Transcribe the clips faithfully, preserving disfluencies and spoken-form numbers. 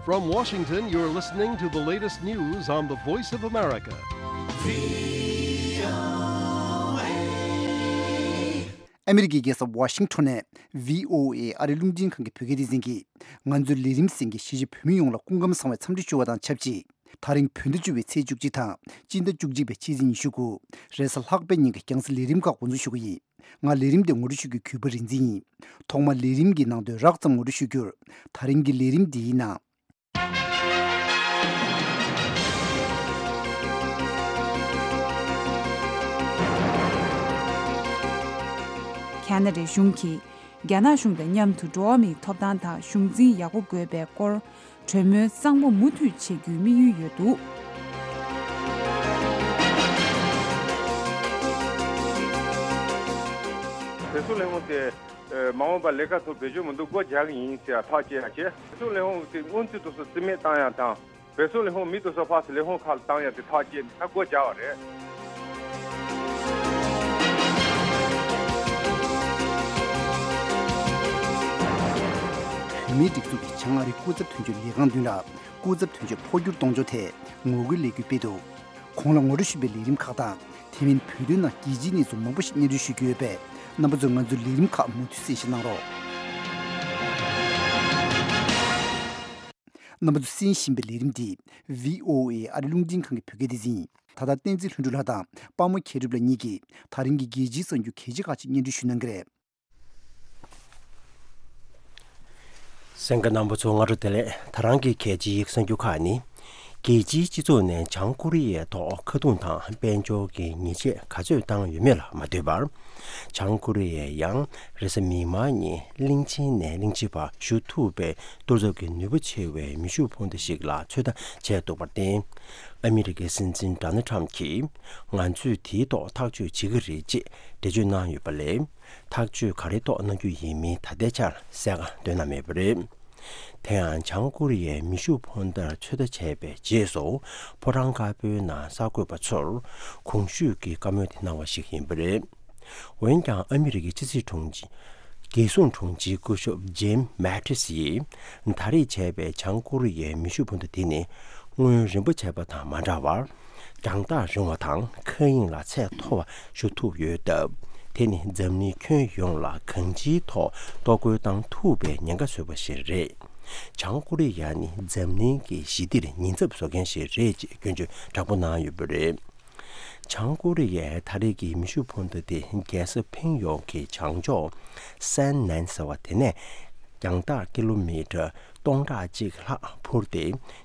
From Washington, you're listening to the latest news on the Voice of America. ཨ་མི་རི་ཀའི་རྒྱལ་ས་ཝ་ཤིང་ཊོན་ནས་བྷི་ཨོ་ཨེ་ཨ་རིའི་རླུང་འཕྲིན་ཁང་གི་བོད་སྐད་སྡེ་ཚན་གྱིས། ང་ཚོའི་ལས་རིམ་གསན་མཁན་གཞིས་བྱེས་བོད་མི་ཡོངས་ལ་སྐུ་ཁམས་བཟང་བའི་འཚམས་འདྲི་ཞུ་བ་དང་ཆབས་ཅིག་ད་རིང་བོད་ཟླ་བཅུ་པའི་ཚེས་བཅུ་གཅིག་དང་སྤྱི་ཟླ་བཅུ་གཅིག་པའི་ཕྱི་ཚེས་ཉི་ཤུ་དགུ། རེས་གཟའ་ལྷག་པའི་ཉིན་གྱི་རྒྱང་སྲིང་ལས་རིམ་ཁག་འགོ་འཛུགས་ཞུ་གི་ཡིན། ང་ལས་རིམ་དེ་ངོ་སྤྲོད་ཞུ་རྒྱུའི་གུས་པ་རིག་འཛིན་ཡིན། ཐོག་མར་ལས་རིམ་གྱི་ནང་དོན་རགས་ཙམ་ངོ་སྤྲོད་ཞུ་རྒྱུར། ད་རིང་གི་ལས་རིམ་འདིའི་ནང་། ཁ་ན་ཌའི་གཞུང་གིས་རྒྱ་ནག་གཞུང་དང་མཉམ་དུ་འགྲོ་བ་མིའི་ཐོབ་ཐང་དང་གཞུང་འཛིན་ཡག་པོ་དགོས་པའི་སྐོར། གྲོས་མོལ་གཙང་མ་མུ་མཐུད་བྱེད་རྒྱུའི་དམིགས་ཡུལ་ཡོད་འདུག་བོད་སོག་ལས་ཁུངས་དེ་མ་འོངས་པར་ལས་ཀ་ཚུར་བེད་སྤྱོད་མི་འདུག་སྒོ་རྒྱག་གི་ཡིན་ཟེར་ཐག་བཅད་ཡ་བྱས། བོད་སོག་ལས་ཁུངས་དེ་སྔོན་དུས་དུས་སུ་རྩིས་མེད་བཏང་ཡ་དང་། བོད་སོག་ལས་ཁུངས་མི་དེ་ཚོ་ཕར་ཚུར་ལས་ཁུངས་ཁག་ལ་བཏང་ཡ་དེ་ཐག་བཅད་ནས་ད་སྒོ་རྒྱག་པ་རེད། བོད་མིའི་སྒྲིག་འཛུགས་ཀྱི་བྱང་ཨ་རིའི་སྐུ་ཚབ་དོན་གཅོད་ལས་ཁང་མདུན་ལ་སྐུ་ཚབ་དོན་གཅོད་འཕོ་འགྱུར་གཏོང་ཕྱོགས་ཐད་ངོ་རྒོལ་ལས་འགུལ་སྤེལ་འདུག་གོང་ལ་ངོ་སྤྲོད་ཞུས་པའི་ལས་རིམ་ཁག་དང་། དེ་མིན་བོད་དོན་ནང་རྒྱལ་སྤྱིའི་གནས་ཚུལ་མང་པོ་ཞིག་སྙན་སྒྲོན་ཞུ་རྒྱུ་ཡོད་པས། རྣམ་པ་ཚོས་ང་ཚོའི་ལས་རིམ་ཁག་མུ་མཐུད་གསན་བཞེས་གནང་རོགས། རྣམ་པ་ཚོས་གསན་བཞིན་པའི་ལས་རིམ་འདི་བྷི་ཨོ་ཨེ་ཨ་རིའི་རླུང་འཕྲིན་ཁང་གི་བོད་སྐད་སྡེ་ཚན་ཡིན། ད་ལྟ་བསྟན་འཛིན་ལྷུན་གྲུབ་ལགས་དང་དཔའ་མོ་མཁས་གྲུབ་ལགས་གཉིས་ཀྱིས་ད་རིང་གི་རྒྱལ་སྤྱིའི་གསར་འགྱུར་གལ་ཆེ་ཁག་ཅིག་སྙན་སྒྲོན་ཞུ་གནང་གི་རེད། གསན་མཁན་རྣམ་པ་ཚོ་སྔ་དྲོ་བདེ་ལེགས། ད་རང་གི་གལ་ཆེའི་གསར་འགྱུར་ཁག་ནི། རྒྱལ་སྤྱིའི་སྤྱི་ཚོགས་ནས་བྱང་ཀོ་རི་ཡའི་ཐོག་ཁ་རྡུང་དང་དཔལ་འབྱོར་གྱི་ཉེས་ཆད་ག་ཚོད་བཏང་ཡོད་མེད་ལ་མ་ལྟོས་པར། བྱང་ཀོ་རི་ཡས་ཡང་རེས་གཟའ་མིག་དམར་ཉིན་གླིང་ཆེན་ནས་གླིང་ཕྱི་བར་ཞུ་ཐུབ་པའི་གཏོར་ཚོགས་ཀྱི་ནུས་པ་ཆེ་བའི་མེ་ཤུགས་འཕུར་མདའ་ཞིག་ལ་ཚོད་ལྟ་བྱས་འདུག་པར་བརྟེན། ཨ་མི་རི་ཀའི་སྲིད་འཛིན་ཌོ་ནལ་ཊམ་གྱིས་ང་ཚོས་དེའི་ཐོག་ཐག་གཅོད་བྱེད་ཀྱི་རེད་ཅེས་འགྲེལ་བརྗོད་གནང་ཡོད་པ་ལས། ཐག་གཅོད་ག་རེ་ཐོག་གནང་རྒྱུ་ཡིན་མིན་ད་ལྟའི་ཆར་གསལ་ཁ་འདོན་གནང་མེད་པ་རེད། དེ་ཡང་བྱང་ཀོ་རི་ཡས་མེ་ཤུགས་འཕུར་མདའ་ཚོད་ལྟ་བྱས་པའི་རྗེས་སུ་ཕོ་བྲང་དཀར་པོའི་ནང་གསར་འགོད་པ་ཚོར་གོང་ཞུས་ཀྱི་བཀའ་མོལ་དེ་གནང་བ་ཞིག་ཡིན་པ་རེད། འོན་ཀྱང་ཨ་མི་རི་ཀའི་ཕྱི་སྲིད་དྲུང་ཆེ། རྒྱལ་སྲུང་དྲུང་ཆེའི་སྐུ་ཞབས་ཇིམ་མེ་ཏིས་ཡིས་ད་རེས་བྱས་པའི་བྱང་ཀོ་རི་ཡའི་མེ་ཤུགས་འཕུར་མདའ་དེ་ནི་སྔོན་རིམ་པ་བྱས་པ་དང་མ་འདྲ་བར། རྒྱང་ཐག་རིང་བ་དང་མཁའ་དབྱིངས་ལ་ཚད་མཐོ་བ་ཞུ་ཐུབ་ཡོད་སྟབས། དེ་ནི་འཛམ་གླིང་ཁྱོན་ཡོངས་ལ་གང་ཅིའི་ཐོག་གཏོར་རྒོལ་བཏང་ཐུབ་པའི་ཉེན་ཁ་བཟོས་པ་ཞིག་རེད། བྱང་ཀོ་རི་ཡ་ནི་འཛམ་གླིང་གི་ཞི་བདེར་ཉེན་ཚབས་བཟོ་མཁན་ཞིག་རེད་ཅེས་སྐྱོན་བརྗོད་དྲག་པོ་གནང་ཡོད་པ་རེད། བྱང་ཀོ་རི་ཡའི་ད་རེས་ཀྱི་མེ་ཤུགས་འཕུར་མདའ་དེ་རྒྱལ་ས་ཕིང་ཡོང་གི་བྱང་ཕྱོགས་སན་ནན་ཟེར་བ་དེ་ནས་རྒྱང་ཐག་ཀི་ལོ་མི་ཊར་སྟོང་ཕྲག་གཅིག་ལྷག་འཕུར་ཏེ་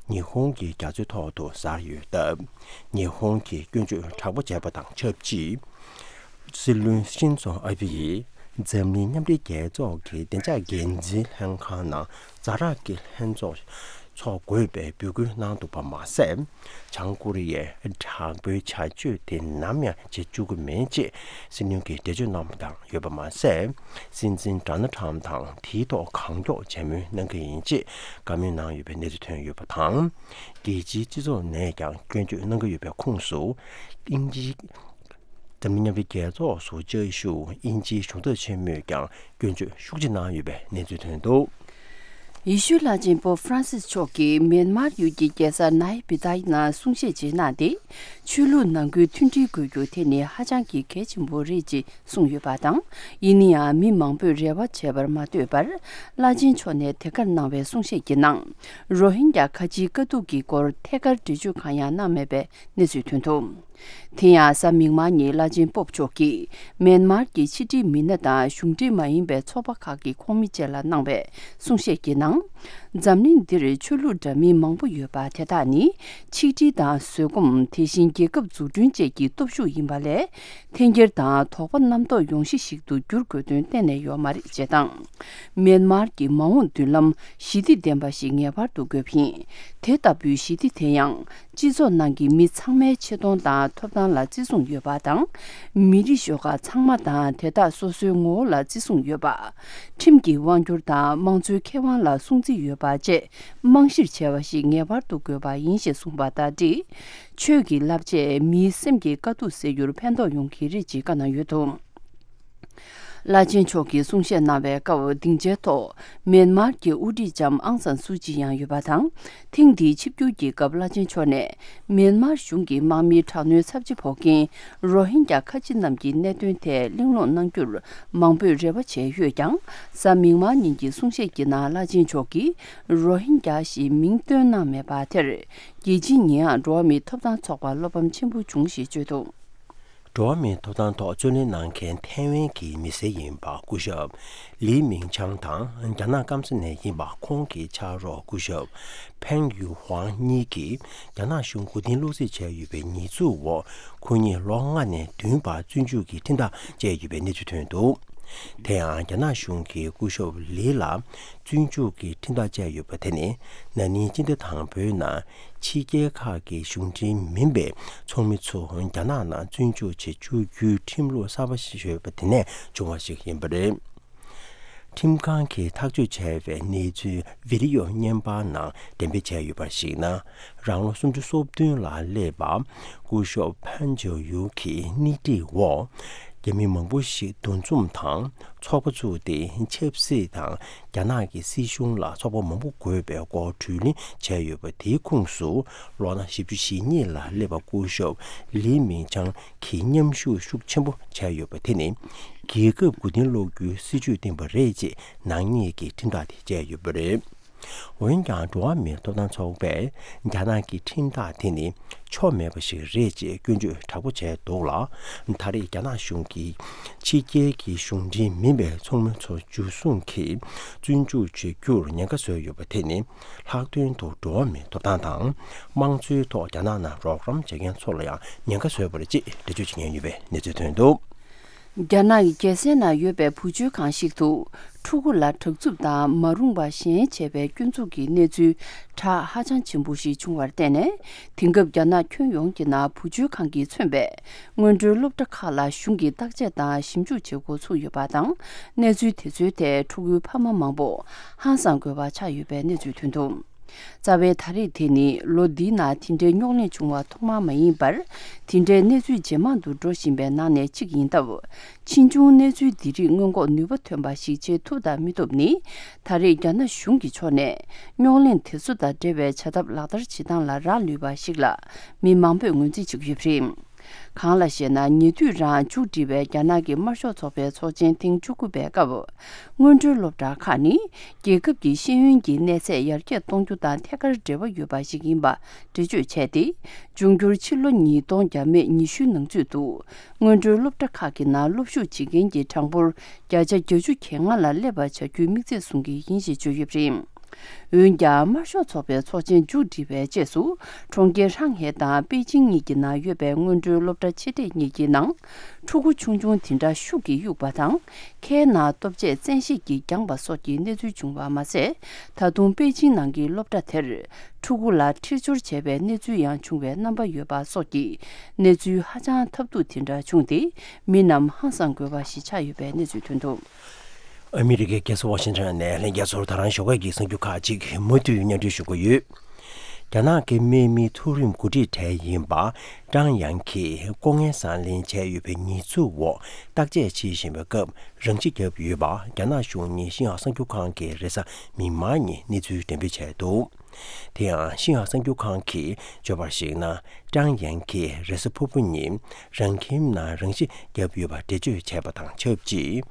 ཉི་ཧོང་གི་རྒྱ་མཚོའི་ཐོག་ཏུ་གཟར་ཡོད་སྟབས། ཉི་ཧོང་གིས་སྐྱོན་བརྗོད་དྲག་པོ་བྱས་པ་དང་ཆབས་ཅིག་སྲིད་བློན་ཤིན་ཛོ་ཨ་བྷི་ཡིས་འཛམ་གླིང་མཉམ་འབྲེལ་རྒྱལ་ཚོགས་ཀྱི་བདེ་འཇགས་འགན་འཛིན་ལྷན་ཁང་ནང་ཛ་དྲག་གི་ལྷན་ཚོགས་འཚོགས་དགོས་པའི་འབོད་སྐུལ་གནང་འདུག་པ་མ་ཟད། བྱང་ཀོ་རི་ཡའི་དྲག་པོའི་བྱ་སྤྱོད་དེ་ནམ་ཡང་བྱེད་བཅུག་གི་མེད་ཅེས་སྲིད་བློན་གྱིས་འགྲེལ་བརྗོད་གནང་བ་དང་ཡོད་པ་མ་ཟད། སྲིད་འཛིན་ཌོ་ནལ་ཊམ་དང་དེའི་ཐོག་གང་མགྱོགས་བྱ་མོལ་གནང་གི་ཡིན་ཅེས་བཀའ་མོལ་གནང་ཡོད་པའི་གནས་ཚུལ་ཐོན་ཡོད་པ་དང་། རྒྱལ་སྤྱིའི་སྤྱི་ཚོགས་ནས་ཀྱང་སྐྱོན་བརྗོད་གནང་གི་ཡོད་པའི་ཁོངས་སུ། དབྱིན་ཇིའི། འཛམ་གླིང་མཉམ་འབྲེལ་རྒྱལ་ཚོགས་སུ་བཅའ་བཞུགས་དབྱིན་ཇིའི་གཞུང་ཚབ་ཆེན་མོས་ཀྱང་སྐྱོན་བརྗོད་ཤུགས་ཆེ་གནང་ཡོད་པའི་གནས་ཚུལ་ཐོན་འདུག་ཡེ་ཤུའི་བླ་ཆེན་པོབ་ཧྥ་རན་སིས་མཆོག་གིས་མེན་མར་ཡུལ་གྱི་རྒྱལ་ས་ནཱའི་པི་ཏཱའི་ནང་གསུང་བཤད་ཅིག་གནང་སྟེ། ཆོས་ལུགས་ནང་ཁུལ་མཐུན་སྒྲིལ་དགོས་རྒྱུ་དེ་ནི་ཧ་ཅང་གི་གལ་ཆེན་པོ་རེད་ཅེས་གསུངས་ཡོད་པ་དང་། ཡིན་ན་ཡང་མི་མང་པོས་རེ་བ་བྱས་པར་མ་ལྟོས་པར། བླ་ཆེན་མཆོག་ནས་དེ་གར་གནང་བའི་གསུང་བཤད་ཀྱི་ནང་། རོ་ཧིན་རྒྱ་ཁ་ཆེའི་དཀའ་སྡུག་གི་སྐོར་ཐད་ཀར་འགྲེལ་བརྗོད་གང་ཡང་གནང་མེད་པའི་གནས་ཚུལ་ཐོན་འདུག་དེ་ཡང་གཟའ་མིག་དམར་ཉིན་བླ་ཆེན་པོབ་མཆོག་གིས་མེན་མར་གྱི་ཕྱི་འབྲེལ་མི་སྣ་དང་གཞུང་འབྲེལ་མ་ཡིན་པའི་ཚོགས་པ་ཁག་གི་ཁོངས་མི་བཅས་ལ་གནང་བའི་གསུང་བཤད་ཀྱི་ནང་། འཛམ་གླིང་འདིར་ཆོས་ལུགས་འདྲ་མིན་མང་པོ་ཡོད་པ་དེ་དག་ནི་ཆིག་སྒྲིལ་དང་བཟོད་སྒོམ། དེ་བཞིན་རྒྱལ་ཁབ་འཛུགས་སྐྲུན་བཅས་ཀྱི་སྟོབས་ཤུགས་ཡིན་པ་ལས། འཐེན་འཁྱེར་དང་དོགས་པ་རྣམ་རྟོག་ཡོང་གཞི་ཞིག་ཏུ་འགྱུར་དགོས་དོན་གཏན་ནས་ཡོད་མ་རེད་ཅེས་དང་། མེན་མར་གྱི་མ་འོངས་མདུན་ལམ་ཞི་བདེ་ལྡན་པ་ཞིག་ངེས་པར་དུ་དགོས་པ་ཡིན། དེ་ལྟ་བུའི་ཞི་བདེ་དེ་ཡང་། སྤྱི་ཚོགས་ནང་གི་མི་ཚང་མའི་ཆེ་མཐོང་དང་ཐོབ་ཐང་ལ་བརྩི་སྲུང་ཡོད་པ་དང་། མི་རིགས་ཤོག་ཁག་ཚང་མ་དང་དེ་དག་སོ་སོའི་ངོ་བོ་ལ་བརྩི་སྲུང་ཡོད་པ། ཁྲིམས་ཀྱི་དབང་སྒྱུར་དང་དམངས་གཙོའི་ཁེ་དབང་ལ་སྲུང་བརྩི་ཡོད་པ་བཅས་རྨང་གཞིར་བྱས་པ་ཞིག་ངེས་པར་དུ་དགོས་པ་ཡིན་ཞེས་གསུངས་པ་དང་འབྲེལ། ཆོས་ཀྱི་བསླབ་བྱས་མིའི་སེམས་ཀྱི་དཀའ་སྡུག་སེལ་རྒྱུར་ཕན་ཐོགས་ཡོང་གི་རེད་ཅེས་བཀའ་གནང་ཡོད་འདུག་བླ་ཆེན་མཆོག་གིས་གསུང་བཤད་གནང་བའི་སྐབས། སྡིངས་ཆའི་ཐོག་མིན་མར་གྱི་དབུ་ཁྲིད་ལྕམ་ཨང་སན་སུའུ་ཅི་ཡང་ཡོད་པ་དང་། ཐེངས་འདིའི་ཆིབས་བསྒྱུར་གྱི་སྐབས། བླ་ཆེན་མཆོག་ནས་མིན་མར་གཞུང་གི་དམག་མིའི་དྲག་གནོན་ཚབས་ཆེ་ཕོག་མཁན་རོ་ཧིན་གྱ་ཁ་ཆེ་རྣམས་ཀྱི་གནད་དོན་ཐད་གླེང་སློང་གནང་རྒྱུར་མང་པོས་རེ་བ་བྱས་ཡོད་ཀྱང་། གཟའ་མིག་དམར་ཉིན་གྱི་གསུང་བཤད་ཀྱི་ནང་། བླ་ཆེན་མཆོག་གིས་རོ་ཧིན་གྱ་ཞེས་མིང་བཏོན་གནང་མེད་པ་དེར། རྒྱལ་སྤྱིའི་ཉེས་ཡངས་འགྲོ་བ་མིའི་ཐོབ་ཐང་ཚོགས་པར་བློ་ཕམ་ཆེན་པོ་བྱུང་ཞེས་བརྗོད་འདུག། འགྲོ་བ་མིའི་ཐོབ་ཐང་ཐོག་རྩོད་ལེན་གནང་མཁན་ཐའེ་ཝན་གྱི་མི་སེར་ཡིན་པ་སྐུ་ཞབས་ལི་མིང་ཆང་དང་། རྒྱ་ནག་སྐམ་ས་ནས་ཡིན་པ་ཁོང་གི་ཕྱག་རོགས་སྐུ་ཞབས་ཕེང་ཡུ་ཧུའང་གཉིས་ཀྱིས་རྒྱ་ནག་གཞུང་མགོ་རྟིང་སློག་རྩིས་བྱས་ཡོད་པའི་ཉེས་འཛུགས་འོག་ཁོ་གཉིས་ལོ་ལྔ་ནས་བདུན་བར་བཙོན་འཇུག་གི་ཁྲིམས་ཐག་བཅད་ཡོད་པའི་གནས་ཚུལ་ཐོན་འདུག། དེ་ཡང་རྒྱ་ནག་གཞུང་གིས་སྐུ་ཞབས་ལི་ལ་བཙོན་འཇུག་གི་ཁྲིམས་ཐག་བཅད་ཡོད་པ་དེ་ནི། ན་ནིང་སྤྱི་ཟླ་དང་པོའི་ནང་ཕྱི་རྒྱལ་ཁག་གི་གཞུང་འབྲེལ་མིན་པའི་ཚོགས་མི་ཚོ་རྒྱ་ནག་ནང་བཙོན་འཇུག་བྱེད་བཅུག་རྒྱུའི་ཁྲིམས་ལུགས་གསར་པ་ཞིག་ཡོད་པ་དེ་ནས་བྱུང་བ་ཞིག་ཡིན་པ་རེད། ཁྲིམས་ཁང་གིས་ཐག་གཅོད་བྱས་པའི་གནས་ཚུལ་བི་ཌི་ཡོ་བརྙན་པར་ནང་འགྲེམས་སྤེལ་བྱས་ཡོད་པར་གཞིགས་ན། རང་ལོ་སུམ་ཅུ་སོ་བདུན་ལ་སླེབས་པ་སྐུ་ཞབས་ཕན་ཇོ་ཡུ་གི་སྣེ་ཁྲིད་འོག་རྒྱ་མི་མང་པོ་ཞིག་འདུ་འཛོམས་དང་ཚོགས་པ་བཙུགས་ཏེ། ཆབ་སྲིད་དང་རྒྱ་ནག་གི་སྲིད་གཞུང་ལ་ཚོགས་པ་མང་པོ་དགོས་པའི་སྐོར་གྲོས་གླེང་བྱས་ཡོད་པ། དེའི་ཁོངས་སུ་ལོ་ན་བཞི་བཅུ་ཞེ་གཉིས་ལ་སླེབས་པ་སྐུ་ཞབས་ལི་མིང་ཆང་གིས་མཉམ་ཞུགས་ཤུགས་ཆེན་པོ་བྱས་ཡོད་པ་དེ་ནི། རྒྱལ་ཁབ་མགོ་རྟིང་སློག་རྒྱུའི་སྲིད་བྱུས་བཏིང་པ་རེད་ཅེས་ནག་ཉེས་ཀྱི་ཁྲིམས་ཐག་དེ་བཅད་ཡོད་པ་རེད། འོན་ཀྱང་། འགྲོ་བ་མིའི་ཐོབ་ཐང་ཚོགས་པས་རྒྱ་ནག་གི་ཁྲིམས་ཐག་དེ་ནི་ཆོ་མེད་པ་ཞིག་རེད་ཅེས་སྐྱོན་བརྗོད་དྲག་པོ་བྱས་འདུག་ལ། ད་རེས་རྒྱ་ནག་གཞུང་གིས་ཕྱི་རྒྱལ་གྱི་གཞུང་འབྲེལ་མིན་པའི་ཚོགས་མི་ཚོ་འཇུ་བཟུང་གིས་བཙོན་འཇུག་བྱེད་རྒྱུར་ཉེན་ཁ་བཟོས་ཡོད་པ་དེ་ནི། ལྷག་དོན་དུ་འགྲོ་བ་མིའི་ཐོབ་ཐང་དང་། དམངས་གཙོའི་ཐོག་རྒྱ་ནག་ནང་རོགས་རམ་བྱེད་མཁན་ཚོ་ལ་ཡང་ཉེན་ཁ་བཟོས་པ་རེད་ཅེས་འགྲེལ་བརྗོད་བྱེད་མཁན་ཡོད་པའི་གནས་ཚུལ་ཐོན་འདུག། རྒྱ་ནག་གི་རྒྱལ་སའི་ནང་ཡོད་པའི་བུ་བཅོལ་ཁང་ཞིག་ཏུ། ཕྲུ་གུ་ལ་དྲག་རྩུབ་དང་མ་རུངས་པ་གཞན་བྱས་པའི་སྐྱོན་འཛུགས་ཀྱི་གནས་ཚུལ་གྲགས་ཧ་ཅང་ཆེན་པོ་ཞིག་བྱུང་བར་བརྟེན་ནས། དེང་སྐབས་རྒྱ་ནག་ཁྱོན་ཡོངས་ཀྱི་ནང་བུ་བཅོལ་ཁང་གིས་མཚོན་པའི་སྔོན་འགྲོའི་སློབ་གྲྭ་ཁག་ལ་གཞུང་གིས་བརྟག་དཔྱད་དང་ཞིབ་འཇུག་བྱེད་འགོ་ཚུགས་ཡོད་པ་དང་། གནས་ཚུལ་དེ་ཚོའི་ཐད་ཕྲུ་གུའི་ཕ་མ་མང་པོ་ཧང་སང་དགོས་པ་ཆགས་ཡོད་པའི་གནས་ཚུལ་ཐོན་འདུག། རྩ་བའི་ད་རེས་དེ་ནི་ལོ་འདིའི་ནང་དེ་འདྲའི་རྙོག་གླེང་བྱུང་བ་ཐོག་མ་མ་ཡིན་པར། དེ་འདྲའི་གནས་ཚུལ་ཇེ་མང་དུ་འགྲོ་བཞིན་པའི་ནང་ནས་གཅིག་ཡིན་སྟབས། ཕྱིས་འབྱུང་གནས་ཚུལ་འདི་རིགས་སྔོན་འགོག་ནུས་པ་ཐོན་པ་ཞིག་བྱེད་ཐུབ་དང་མི་ཐུབ་ནི། ད་རེས་རྒྱ་ནག་གཞུང་གི་ཕྱོགས་ནས་རྙོག་གླེང་དེ་ཚོ་དང་འབྲེལ་བའི་བྱ་ཐབས་ལག་བསྟར་བྱེད་སྟངས་ལ་རག་ལུས་པ་ཞིག་ལ། མི་མང་པོས་ངོས་འཛིན་བྱེད་ཀྱི་ཡོད་པ་རེད། གང་ལ་ཞེ་ན། ཉེ་དུས་རང་མཇུག་སྒྲིལ་བའི་རྒྱ་ནག་གི་དམར་ཤོག་ཚོགས་པའི་ཚོགས་ཆེན་ཐེངས་བཅུ་དགུ་པའི་སྐབས། སྔོན་འགྲོའི་སློབ་གྲྭ་ཁག་ནི་རྒྱལ་ཁབ་ཀྱི་ཤེས་ཡོན་གྱི་གནས་ཚད་ཡར་རྒྱས་གཏོང་རྒྱུ་དང་ཐད་ཀར་འབྲེལ་བ་ཡོད་པ་ཞིག་ཡིན་པ་འགྲེལ་བརྗོད་བྱས་ཏེ། འབྱུང་འགྱུར་ཕྱི་ལོ་ཉིས་སྟོང་བརྒྱ་མེད་ཉི་ཤུའི་ནང་ཚུད་དུ། སྔོན་འགྲོའི་སློབ་གྲྭ་ཁག་གི་ནང་སློབ་ཞུགས་བྱེད་མཁན་གྱི་གྲངས་འབོར་བརྒྱ་ཆ་བརྒྱད་ཅུ་གྱ་ལྔ་ལ་སླེབས་པ་བྱ་རྒྱུའི་དམིགས་ཚད་བཟུང་གི་ཡིན་ཞེས་བརྗོད་ཡོད་པ་རེད། འོན་ཀྱང་། དམར་ཤོག་ཚོགས་པའི་ཚོགས་ཆེན་མཇུག་སྒྲིལ་བའི་རྗེས་སུ། གྲོང་ཁྱེར་ཧྲང་ཧའེ་དང་པེ་ཅིང་གཉིས་ཀྱི་ནང་ཡོད་པའི་སྔོན་འགྲོའི་སློབ་གྲྭ་ཆེ་གྲས་གཉིས་ཀྱི་ནང་། ཕྲུ་གུ་ཆུང་ཆུང་དེ་འདྲ་ཤུགས་ཀྱིས་གཡུགས་པ་དང་། ཁའི་ནང་ལྟོ་ཆས་བཙན་ཤེད་ཀྱིས་འགྱངས་པ་སོགས་ཀྱི་གནས་ཚུལ་བྱུང་བ་མ་ཟད། ད་དུང་པེ་ཅིང་ནང་གི་སློབ་གྲྭ་དེར། ཕྲུ་གུ་ལ་འཁྲིག་སྦྱོར་བྱས་པའི་གནས་ཚུལ་ཡང་བྱུང་བའི་རྣམ་པ་ཡོད་པ་སོགས་ཀྱི་གནས་ཚུལ་ཧ་ཅང་ཐབས་སྡུག་དེ་འདྲ་བྱུང་སྟེ། མི་རྣམས་ཧང་སང་དགོས་པ་ཞིག་ཆགས་ཡོད་པའི་གནས་ཚུལ་ཐོན་འདུག། ཨ་མི་རི་ཀའི་རྒྱལ་ས་ཝ་ཤིང་ཊོན་ནས་ལྷན་རྒྱས་ཚོར་ད་རང་ཞོགས་ཀས་ཀྱི་གསར་འགྱུར་ཁག་ཅིག་མུ་མཐུད་སྙན་སྒྲོན་ཞུ་གི་ཡོད། རྒྱ་ནག་གི་དམག་མིའི་མཐོ་རིམ་འགོ་ཁྲིད་གྲས་ཡིན་པ་ཀྲང་ཡང་གིས་ལྐོག་རྔན་བཟང་ལེན་བྱས་ཡོད་པའི་ཉེས་འཛུགས་འོག་བརྟག་དཔྱད་བྱེད་བཞིན་པའི་སྐབས། རང་ཤི་བརྒྱབ་ཡོད་པ་རྒྱ་ནག་གཞུང་གཉིས་ཤིན་ཧྭ་གསར་འགྱུར་ཁང་གིས་རེས་གཟའ་མིག་དམར་ཉིན་གནས་ཚུལ་འགྲེམས་སྤེལ་བྱས་འདུག། དེ་ཡང་ཤིན་ཧྭ་གསར་འགྱུར་ཁང་གིས་བརྗོད་པར་གཞིགས་ན། ཀྲང་ཡང་གིས་རེས་གཟའ་ཕུར་བུ་ཉིན་རང་ཁྱིམ་ནང་རང་ཤི་བརྒྱབ་ཡོད་པ་འགྲེལ་བརྗོད་བྱས་པ་དང་ཆབས་ཅིག།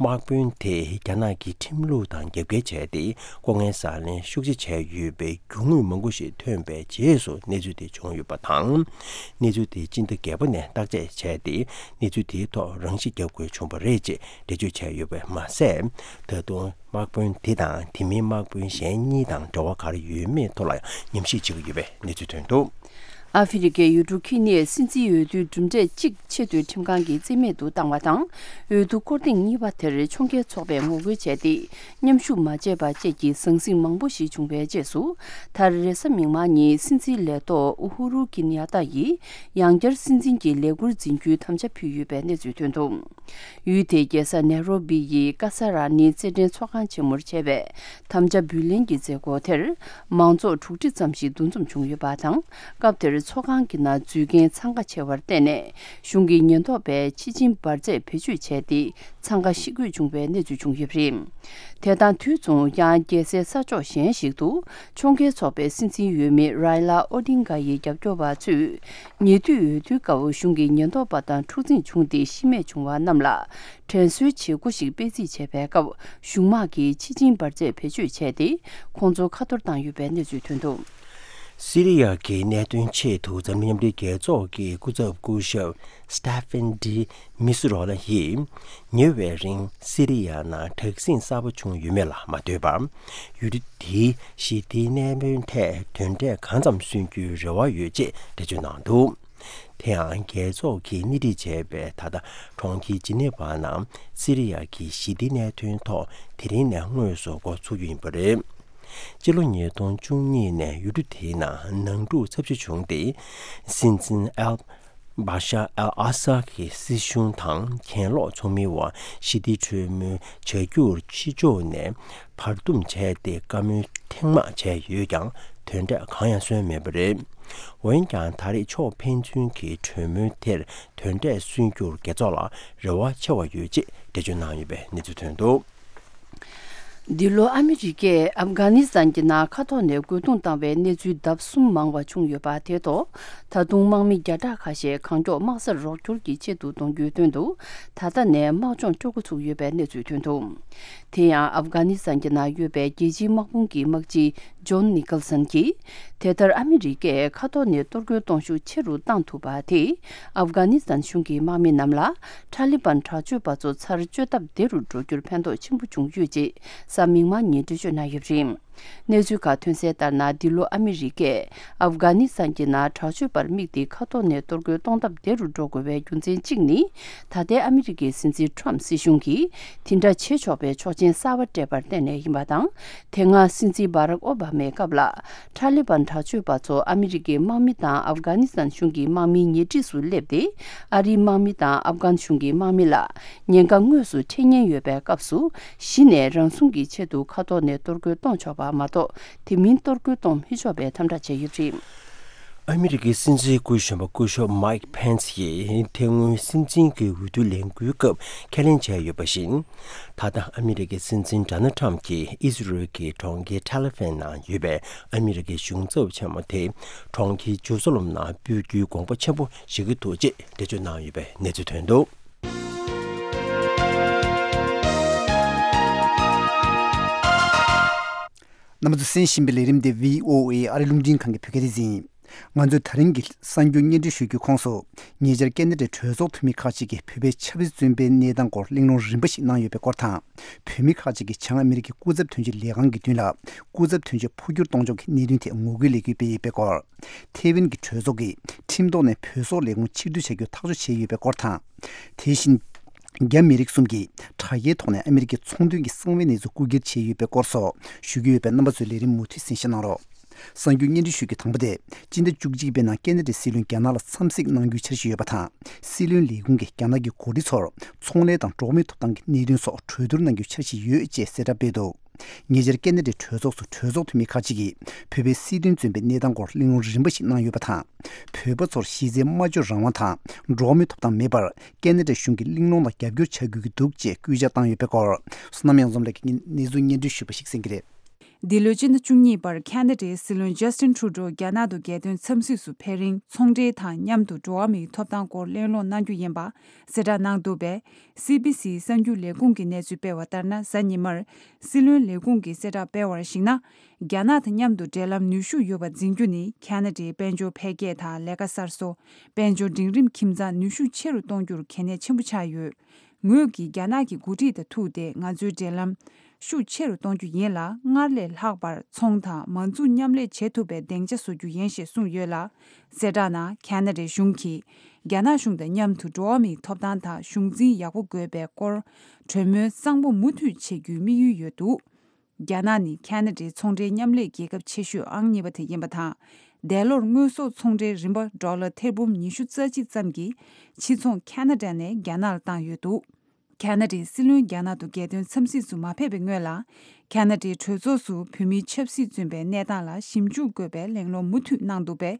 དམག་དཔོན་དེས་རྒྱ་ནག་གི་ཁྲིམས་ལུགས་དང་རྒྱབ་འགལ་བྱས་ཏེ། ལྐོག་རྔན་བཟང་ལེན་ཤུགས་ཆེ་བྱས་ཡོད་པའི་རྒྱུ་དངོས་མང་པོ་ཞིག་ཐོན་པའི་རྗེས་སུ་གནས་ཚུལ་དེ་བྱུང་ཡོད་པ་དང་། གནས་ཚུལ་དེ་སྤྱི་ཟླ་བརྒྱད་པ་ནས་བརྟག་དཔྱད་བྱས་ཏེ། གནས་ཚུལ་དེའི་ཐོག་རང་ཤི་བརྒྱབ་དགོས་བྱུང་བ་རེད་ཅེས་འགྲེལ་བརྗོད་བྱས་ཡོད་པ་མ་ཟད། ད་དུང་། དམག་དཔོན་དེ་དང་དེ་མིན་དམག་དཔོན་གཞན་གཉིས་དང་འབྲེལ་བ་ག་རེ་ཡོད་མེད་ཐོག་ལ་ཡང་ཉམས་ཞིབ་བྱེད་ཀྱི་ཡོད་པའི་གནས་ཚུལ་ཐོན་འདུག། ཨ་ཧྥེ་རི་ཁའི་ཡུལ་གྲུ་ཁི་ནི་ཡས་སྲིད་འཛིན་འོས་བསྡུའི་གྲུབ་འབྲས་གཅིག་ཆེད་དུ་ཁྲིམས་ཁང་གིས་རྩིས་མེད་དུ་བཏང་བ་དང་། འོས་བསྡུ་སྐོར་ཐེངས་གཉིས་པ་དེར་ཕྱོགས་འགལ་ཚོགས་པས་ངོ་རྒོལ་བྱས་ཏེ། མཉམ་ཞུགས་མ་བྱས་པ་བཅས་ཀྱི་ཟང་ཟིང་མང་པོ་ཞིག་བྱུང་བའི་རྗེས་སུ། མཐར་རེས་གཟའ་མིག་དམར་ཉིན་སྲིད་འཛིན་ལས་ཐོག་ཨུ་ཧུ་རུ་ཀི་ནི་ཡ་ཏཱ་ཡིས་ཡང་བསྐྱར་སྲིད་འཛིན་གྱི་ལས་འཁུར་འཛིན་རྒྱུའི་དམ་བཅའ་ཕུལ་ཡོད་པའི་གནས་ཚུལ་ཐོན་འདུག། ཡུལ་དེའི་རྒྱལ་ས་ནེ་རོ་བི་ཡི་ཀ་ས་ར་ནི་རྩེད་འགྲན་ཚོགས་ཁང་ཆེན་མོར་བྱས་པའི་དམ་བཅའ་འབུལ་ལེན་གྱི་མཛད་སྒོ་དེར། མང་ཚོགས་དྲུག་ཁྲི་ཙམ་ཞིག་འདུ་འཛོམས་བྱུང་ཡོད་པ་དང་། སྐབས་དེར། ཚོགས་ཁང་གི་ནང་འཛུལ་མཁན་འཚང་ཁ་ཆེ་བར་བརྟེན་ནས་གཞུང་གི་ཉེན་རྟོག་པས་ཕྱི་ཕྱིན་འབར་རྫས་བེད་སྤྱོད་བྱས་ཏེ་འཚང་ཁ་ཤི་དགོས་བྱུང་བའི་གནས་ཚུལ་བྱུང་ཡོད་པ་རེད། དེ་དང་དུས་མཚུངས་ཡང་རྒྱལ་སའི་ས་ཕྱོགས་གཞན་ཞིག་ཏུ་ཕྱོགས་འགལ་ཚོགས་པའི་སྲིད་འཛིན་འོས་མི་རའི་ལ་ཨོ་ཌིང་ག་ཡི་རྒྱབ་སྐྱོར་བ་ཚོས་ཉེ་དུས་འོས་བསྡུའི་སྐབས་གཞུང་གི་ཉེན་རྟོག་པ་དང་འཁྲུག་འཛིང་བྱུང་སྟེ་ཤི་རྨས་བྱུང་བ་རྣམས་ལ་དྲན་གསོའི་བྱེད་སྒོ་ཞིག་སྤེལ་རྩིས་བྱས་པའི་སྐབས་གཞུང་དམག་གིས་ཕྱི་ཕྱིན་འབར་རྫས་བེད་སྤྱོད་བྱས་ཏེ་ཁོང་ཚོ་ཁ་གཏོར་བཏང་ཡོད་པའི་གནས་ཚུལ་ཐོན་འདུག། སི་རི་ཡ་གི་གནད་དོན་ཆེད་དུ་འཛམ་གླིང་མཉམ་འབྲེལ་རྒྱལ་ཚོགས་ཀྱི་སྐུ་ཚབ་སྐུ་ཞབས་Staffan de Mistura་ཡིས་ཉེ་བའི་རིང་སི་རི་ཡ་ནང་དྲག་ཟིང་གསར་པ་བྱུང་ཡོད་མེད་ལ་མ་ལྟོས་པར་ཡུལ་གྲུ་དེའི་ཞི་བདེའི་གནད་དོན་ཐད་དོན་འབྲས་གང་ཙམ་སོན་རྒྱུའི་རེ་བ་ཡོད་ཅེས་འགྲེལ་བརྗོད་གནང་འདུག། དེ་ཡང་རྒྱལ་ཚོགས་ཀྱིས་སྣེ་ཁྲིད་བྱས་པའི་ད་ལྟ་གྲོང་ཁྱེར་ཇི་ནེ་ཝ་ནང་སི་རི་ཡ་གི་ཞི་བདེའི་གནད་དོན་ཐོག་དེ་རིང་ནས་དངོས་སུ་འགོ་ཚུགས་རྒྱུ་ཡིན་པ་རེད། སྤྱི་ལོ་ཉིས་སྟོང་བཅུ་གཉིས་ནས་ཡུལ་གྲུ་དེའི་ནང་ནང་འཁྲུག་ཚབས་ཆེ་བྱུང་སྟེ། སྲིད་འཛིན་ཨལ་བྷ་ཤར་ཨལ་ཨ་སཱད་ཀྱི་སྲིད་གཞུང་དང་གྱེན་ལོག་ཚོགས་མིའི་དབར་ཞི་བདེའི་གྲོས་མོལ་བྱ་རྒྱུར་ཕྱི་ཕྱོགས་ནས་བར་འདུམ་བྱས་ཏེ་བཀའ་མོལ་ཐེངས་མང་བྱས་ཡོད་ཀྱང་དོན་འབྲས་གང་ཡང་སོན་མེད་པ་རེད། འོན་ཀྱང་ད་རེས་ཕྱོགས་ཕན་ཚུན་གྱི་གྲོས་མོལ་དེར་དོན་འབྲས་སོན་རྒྱུར་རྒྱལ་ཚོགས་ལ་རེ་བ་ཆེ་བ་ཡོད་ཅེས་འགྲེལ་བརྗོད་གནང་ཡོད་པའི་གནས་ཚུལ་ཐོན་འདུག། འདི་ལོ་ཨ་མི་རི་ཀས་ཨབ་གྷ་ནི་སི་ཐན་གྱི་ནང་མཁའ་ཐོག་ནས་རྒོལ་རྡུང་བཏང་བའི་གནས་ཚུལ་ལྡབ་གསུམ་མང་བ་བྱུང་ཡོད་པ་དེ་ཐོག་ད་དུང་དམག་མི་བརྒྱ་ཕྲག་ཁ་ཤས་གང་མགྱོགས་དམག་སར་རོགས་སྐྱོར་གྱི་ཆེད་དུ་གཏོང་རྒྱུའི་དོན་དུ་ད་ལྟ་ནས་དམག་སྦྱོང་སྤྲོད་འགོ་ཚུགས་ཡོད་པའི་གནས་ཚུལ་ཐོན་འདུག། དེ་ཡང་ཨབ་གྷ་ནི་སི་ཐན་གྱི་ནང་ཡོད་པའི་རྒྱལ་སྤྱིའི་དམག་དཔུང་གི་དམག་སྤྱི་ཇོན་ནི་ཀལ་སན་གྱིས། དེ་ལྟར་ཨ་མི་རི་ཀས་མཁའ་ཐོག་ནས་གཏོར་རྒོལ་གཏོང་ཤུགས་ཆེ་རུ་བཏང་ཐུབ་པ་དེས་ཨབ་གྷ་ནི་སི་ཐན་གཞུང་གི་དམག་མི་རྣམས་ལ་ཐ་ལི་བན་དྲག་སྤྱོད་པ་ཚོ་ཚར་གཅོད་ཐབས་བདེ་རུ་འགྲོ་རྒྱུར་ཕན་ཐོགས་ཆེན་པོ་བྱུང་ཡོད་ཅེས་གཟའ་མིག་དམར་ཉིན་འགྲེལ་བརྗོད་གནང་ཡོད་པ་རེད། གནས་ཚུལ་ཁག་ཐོན་གསལ་ལྟར་ན། འདི་ལོ་ཨ་མི་རི་ཀས་ཨབ་གྷ་ནི་སི་ཐན་གྱི་ནང་དྲག་སྤྱོད་པར་དམིགས་ཏེ་མཁའ་ཐོག་ནས་གཏོར་རྒོལ་གཏོང་ཐབས་བདེ་རུ་འགྲོ་དགོས་པའི་རྒྱུ་མཚན་གཅིག་ནི། ད་ལྟའི་ཨ་མི་རི་ཀའི་སྲིད་འཛིན་ཁྲོམ་སྲིད་གཞུང་གིས་དེ་འདྲ་བྱེད་ཆོག་པའི་ཆོག་མཆན་གསར་པ་སྤྲད་པར་བརྟེན་ནས་ཡིན་པ་དང་། དེ་སྔ་སྲིད་འཛིན་བྷ་རག་ཨོ་བྷ་མའི་སྐབས་ལ་ཐ་ལི་བན་དྲག་སྤྱོད་པ་ཚོ་ཨ་མི་རི་ཀའི་དམག་མི་དང་ཨབ་གྷ་ནི་སི་ཐན་གཞུང་གི་དམག་མིའི་ཉེ་འཁྲིས་སུ་སླེབས་ཏེ། ཨ་རིའི་དམག་མི་དང་ཨབ་གྷན་གཞུང་གི་དམག་མི་ལ་ཉེན་ཁ་དངོས་སུ་འཕྲད་ཉེན་ཡོད་པའི་སྐབས་སུ། གཞི་ནས་རང་སྲུང་གི་ཆེད་དུ་མཁའ་ཐོག་ནས་གཏོར་རྒོལ་གཏོང་ཆོག་པ་མ་གཏོགས། དེ་མིན་གཏོར་རྒོལ་གཏོང་མི་ཆོག་པའི་དམ་དྲག་བྱས་ཡོད་པ་རེད། ཨ་མི་རི་ཀའི་སྲིད་འཛིན་སྐུ་གཞོན་པ་སྐུ་ཞབས་མའིག་ཕེན་སི་ཡིས་དེ་སྔོན་སྲིད་འཛིན་གྱི་འོས་བསྡུ་ལས་འགུལ་སྐབས་ཁས་ལེན་བྱས་ཡོད་པ་བཞིན། ད་ལྟ་ཨ་མི་རི་ཀའི་སྲིད་འཛིན་ཌོ་ནལ་ཁྲམ་གྱིས་ཨི་ཟི་རལ་གྱི་གྲོང་ཁྱེར་ཐེལ་ཨ་ཝིབ་ནང་ཡོད་པའི་ཨ་མི་རི་ཀའི་གཞུང་ཚབ་ཆེན་མོ་དེ་གྲོང་ཁྱེར་ཇེ་རུ་ཟ་ལེམ་ནང་སྤོས་རྒྱུའི་དགོངས་པ་ཆེན་པོ་བཞེས་ཀྱི་འདུག་ཅེས་འགྲེལ་བརྗོད་གནང་ཡོད་པའི་གནས་ཚུལ་ཐོན་འདུག། རྣམ་པ་ཚོས་གསན་བཞིན་པའི་ལས་རིམ་དེ་བྷི་ཨོ་ཨེ་ཨ་རི་རླུང་འཕྲིན་ཁང་གི་བོད་སྐད་སྡེ་ཚན་ཡིན། ང་ཚོས་ད་རིང་གི་གསར་འགྱུར་སྙན་སྒྲོན་ཞུ་རྒྱུའི་ཁོངས་སུ། ཉེ་ཆར་ཁེ་ན་ཌའི་གྲོས་ཚོགས་འཐུས་མི་ཁག་ཅིག་གིས་བོད་པའི་ཆབ་སྲིད་བཙོན་པའི་གནས་སྟངས་སྐོར་གླེང་སློང་རིམ་པ་ཞིག་གནང་ཡོད་པའི་སྐོར་དང་། བོད་མི་ཁག་ཅིག་གིས་བྱང་ཨ་མི་རི་ཀའི་སྐུ་ཚབ་དོན་གཅོད་ལས་ཁང་གི་མདུན་ལ། སྐུ་ཚབ་དོན་གཅོད་འཕོ་འགྱུར་གཏོང་ཕྱོགས་ཀྱི་གནད་དོན་ཐད་ངོ་རྒོལ་ལས་འགུལ་སྤེལ་ཡོད་པའི་སྐོར། ཐེ་ཝན་གྱི་གྲོས་ཚོགས་ཀྱིས་ཁྲིམས་ཐོག་ནས་བོད་སོག་ལས་ཁུངས་ཕྱིར་བསྡུ་བྱ་རྒྱུར་ཐག་གཅོད་བྱས་ཡོད་པའི་སྐོར་དང་། དེ་བཞིན། རྒྱ་མི་རིགས་གསུམ་གྱིས་དྲ་རྒྱའི་ཐོག་ནས་ཨ་མི་རི་ཀའི་ཚོང་དོན་གྱི་གསང་བའི་གནས་ཚུལ་རྐུ་འཁྱེར་བྱས་ཡོད་པའི་སྐོར་སོགས་ཞུ་རྒྱུ་ཡོད་པས། རྣམ་པ་ཚོས་ལས་རིམ་མུ་མཐུད་གསན་བཞེས་གནང་རོགས། གསར་འགྱུར་སྙན་སྒྲོན་ཞུ་རྒྱུའི་དང་པོ་དེ། སྤྱི་ཟླ་བཅུ་གཅིག་པའི་ནང་ཁེ་ན་ཌའི་སྲིད་བློན་རྒྱ་ནག་ལ་འཚམས་གཟིགས་གནང་རྒྱུའི་འཆར་གཞི་ཡོད་པ་དང་། སྲིད་བློན་ལས་ཁུངས་ཀྱིས་རྒྱ་ནག་གི་འགོ་ཁྲིད་ཚོར་ཚོང་ལས་དང་འགྲོ་བ་མིའི་ཐོབ་ཐང་གི་གནད་དོན་སོགས་གྲོས་བསྡུར་གནང་རྒྱུའི་འཆར་གཞི་ཡོད་ཅེས་གསལ་བསྒྲགས་སྤེལ་འདུག། ཉེ་ཆར་ཁེ་ན་ཌའི་གྲོས་ཚོགས་སུ་གྲོས་ཚོགས་འཐུས་མི་ཁག་ཅིག་གིས་བོད་པའི་སྲིད་དོན་བཙོན་པའི་གནས་སྟངས་སྐོར་གླེང་སློང་རིམ་པ་ཞིག་གནང་ཡོད་པ་དང་། བོད་པ་ཚོར་གཞི་རྩའི་སྨྲ་བརྗོད་རང་དབང་དང་འགྲོ་བ་མིའི་ཐོབ་ཐང་མེད་པར་ཁེ་ན་ཌ་གཞུང་གིས་གླེང་སློང་དང་རྒྱབ་སྐྱོར་བྱ་དགོས་ཀྱི་འདུག་ཅེས་སྐུལ་ལྕག་བཏང་ཡོད་པའི་སྐོར། བསོད་ནམས་གཡང་འཛོམས་ལགས་ཀྱིས་གནས་ཚུལ་སྙན་སྒྲོན་ཞུས་པ་ཞིག་གསན་གྱི་རེད། འདི་ལོའི་སྤྱི་ཟླ་བཅུ་གཉིས་པར་ཁེ་ན་ཌའི་སྲིད་བློན་ཇ་སི་ཊིན་ཁྲུ་ཌོ་རྒྱ་ནག་ཏུ་རྒྱལ་དོན་འཚམས་གཟིགས་སུ་ཕེབས་རིང་ཚོང་འབྲེལ་དང་མཉམ་དུ་འགྲོ་བ་མིའི་ཐོབ་ཐང་སྐོར་གླེང་སློང་གནང་རྒྱུ་ཡིན་པ་གསལ་བསྒྲགས་གནང་འདུག་པས། སི་བི་སིའི་གསར་འགྱུར་ལས་ཁུངས་ཀྱིས་གནས་ཚུལ་སྤེལ་བ་ལྟར་ན། གཟའ་ཉི་མར་སྲིད་བློན་ལས་ཁུངས་ཀྱིས་གསལ་བསྒྲགས་སྤེལ་བར་གཞིགས་ན། རྒྱ་ནག་དང་མཉམ་དུ་འབྲེལ་ལམ་ནུས་ཤུགས་ཡོད་པ་འཛིན་རྒྱུ་ནི་ཁེ་ན་ཌའི་དཔལ་འབྱོར་འཕེལ་རྒྱས་དང་ལས་ཀ་གསར་བཟོ། དཔལ་འབྱོར་འབྲིང་རིམ་ཁྱིམ་ཚང་ནུས་ཤུགས་ཆེ་རུ་གཏོང་རྒྱུར་གལ་གནད་ཆེན་པོ་ཆགས་ཡོད། ངོས་ཀྱིས་རྒྱ་ནག་གི་འགོ་ཁྲིད་དང་ཐུག་སྟེ་ང་ཚོའི་འབྲེལ་ལམ་ཤུགས་ཆེ་རུ་གཏོང་རྒྱུ་ཡིན་ལ། སྔར་ལས་ལྷག་པར་ཚོང་དང་མ་འཛུགས་མཉམ་ལས་བྱེད་ཐུབ་པའི་སྡིངས་ཆ་བཟོ་རྒྱུ་ཡིན་ཞེས་གསུངས་ཡོད་ལ། གསལ་བསྒྲགས་ནང་ཁེ་ན་ཌའི་གཞུང་གིས་རྒྱ་ནག་གཞུང་དང་མཉམ་དུ་འགྲོ་བ་མིའི་ཐོབ་ཐང་དང་གཞུང་འཛིན་ཡག་པོ་དགོས་པའི་སྐོར་གྲོས་མོལ་གཙང་པོ་མུ་མཐུད་བྱེད་རྒྱུའི་དམིགས་ཡུལ་ཡོད་འདུག། རྒྱ་ནག་ནི་ཁེ་ན་ཌའི་ཚོང་འབྲེལ་མཉམ་ལས་རྒྱལ་ཁབ་ཆེ་ཤོས་ཨང་གཉིས་པ་དེ་ཡིན་པ་དང་། འདས་ལོར་དངོས་ཟོག་ཚོང་འབྲེལ་རིན་པ་ཌོ་ལར་ཐེར་འབུམ་ཉི་ཤུ་རྩ་གཅིག་ཙམ་གྱི་ཕྱིར་ཚོང་ཁེ་ན་ཌ་ནས་རྒྱ་ནག་ལ་བཏང་ཡོད་འདུག། ཁེ་ན་ཌའི་སྲིད་བློན་རྒྱ་ནག་ཏུ་རྒྱལ་དོན་འཚམས་གཟིགས་སུ་མ་ཕེབས་པའི་སྔོན་ལ། ཁེ་ན་ཌའི་གྲོས་ཚོགས་སུ་བོད་མིའི་ཆབ་སྲིད་བཙོན་པའི་གནས་སྟངས་ལ་ཞིབ་འཇུག་དགོས་པའི་གླེང་སློང་མུ་མཐུད་གནང་འདུག་པས།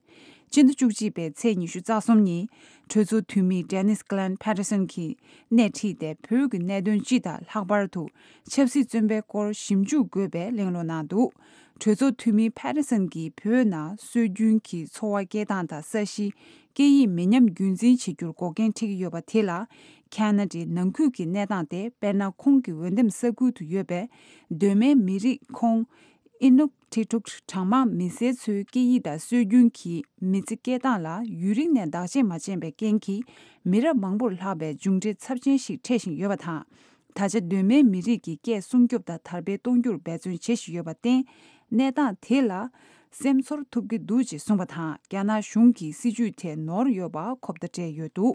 སྤྱི་ཟླ་བཅུ་གཅིག་པའི་ཚེས་ཉི་ཤུ་རྩ་གསུམ་ཉིན་གྲོས་ཚོགས་འཐུས་མི་Dennis Glenn Patterson གྱིས་སྣེ་ཁྲིད་དེ་བོད་ཀྱི་གནད་དོན་སྤྱི་དང་ལྷག་པར་དུ་ཆབ་སྲིད་བཙོན་པའི་སྐོར་ཞིབ་འཇུག་དགོས་པའི་གླེང་སློང་གནང་འདུག་གྲོས་ཚོགས་འཐུས་མི་Patterson གྱིས་བོད་ནང་སྲོལ་རྒྱུན་གྱི་འཚོ་བ་སྐྱེལ་སྟངས་དང་ས་གཞི་སྐད་ཡིག་མི་ཉམས་རྒྱུན་འཛིན་བྱེད་རྒྱུར་འགོག་རྐྱེན་འཕྲད་ཀྱི་ཡོད་པ་དེ་ལ་ཁ་ན་ཌའི་ནང་ཁུལ་གྱི་གནས་སྟངས་ཏེ། དཔེར་ན། ཁོང་གི་འོས་འདེམས་ས་ཁུལ་དུ་ཡོད་པའི་གདོད་མའི་མི་རིགས་ཁོང་Inuktitut གྲངས་མང་མི་སེར་ཚོའི་སྐད་ཡིག་དང་སྲོལ་རྒྱུན་གྱི་མི་ཚེ་སྐྱེལ་སྟངས་ལ་ཡུན་རིང་ནས་བདག་གཅེས་མ་བྱས་པའི་རྐྱེན་གྱིས། མི་རབས་མང་པོར་ལྷག་པའི་མཇུག་འབྲས་ཚབས་ཆེན་ཞིག་འཕྲད་བཞིན་ཡོད་པ་དང་། ད་ཆ་གདོད་མའི་མི་རིགས་ཀྱི་སྐད་སྲུང་སྐྱོབ་དང་དར་སྤེལ་གཏོང་རྒྱུར་འབད་བརྩོན་བྱེད་བཞིན་ཡོད་པར་བརྟེན། གནས་སྟངས་དེ་ལ་སེམས་ཚོར་ཐུབ་ཀྱི་འདུག་ཅེས་གསུངས་པ་དང་། རྒྱ་ནག་གཞུང་གི་སྲིད་བྱུས་ཐད་ནོར་ཡོད་པ་ཁོབ་བརྡ་སྤྲད་ཡོད་འདུག་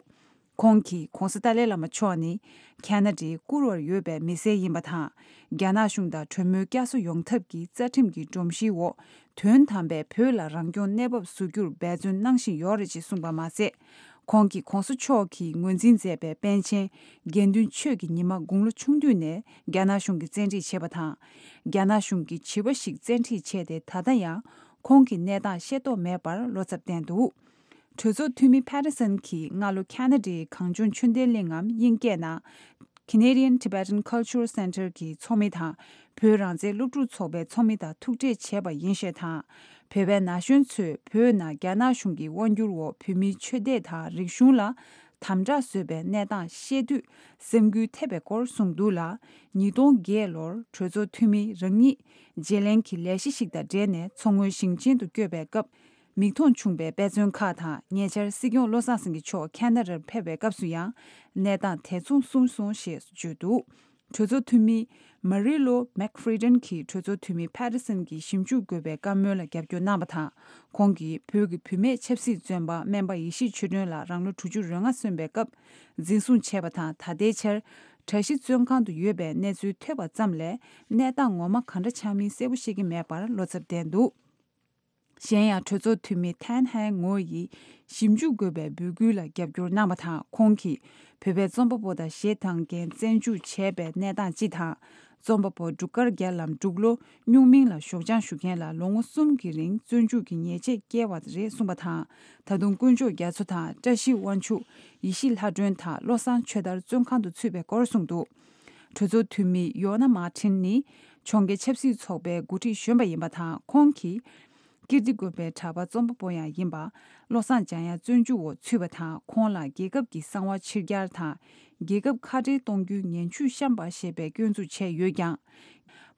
ཁོང་གིས་༧གོང་ས་ཏཱ་ལའི་བླ་མ་མཆོག་ནི་ཁ་ན་ཌའི་བཀུར་འོས་ཡོད་པའི་མི་སེར་ཡིན་པ་དང་། རྒྱ་ནག་གཞུང་དང་གྲོས་མོལ་བསྐྱར་གསོ་ཡོང་ཐབས་ཀྱི་རྩ་ཁྲིམས་ཀྱི་སྒྲོམ་གཞིའི་འོག་དོན་དམ་པའི་བོད་ལ་རང་སྐྱོང་གནས་བབ་བཟོ་རྒྱུར་འབད་བརྩོན་གནང་བཞིན་ཡོད་རེད་ཅེས་གསུངས་པ་མ་ཟད། ཁོང་གིས་༧གོང་ས་མཆོག་གིས་ངོས་འཛིན་མཛད་པའི་པཎ་ཆེན་དགེ་འདུན་ཆོས་ཀྱི་ཉི་མ་དགུང་ལོ་ཆུང་དུས་ནས་རྒྱ་ནག་གཞུང་གིས་བཙན་ཁྲིད་བྱས་པ་དང་། རྒྱ་ནག་གཞུང་གིས་བྱིས་པ་ཞིག་བཙན་ཁྲིད་བྱས་ཏེ། ད་ལྟ་ཡང་ཁོང་གི་གནས་སྟངས་ཤེས་རྟོགས་མེད་པར་བློ་འཚབ་བསྟན་འདུག་གྲོས་ཚོགས་འཐུས་མི་Patterson གྱིས་སྔ་ལོ་ཁ་ན་ཌའི་གངས་ལྗོངས་ཆོས་ལྡན་གླིང་ངམ་དབྱིན་སྐད་ནང་Canadian Tibetan Cultural Center གྱི་ཚོགས་མི་དང་། བོད་རང་བཙན་སློབ་ཕྲུག་ཚོགས་པའི་ཚོགས་མི་དང་ཐུག་འཕྲད་བྱས་པ་ཡིན་ཞེས་དང་། བོད་པའི་ན་གཞོན་ཚོས་བོད་ནང་རྒྱ་ནག་གཞུང་གི་དབང་བསྒྱུར་འོག་བོད་མིའི་ཆོས་དད་དང་རིག་གཞུང་ལ་དམ་དྲག་བཟོས་པའི་གནས་སྟངས་ཤེས་དུས་སེམས་འགུལ་ཐེབས་པའི་སྐོར་གསུངས་འདུག་ལ། ཉིས་སྟོང་བརྒྱད་ལོར་གྲོས་ཚོགས་འཐུས་མི་རང་ཉིད་བརྗེ་ལེན་གྱི་ལས་གཞི་ཞིག་དང་འབྲེལ་ནས་མཚོ་སྔོན་ཞིང་ཆེན་དུ་བསྐྱོད་པའི་སྐབས། མིག་མཐོང་བྱུང་བའི་དཔེ་མཚོན་ཁག་དང་། ཉེ་ཆར་སྲིད་སྐྱོང་བློ་བཟང་སེང་གེ་མཆོག་ཁ་ན་ཌར་ཕེབས་པའི་སྐབས་སུ་ཡང་གནས་སྟངས་དེ་མཚུངས་གསུངས་སོང་ཞེས་བརྗོད་འདུག་གྲོས་ཚོགས་འཐུས་མི་Marilo McFadden གྱིས་གྲོས་ཚོགས་འཐུས་མི་Patterson གྱིས་ཞིབ་འཇུག་དགོས་པའི་བཀའ་མོལ་ལ་རྒྱབ་སྐྱོར་གནང་བ་དང་། ཁོང་གིས་བོད་ཀྱི་བུད་མེད་ཆབ་སྲིད་བཙོན་པ་སྨན་པ་ཡེ་ཤེས་ཆོས་སྒྲོན་ལགས་རང་ལོ་དྲུག་ཅུ་རེ་ལྔ་སོན་པའི་སྐབས་འཛིན་བཟུང་བྱས་པ་དང་། ད་ལྟའི་ཆར་གྲྭ་བཞི་བཙོན་ཁང་དུ་ཡོད་པའི་གནས་ཚུལ་ཐོས་པ་ཙམ་ལས་གནས་སྟངས་ངོ་མ་གང་འདྲ་ཆགས་མིན་གསལ་པོ་ཤེས་ཀྱི་མེད་པར་བློ་འཚབ་བསྟན་འདུག་གཞན་ཡང་གྲོས་ཚོགས་འཐུས་མི་Thanh Hang ངོ་ཡིས་ཞིབ་འཇུག་དགོས་པའི་འབོད་སྐུལ་ལ་རྒྱབ་སྐྱོར་གནང་བ་དང་། ཁོང་གིས་བོད་པའི་རྩོམ་པ་པོ་དང་གཞས་བཏང་མཁན་བཙོན་འཇུག་བྱས་པའི་གནས་སྟངས་སྤྱི་དང་། རྩོམ་པ་པོ་འབྲུག་དཀར་རྒྱལ་ལམ་འབྲུག་ལོ་སྨྱུག་མིང་ལ་ཞོགས་ལྗང་ཞུ་མཁན་ལ་ལོ་ངོ་གསུམ་གྱི་རིང་བཙོན་འཇུག་གི་ཉེས་ཆད་བཀལ་བ་རེད་གསུངས་པ་དང་། ད་དུང་དཀོན་མཆོག་རྒྱ་མཚོ་དང་བཀྲ་ཤིས་དབང་ཕྱུག་ཡེ་ཤེས་ལྷ་སྒྲོན་དང་བློ་བཟང་ཆོས་དར་བཙོན་ཁང་དུ་ཚུད་པའི་སྐོར་གསུངས་འདུག་གྲོས་ཚོགས་འཐུས་མི་ཡོ་ན་མཱ་ཁྲིན་ནི་ཕྱོགས་འགལ་ཆབ་སྲིད་ཚོགས་པའི་འགོ་ཁྲིད་གཞོན་པ་ཡིན་པ་དང་། ཁོང་གིས་ཀིརྟི་དགོན་པའི་གྲྭ་པ་རྩོམ་པ་པོ་ཡང་ཡིན་པ་བློ་བཟང་འཇམ་དབྱངས་བཙོན་འཇུག་འོག་ཚུད་པ་དང་། ཁོང་ལ་རྒྱལ་ཁབ་ཀྱི་གསང་བ་ཕྱིར་གྱར་དང་། རྒྱལ་ཁབ་ཁ་བྲལ་གཏོང་རྒྱུའི་ངན་ཇུས་བཤམས་པ་ཞེས་པའི་སྐྱོན་འཛུགས་བྱས་ཡོད་ཀྱང་།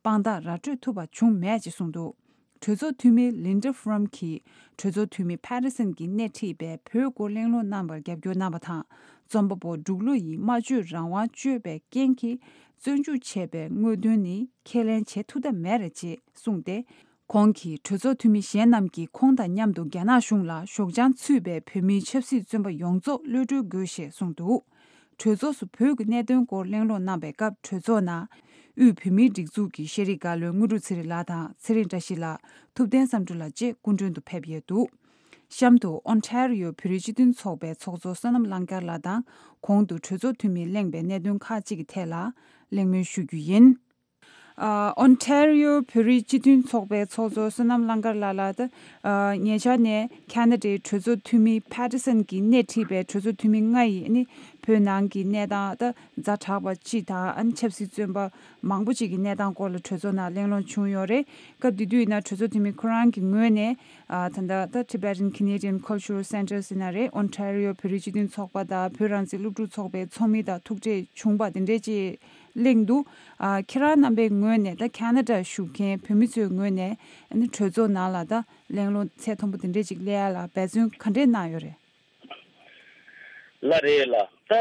དཔང་རྟགས་ར་སྤྲོད་ཐུབ་པ་བྱུང་མེད་ཅེས་གསུངས་འདུག་གྲོས་ཚོགས་འཐུས་མི་Linda Frum གྱིས་གྲོས་ཚོགས་འཐུས་མི་Patterson གྱིས་སྣེ་ཁྲིད་པའི་བོད་སྐོར་གླེང་སློང་གནང་བར་རྒྱབ་སྐྱོར་གནང་བ་དང་། རྩོམ་པ་པོ་འབྲུག་ལོ་ཡིས་སྨྲ་བརྗོད་རང་དབང་གཅོད་པའི་རྐྱེན་གྱིས་བཙོན་འཇུག་བྱས་པའི་དངོས་དོན་ནི་ཁས་ལེན་བྱེད་ཐུབ་ཐབས་མེད་རེད་ཅེས་གསུངས་ཏེ། ཁོང་གིས་གྲོས་ཚོགས་འཐུས་མི་གཞན་རྣམས་ཀྱིས་ཁོང་དང་མཉམ་དུ་རྒྱ་ནག་གཞུང་ལ་ཞོགས་ལྗང་ཚུད་པའི་བོད་མིའི་ཆབ་སྲིད་བཙོན་པ་ཡོངས་རྫོགས་གློད་གྲོལ་དགོས་ཞེས་གསུངས་འདུག་གྲོས་ཚོགས་སུ་བོད་ཀྱི་གནད་དོན་སྐོར་གླེང་སློང་གནང་བའི་སྐབས། གྲོས་ཚོགས་ནང་དབུས་བོད་མིའི་སྒྲིག་འཛུགས་ཀྱི་ཤེས་རིག་བཀའ་བློན་དངོས་གྲུབ་ཚེ་རིང་ལགས་དང་། ཚེ་རིང་བཀྲ་ཤིས་ལགས། ཐུབ་བསྟན་བསམ་གྲུབ་ལགས་བཅས་སྐུ་མགྲོན་དུ་ཕེབས་ཡོད་འདུག་གཤམ་དུ་ཨོན་ཊ་རི་ཡོ་བོད་རིགས་སྤྱི་མཐུན་ཚོགས་པའི་ཚོགས་གཙོ་བསོད་ནམས་གླང་དཀར་ལགས་དང་། གོང་དུ་གྲོས་ཚོགས་འཐུས་མིས་གླེང་བའི་གནད་དོན་ཁག་ཅིག་གི་ཐད་ལ་གླེང་མོལ་ཞུ་རྒྱུ་ཡིན། ཨ། ཨོན་ཊ་རི་ཡོ་བོད་རིགས་སྤྱི་མཐུན་ཚོགས་པའི་ཚོགས་གཙོ་བསོད་ནམས་གླང་དཀར་ལགས་ལ། ད་ཨ་ཉེ་ཆར་ནས་ཁ་ན་ཌའི་གྲོས་ཚོགས་འཐུས་མི་Patterson གྱིས་སྣེ་ཁྲིད་པའི་གྲོས་ཚོགས་འཐུས་མི་ལྔ་ཡིས་ནི་བོད་ནང་གི་གནས་སྟངས། ད་ཛ་དྲག་པ་སྤྱི་དང་། ཨ་ནི་ཆབ་སྲིད་བཙོན་པ་མང་པོ་ཅིག་གི་གནས་སྟངས་སྐོར་ལ་གྲོས་ཚོགས་ནང་གླེང་སློང་བྱུང་ཡོད་རེད། སྐབས་དེ་དུས་ཡིན་ན་གྲོས་ཚོགས་འཐུས་མི་ཁོ་རང་གི་ངོས་ནས། ཨ། ད་ལྟ་ད་Tibetan Canadian Cultural Centre ཟེར་ན་རེད། ཨོན་ཊ་རི་ཡོ་བོད་རིགས་སྤྱི་མཐུན་ཚོགས་པ་དང་བོད་རང་བཙན་སློབ་ཕྲུག་ཚོགས་པའི་ཚོགས་མི་དང་ཐུག་འཕྲད་བྱུང་བ་དེ་འདྲས་ཅིག་གླེང་འདུག་ཨ། ཁྱེད་རང་རྣམ་པའི་ངོས་ནས་ད་ཁ་ན་ཌ་བཞུགས་མཁན་བོད་མི་ཚོའི་ངོས་ནས་ཨ་ནི་གྲོས་ཚོགས་ནང་ལ་ད་གླེང་སློང་ཚད་མཐོན་པོ་དེ་འདྲས་ཅིག་སླེབས་ཡ་ལ་འབད་བརྩོན་ག་འདྲས་གནང་ཡོད་རེད། ལགས་རེད་ལགས། ད་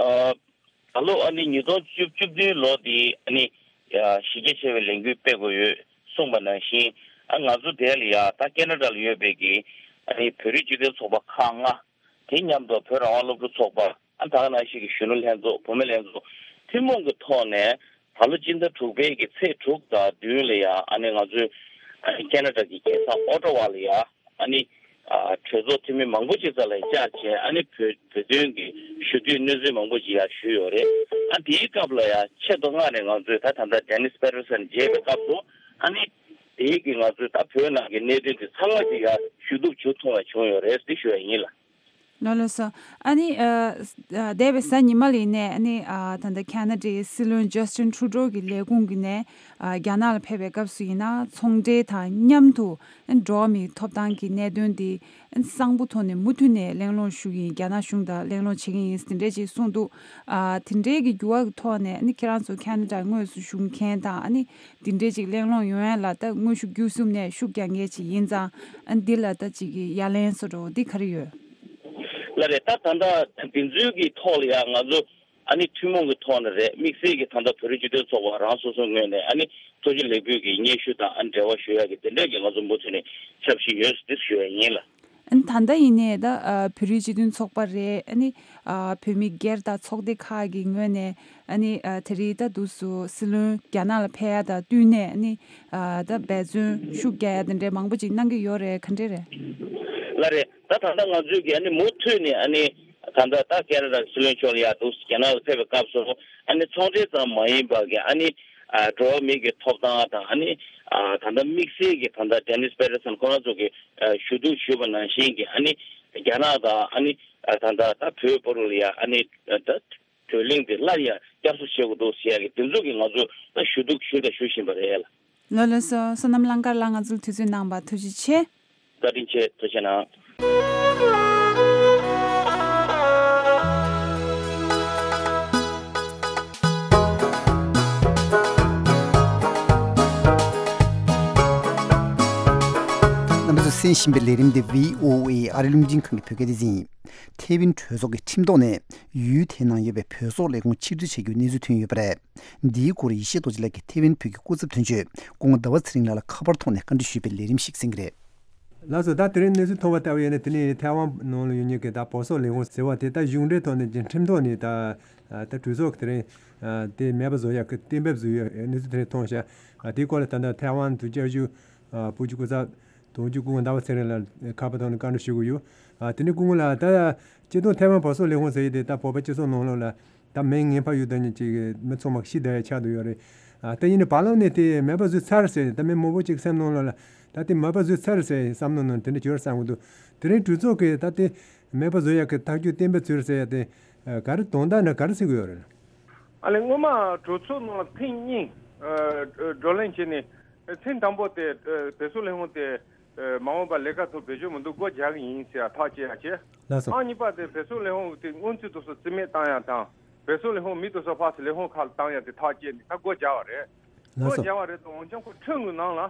ཨ་ད་ལོ་ཨ་ནི་ཉིས་སྟོང་བཅུ་བཅུ་བདུན་ལོ་དེ་ཨ་ནི་ཡ་གཞི་རྒྱ་ཆེ་བའི་ལས་འགུལ་སྤེལ་དགོས་ཡོད་གསུངས་པ་ནང་བཞིན། ཨ་ང་ཚོ་དེ་ལ་ཡ་ད་ཁ་ན་ཌ་ལ་ཡོད་པའི་གི་ཨ་ནི་བོད་རིགས་སྤྱི་མཐུན་ཚོགས་པ་ཁག་ལྔ། དེ་མཉམ་དུ་བོད་རང་དབང་སློབ་ཕྲུག་ཚོགས་པ། ཨ་ད་ག་ནང་བཞིན་གྱི་གཞོན་ནུ་ལྷན་ཚོགས། བུད་མེད་ལྷན་ཚོགས་ཐུན་མོང་གི་ཐོག་ནས་ད་ལོ་སྤྱི་ཟླ་དྲུག་པའི་གི་ཚེས་དྲུག་དང་བདུན་ལ་ཡ་ཨ་ནི་ང་ཚོའི་ཨ་ནི་ཁ་ན་ཌ་གི་རྒྱལ་ས་ཨོ་ཊ་ཝ་ལ་ཡ་ཨ་ནི་ཨ་གྲོས་ཚོགས་འཐུས་མི་མང་པོ་ཅིག་རྩ་ལ་བཅར་བྱས། ཨ་ནི་བོད་བོད་དོན་གྱི་ཞུ་གཏུག་གནས་ཚུལ་མང་པོ་ཅིག་ཡ་ཞུས་ཡོད་རེད། ཨ་དེའི་སྐབས་ལ་ཡ་ཆེད་དུ་མངགས་ནས་ང་ཚོས་ད་ད་ལྟ་Dennis Patterson མཇལ་བའི་སྐབས་སུ་ཨ་ནི། དེའི་གི་ང་ཚོའི་ད་བོད་ནང་གི་གནད་དོན་དེ་ཚང་མ་ཅིག་ཡ་ཞུ་གཏུག་བྱེད་ཐུབ་པ་བྱུང་ཡོད་རེད་ཟེར་ཞུ་ཡ་ཡིན་ལ། ལགས་ལགས་སོ། ཨ་ནི་ཨ་ཨ་འདས་པའི་གཟའ་ཉི་མ་ལ་ཡིན་ནའི་ཨ་ནི་ཨ་ད་ལྟ་ཁ་ན་ཌའི་སྲིད་བློན་ཇ་སི་ཊིན་ཁྲུ་ཌོ་གི་ལས་ཁུངས་ཀྱི་ནས་ཨ་རྒྱ་ནག་ལ་ཕེབས་པའི་སྐབས་སུ་ཡིན་ན་ཚོང་འབྲེལ་དང་མཉམ་དུ་ཨ་ནི་འགྲོ་བ་མིའི་ཐོབ་ཐང་གི་གནད་དོན་དེ་ཨ་ནི་གསང་པོ་ཐོག་ནས་མུ་མཐུད་ནས་གླེང་སློང་ཞུ་གི་ཡིན། རྒྱ་ནག་གཞུང་དང་གླེང་སློང་བྱེད་ཀྱི་ཡིན་དེ་འདྲས་ཅིག་གསུངས་འདུག་ཨ་དེ་འདྲས་ཀྱི་འགྱུར་བ་གི་ཐོག་ནས་ཨ་ནི་ཁྱེད་རང་ཚོ་ཁ་ན་ཌའི་དངོས་སུ་བཞུགས་མཁན་དང་ཨ་ནི་དེ་འདྲས་ཅིག་གླེང་སློང་ཡོང་ཡ་ལ་ད་དངོས་ཤུགས་བརྒྱུད་གསུམ་ནས་ཤུགས་རྒྱག་མཁན་ཅིག་ཡིན་ཙང་ཨ་ནི་འདི་ལ་ད་ཅིག་གི་ཡ་ལན་བཟོ་འདྲ་བོ་འདི་ག་རེ་ཡོད། ལགས་རེད། ད་ད་ལྟ་དེ་ཚོའི་གི་ཐོག་ལ་ཡ་ང་ཚོ་ཨ་ནི་ཐུན་མོང་གི་ཐོག་ནས་རེད། དམིགས་བསལ་གྱི་ད་ལྟ་བོད་རིགས་སྤྱི་མཐུན་ཚོགས་པ་རང་སོ་སོའི་ངོས་ནས་ཨ་ནི་ཐུགས་རྗེ་ལེགས་འབུལ་གྱི་སྙན་ཞུ་དང་ཨ་ནི་འབྲེལ་བ་ཞུ་ཡག་གི་དེ་འདྲས་ཀྱི་ང་ཚོ་མུ་མཐུད་ནས་ཞབས་ཕྱི་ཡོད་ཟེར་ཞུ་ཡ་ཡིན་ལ། ཨ་ནི་ད་ལྟ་ཡིན་ནའི་ད་ཨ་བོད་རིགས་སྤྱི་མཐུན་ཚོགས་པ་རེད། ཨ་ནི་ཨ་བོད་མི་སྒེར་དང་ཚོགས་སྡེ་ཁག་གི་ངོས་ནས་ཨ་ནི་ཨ་དེ་རིང་ད་དུས་སུ་སྲིད་བློན་རྒྱ་ནག་ལ་ཕེབས་ཡ་དང་བསྟུན་ནས་ཨ་ནི་ཨ་ད་འབད་བརྩོན་ཤུགས་རྒྱག་ཡ་དེ་འདྲའི་མང་པོ་ཅིག་གནང་གི་ཡོད་རེད། ག་འདྲས་རེད། ལགས་རེད། ད་ད་ལྟ་ང་ཚོས་ཀྱི་ཨ་ནི་མུ་མཐུད་ནས་ཨ་ནི་ད་ལྟ་ད་ཁེ་ན་ཌ་སྲིད་བློན་མཆོག་ལ་ཡ་འདུག་རྒྱ་ནག་ལ་ཕེབས་པའི་སྐབས་སུ་ཨ་ནི་ཚོང་འབྲེལ་ཙམ་མ་ཡིན་པ་གི་ཨ་ནི་ཨ་འགྲོ་བ་མི་གི་ཐོབ་ཐང་དང་ཨ་ནི་ཨ་ད་ལྟ་དམིགས་བསལ་གྱི་ད་ལྟ་ཌེ་ནིས་པེ་ཏར་སན་ཁོ་རང་ཚོ་གི་ཨ་ཞུ་གཏུག་ཞུས་པ་ནང་བཞིན་གྱི་ཨ་ནི་རྒྱ་ནག་དང་ཨ་ནི་ཨ་ད་ལྟ་ད་བོད་བར་ལ་ཡ་ཨ་ནི་ད་བགྲོ་གླེང་དེ་སླར་ཡང་བསྐྱར་གསོ་བྱེད་དགོས་འདུག་ཟེར་ཡ་གི་དེ་ཚོ་གི་ང་ཚོ་ད་ཞུ་གཏུག་ཞུས་དང་ཞུ་བཞིན་པ་རེད་ལ། ལགས་ལགས་སོ། བསོད་ནམས་གླང་དཀར་ལགས་ང་ཚོར་དུས་ཚོད་གནང་བར་ཐུགས་རྗེ་ཆེ། བཀའ་དྲིན་ཆེ། ཐུགས་རྗེ་གནང་། རྣམ་པ་ཚོས་གསན་བཞིན་པའི་ལས་རིམ་འདི་བྷི་ཨོ་ཨེ་ཨ་རི་རླུང་འཕྲིན་ཁང་གི་བོད་སྐད་སྡེ་ཚན་ཡིན། ཐེ་ཝན་གྲོས་ཚོགས་ཀྱི་ཁྲིམས་ཐོག་ནས་ཡུལ་དེའི་ནང་ཡོད་པའི་བོད་སོག་ལས་ཁུངས་ཕྱིར་བསྡུ་བྱ་རྒྱུའི་གནས་ཚུལ་ཐོན་ཡོད་པ་རེད། འདིའི་སྐོར་ཡེ་ཤེས་རྡོ་རྗེ་ལགས་ཀྱིས་ཐེ་ཝན་བོད་ཀྱི་སྐུ་ཚབ་དོན་གཅོད་སྐུ་ངོ་ཟླ་བ་ཚེ་རིང་ལགས་ལ་ཁ་པར་ཐོག་ནས་བཀའ་འདྲི་ཞུས་པའི་ལས་རིམ་ཞིག་གསན་གྱི་རེད། ལགས་སོ། ད་དེ་རིང་གནས་ཚུལ་ཐོན་པ་ལྟ་བུ་ཡིན་ན་དེ་ནི་ཐའེ་ཝན་ནང་ལ་ཡོད་མཁན་གྱི་ད་བོད་སོག་ལས་ཁུངས་ཟེར་བ་དེ་ད་གཞུང་འབྲེལ་ཐོག་ནས་ཀྱི་ཁྲིམས་ཐོག་ནས་ད་ད་གྲོས་ཚོགས་ཀྱི་དེ་རིང་དེ་མེད་པ་བཟོ་ཡག་གི་གཏན་འབེབས་བཟོས་ཡོད་གནས་ཚུལ་དེ་རིང་ཐོན་ཤག་དེའི་སྐོར་ལ་ད་ལྟ་ཐའེ་ཝན་དུ་བཅའ་བཞུགས་བོད་ཀྱི་སྐུ་ཚབ་དོན་གཅོད་སྐུ་ངོ་ཟླ་བ་ཚེ་རིང་ལགས་ཁ་པར་ཐོག་ནས་བཀའ་འདྲི་ཞུ་གི་ཡོད། དེ་ནས་སྐུ་ངོ་ལགས་ད་སྤྱི་བཏང་ཐའེ་ཝན་བོད་སོག་ལས་ཁུངས་ཟེར་ཡས་དེ་ད་བོད་པ་སྤྱི་ཚོགས་ནང་ལོགས་ལ་ད་མིང་ངན་པ་ཡོད་དོ་ནི་ཅིག་མི་ཚང་མ་ཤེས་བསྡད་ཡ་ཆགས་བསྡད་ཡོད་རེད། ཨ་དེ་ཡིན་ནི་བར་ལམ་ནས་དེ་མེད་པ་བཟོས་ཚར་ཟེར་ནས་ད་མི་མང་པོ་ཅིག་སེམས་ནང་ལོགས་ལ་ད་དེ་མེད་པ་བཟོས་ཚར་ཟེར་བསམ་བློ་ནང་དེ་འདྲ་བྱོས་བསམ་གི་འདུག་དེ་རིང་གྲོས་ཚོགས་ཀྱིས་ད་དེ་མེད་པ་བཟོ་ཡག་གི་ཐག་གཅོད་གཏན་འབེབས་བྱོས་ཟེར་ཡ་དེ་ག་རེ་དོན་དག་འདྲ་ག་རེ་ཟེར་གི་ཡོད་རེད། ཨ་ནི་སྔོན་མ་གྲོས་ཚོགས་ནང་ལ་ཐེངས་གཉིས་བགྲོ་གླེང་བྱས་ནས་ཐེངས་དང་པོ་དེ་བོད་སོག་ལས་ཁུངས་དེ་མ་འོངས་པར་ལས་ཀ་ཐོག་བེད་སྤྱོད་མི་འདུག་སྒོ་རྒྱག་གི་ཡིན་ཟེར་ཡ་ཐག་བཅད་ཡ་བྱས། ལགས་སོ། ཐེངས་གཉིས་པ་དེ་བོད་སོག་ལས་ཁུངས་དེ་སྔོན་ཚུད་དུ་སོ་རྩིས་མེད་བཏང་ཡ་དང་བོད་སོག་ལས་ཁུངས་མི་དུ་སོ་ཕར་ཚུར་ལས་ཁུངས་ཁག་ལ་བཏང་ཡ་དེ་ཐག་བཅད་ནས་ད་སྒོ་རྒྱག་པ་རེད། ལགས་སོ། སྒོ་རྒྱག་པ་རེད་དུ་འོན་ཀྱང་ཁོ་ཁྲིམས་ཀྱི་ནང་ལ་